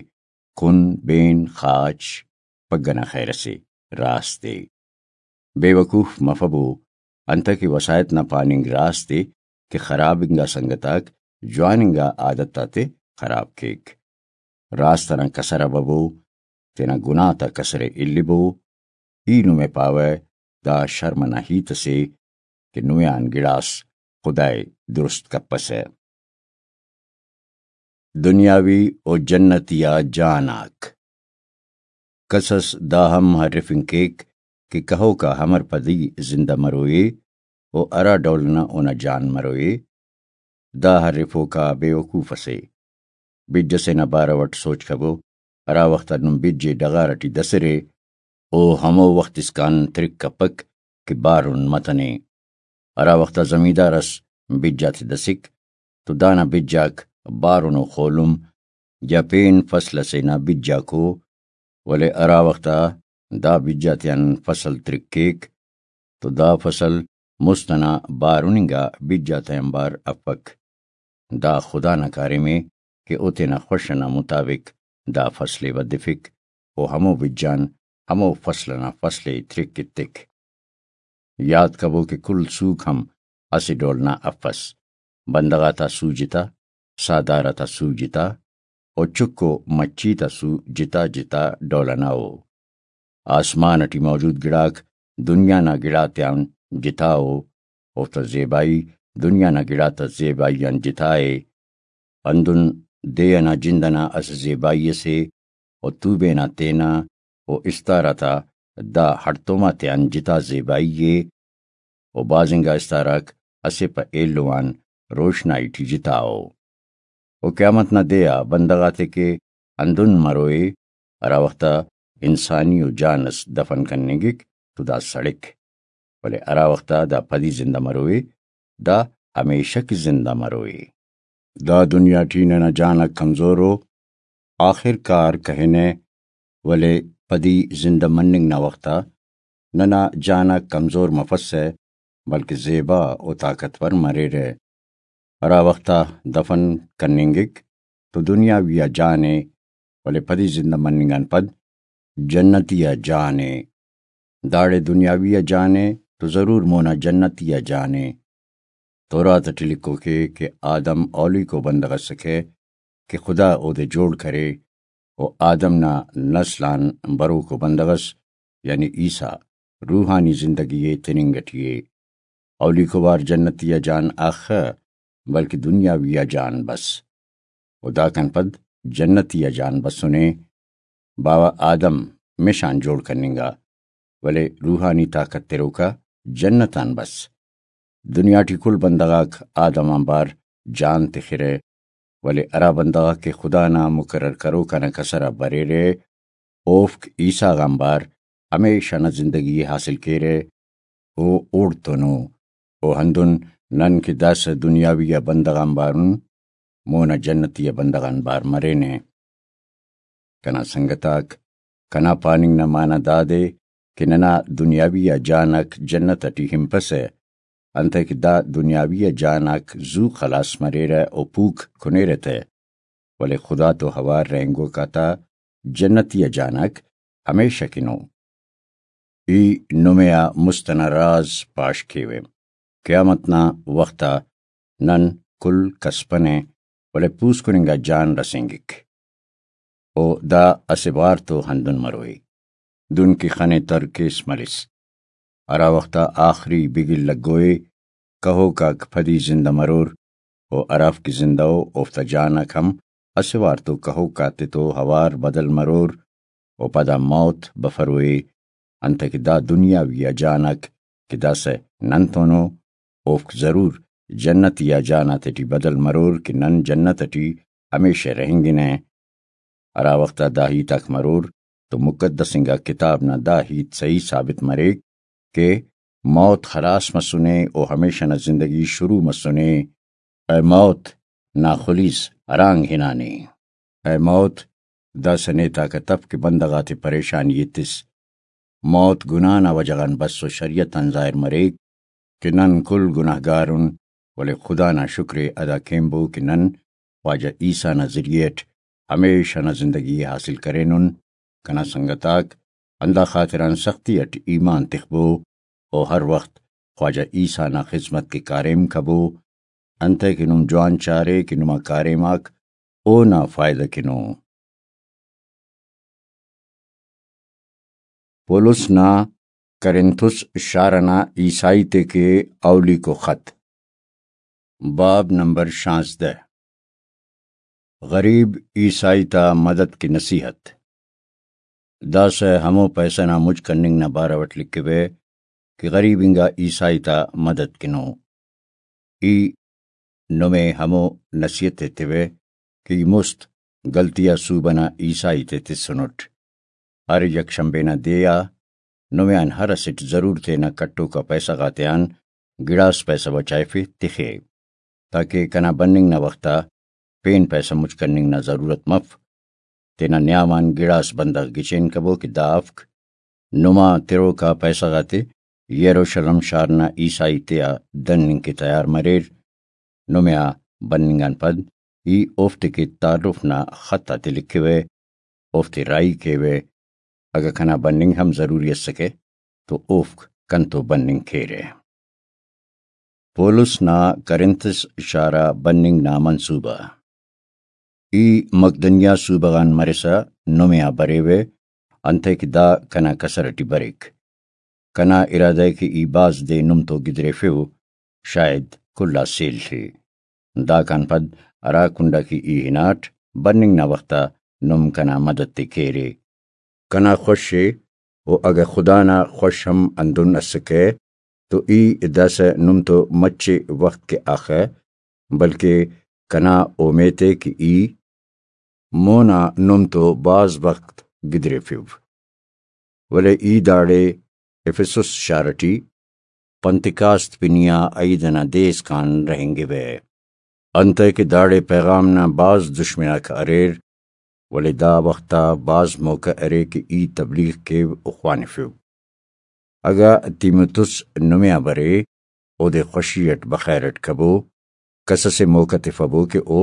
کن، بین، خاچ پگہ نا خیر اسے، راست ءِ۔ بے وقوف مفبو، انتئے کہ وساہت نا پاننگ راست ءِ کہ خراب انگا سنگت آک جوان انگا عادت آتے خراب کیک۔ راست ئنا کسر آ ببو، تینا گناہ تا کسر ءِ الیبو۔ ای نمے پاوہ دا شرم ئنا ہیت اسے کہ نمے آن گڑاس خدائے درست کپسہ۔ دنیاوی و جنتی آ جان آک۔ کسس دا ہم ہرفنگ کیک کہ کہوکا امر پدی زندہ مروئے و ہرا ڈول ئنا اونا جان مروئے۔ دا ہرفوکا بے وقوف اسے۔ بج ئسے نا بارو ئٹ سوچ کبو، ہرا وخت آ نم بج ئے ڈغار ئٹی دسرے، او ہمو وخت اسکان ترک کپک کہ بارن متنے۔ ہرا وخت آ زمیندار ئس بج آتے دسک تو دانا بج آک بارن و خولم یا پین فصل ئسے نا بج آک او، ولے ہرا وخت آ دا بج آتیان فصل ترک کیک تو دا فصل مست ئنا بارن انگا بج آتا آنبار افک۔ دا خدا نا کاریم ءِ کہ او تینا خوش ئنا مطابق دا فصل ءِ ودفک و ہمو بج آن ہمو فصل ئنا فصل ءِ ترک ایتک۔ یات کبو کہ کل سوک ہم اسہ ڈول نا افس۔ بندغ آتا سو جتا، ساہدار آتا سو جتا، و چک و مچھی تا سو جتا جتا ڈول ئنا ءُ۔ آسمان ئٹی موجود گڑاک دنیا نا گڑاتیان جتا ءُ، اوفتا زیبائی دنیا نا گڑاتا زیبائی آن جتا ءِ۔ ہندن دے ئنا جند ئنا اسہ زیبائی ئسے، و توبے نا تینا و استار آتا دا ہڑتوم آتیان جتا زیبائی ءِ، و بازنگا استار آک اسہ پہ ایلو آن روشنائی ٹی جتا ءُ۔ و قیامت نا دے آ بندغ آتے کہ ہندن مروئے، ہرا وخت آ انسانی و جان ئس دفن کننگک تو دا سڑک، ولے ہرا وخت آ دا پدی زندہ مروئے، دا ہمیشہ کہ زندہ مروئے۔ دا دنیا ٹی ننا جان آک کمزور ءُ، آخر کار کہنہ، ولے پدی زندہ مننگ نا وخت آ ننا جان آک کمزور مفسہ، بلکہ زیبا و طاقتور مریرہ۔ ہرا وخت آ دفن کننگک تو دنیاوی آ جان ءِ، ولے پدی زندہ مننگ آن پد جنتی آ جان ءِ۔ داڑے دنیاوی آ جان ءِ تو ضرور مونا جنتی آ جان ءِ۔ تورات ٹی لکھوک ءِ کہ آدم اولیکو بندغ ئسکہ کہ خدا اودے جوڑ کرے، و آدم نا نسل آن بروکو بندغ ئس، یعنی عیسیٰ، روحانی زندگی ءِ تننگ ٹی ءِ۔ اولیکو وار جنتی آ جان اخہ، بلکہ دنیاوی آ جان بس۔ و داکان پد جنتی آ جان بسنے۔ باوہ آدم مش آن جوڑ کننگا، ولے روحانی طاقت تروکا جنت آن بس۔ دنیا ٹی کل بندغ آک آدم آنبار جان تخرہ، ولے ہرا بندغ آک کہ خدا نا مقرر کروک آ نا کسر آ بریرہ، اوفک عیسیٰ غانبار ہمیشہ نا زندگی ءِ حاصل کیرہ۔ او اوڑتون ءُ۔ او ہندن نن کہ داسہ دنیاوی آ بندغ آنبارن، مونا جنتی آ بندغ آنبار مرینہ۔ کنا سنگت آک، کنا پاننگ نا معنی دادے کہ ننا دنیاوی آ جان آک جنت ٹی ہنپسہ، انتئے کہ دا دنیاوی آ جان آک زو خلاس مریرہ و پوک کنیرہ تہ، ولے خدا تو اوار رہینگوک آتا جنتی آ جان آک ہمیشہ کن ءُ۔ ای نمے آ مست ئنا راز پاش کیوہ۔ قیامت نا وخت آ نن کل کسفنہ، ولے پوسکن انگا جان رسینگک۔ او دا اسہ وار تو ہندن مروئے، دن کہ خن ءِ تر کیس ملس۔ ہرا وخت آ آخری بگل لگوئے، کہوک آک پدی زندہ مرور، و ہرافک زندہ ءُ، اوفتا جان آک ہم اسہ وار تو کہوک آتے تو اوار بدل مرور، و پدا موت بفروئے۔ انتئے کہ دا دنیاوی آ جان آک کہ داسہ ننتون ءُ، اوفک ضرور جنتی آ جان آتیٹی بدل مرور کہ نن جنت ٹی ہمیشہ رہینگنہ۔ ہرا وخت آ دا ہیت آک مرور تو مقدس انگا کتاب نا دا ہیت صحیح ثابت مریک کہ موت خلاس مسنے و ہمیشہ نا زندگی شروع مسنے۔ اے موت نا خلیس ہرانگ ہنانے؟ اے موت، داسہ نیتاکہ تف کہ بندغ آتے پریشانی ایتس۔ موت گناہ نا وجہ غان بس و شریعت آن ظاہر مریک کہ نن کل گناہگار ان، ولے خدا نا شکر ءِ ادا کینبو کہ نن خواجہ عیسیٰ نا ذریعہ اٹ ہمیشہ نا زندگی ءِ حاصل کرینن۔ کنا سنگت آک، ہندا خاطران سختی اٹ ایمان تخبو و ہر وخت خواجہ عیسیٰ نا خذمت کہ کاریم کبو، انتئے کہ نم جوان چارے کہ نما کاریم آک اونا فائدہ کن ءُ۔ پولس نا کرنتھس شار ئنا عیسائی تے کہ اولیکو خط۔ باب نمبر شانزدہ۔ غریب عیسائی تا مدد کہ نصیحت۔ داسہ ہمو پیسہ نا مچ کننگ نا بارو اٹ لکھوہ کہ غریب انگا عیسائی تا مدد کنو۔ ای نمے ہمو نصیحت ایتیوہ کہ ای مست غلطی آ صوبہ نا عیسائی تے تسنٹ۔ ہر یک شنبے نا دے آ نمے آن ہر اسٹ ضرور تینا کٹوکا پیسہ غاتیان گڑاس پیسہ بچائفے تخے، تاکہ کنا بننگ نا وخت آ پین پیسہ مچ کننگ نا ضرورت مف۔ تینا نیام آن گڑاس بندغ گچین کبو کہ دا افک۔ نما تروکا پیسہ غاتے یروشلم شار نا عیسائی تیا دننگ کہ تیار مریر۔ نمے آ بننگ آن پد ای اوفتے کہ تعارف نا خط آتے لکھوہ، اوفتے راہی کیوہ۔ اگہ کنا بننگ ہم ضروری اسکہ تو اوفک کنتو بننگ کیرہ۔ پولس نا کرنتس شار آ بننگ نا منصوبہ۔ ای مقدنیہ صوبہ غان مرسا نمے آ بریوہ، انتئے کہ دا کنا کسر ٹی بریک۔ کنا ارادہ ء کہ ای بھاز دے نم تو گدریفو، شاید کل آ سیل ء۔ داکان پد ہرا کنڈا کہ ای ہناٹ، بننگ نا وخت آ نم کنا مدد ء کیرے۔ کنا خوش ء، و اگہ خدا نا خوش ہم ہندن اسکہ، تو ای داسہ نم تو مچے وخت کہ آخہ، بلکہ کنا اومیت ء کہ ای مونا نم تو بھاز وخت گدریفو۔ ولے ای داڑے افسس شار ٹی پنتکاست پنی آ عید ئنا دے اسکان رہینگوہ۔ انتئے کہ داڑے پیغام نا بھاز دشمن آک اریر، ولے دا وخت آ بھاز موقع ارے کہ ای تبلیغ کیو و خوانفو۔ اگہ تیموتس نمے آ برے، اودے خوشی اٹ بخیر اٹ کبو، کس اسے موقع تفبو کہ او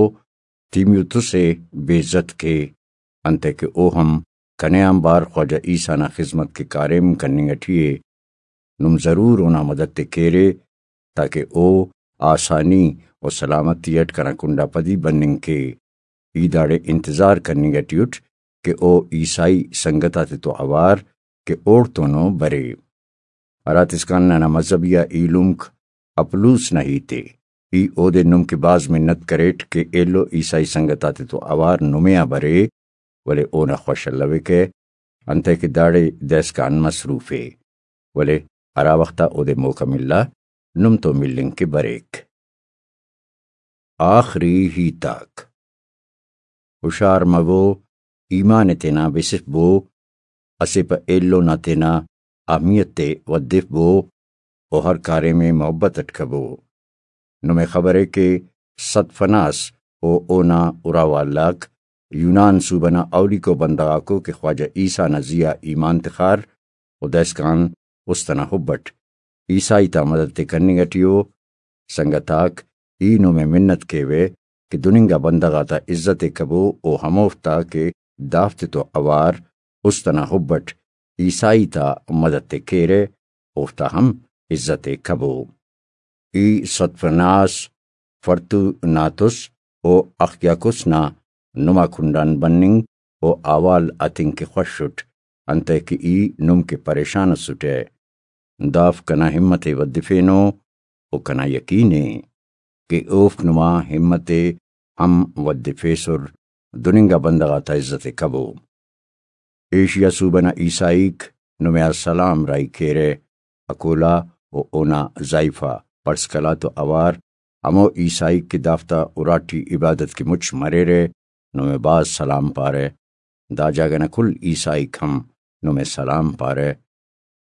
تیموتس ء بے عزت کے، انتئے کہ او ہم کنے آنبار خواجہ عیسی نا خذمت کے کاریم کننگ اٹی ء۔ نم ضرور اونا مدد ء کیرے، تاکہ او آسانی و سلامتی اٹ کنا کنڈا پدی بننگ کے۔ ای داڑے انتظار کننگ اٹی اٹ کہ او عیسائی سنگت آتتو اوار کہ اوڑتونو برے۔ ہراتسکان ننا مذہبی آ ایلمک اپلوس نا ہیت ء۔ ای اودے نم کہ بھاز منت کریٹ کہ ایلو عیسائی سنگت آتتو اوار نمے آ برے، ولے اونا خوش الوکہ، انتئے کہ داڑے دائسکان مصروف ء، ولے ہرا وخت آ اودے موقع ملا، نم تو ملنگ کہ بریک۔ آخری ہیت آک۔ ہشار مبو، ایمان ء تینا بسفبو، اسہ پہ ایلو نا تینا اہمیت ء ودفبو و ہر کاریم ء محبت اٹ کبو۔ نمے خبرے کہ ستفناس و اونا اراوال آک یونان صوبہ نا اولیکو بندغ آکو کہ خواجہ عیسی نا زی آ ایمان تخار و دائسکان است ئنا حب اٹ عیسائی تا مدد تے کننگ اٹی ء۔ سنگت آک، ای نمے منت کیوہ کہ دننگا بندغ آتا عزت ء کبو و ہموفتا کہ دافتتو اوار است ئنا حب اٹ عیسائی تا مدد تے کیرہ، اوفتا ہم عزت ء کبو۔ ای ستفناس، فرتوناتس و اخیاکس نا نما کنڈان بننگ و احوال ہتنگ کہ خوش اٹ، انتئے کہ ای نم کہ پریشان اسٹہ۔ دافک کنا ہمت ء ودفینو و کنا یقین ء کہ اوفک نما ہمت ء ہم ودفیسر، دننگا بندغ آتا عزت ء کبو۔ ایشیا صوبہ نا عیسائیک نمے آ سلام راہی کیرہ۔ اکولا و اونا زائیفہ پرسکلا تو اوار ہمو عیسائیک کہ دافتا اراٹی عبادت کہ مچ مریرہ، نمے بھاز سلام پارہ۔ دا جاگہ نا کل عیسائیک ہم نمے سلام پارہ۔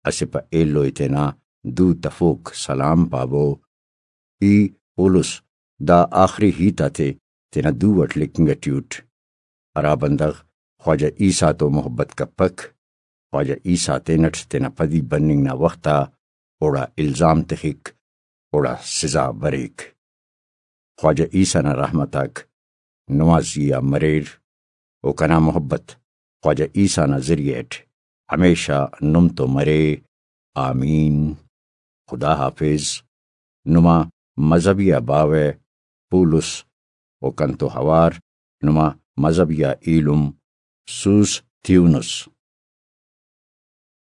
اسہ پہ ایلو ء تینا دو تفوک سلام پابو۔ ای پولس دا آخری ہیت آتے تینا دو اٹ لکھنگ اٹی اٹ۔ ہرا بندغ خواجہ عیسیٰ تو محبت کپک، خواجہ عیسیٰ تینٹ تینا پدی بننگ نا وخت آ اوڑا الزام تخک، اوڑا سزا بریک۔ خواجہ عیسیٰ نا رحمت آک نما زی آ مریر، و کنا محبت خواجہ عیسیٰ نا ذریعہ اٹ ہمیشہ نم تو مرے۔ آمین۔ خدا حافظ۔ نما مذہبی آ باوہ پولس و کنتو ہوار نما مذہبی آ ایلم سوس تھیونس۔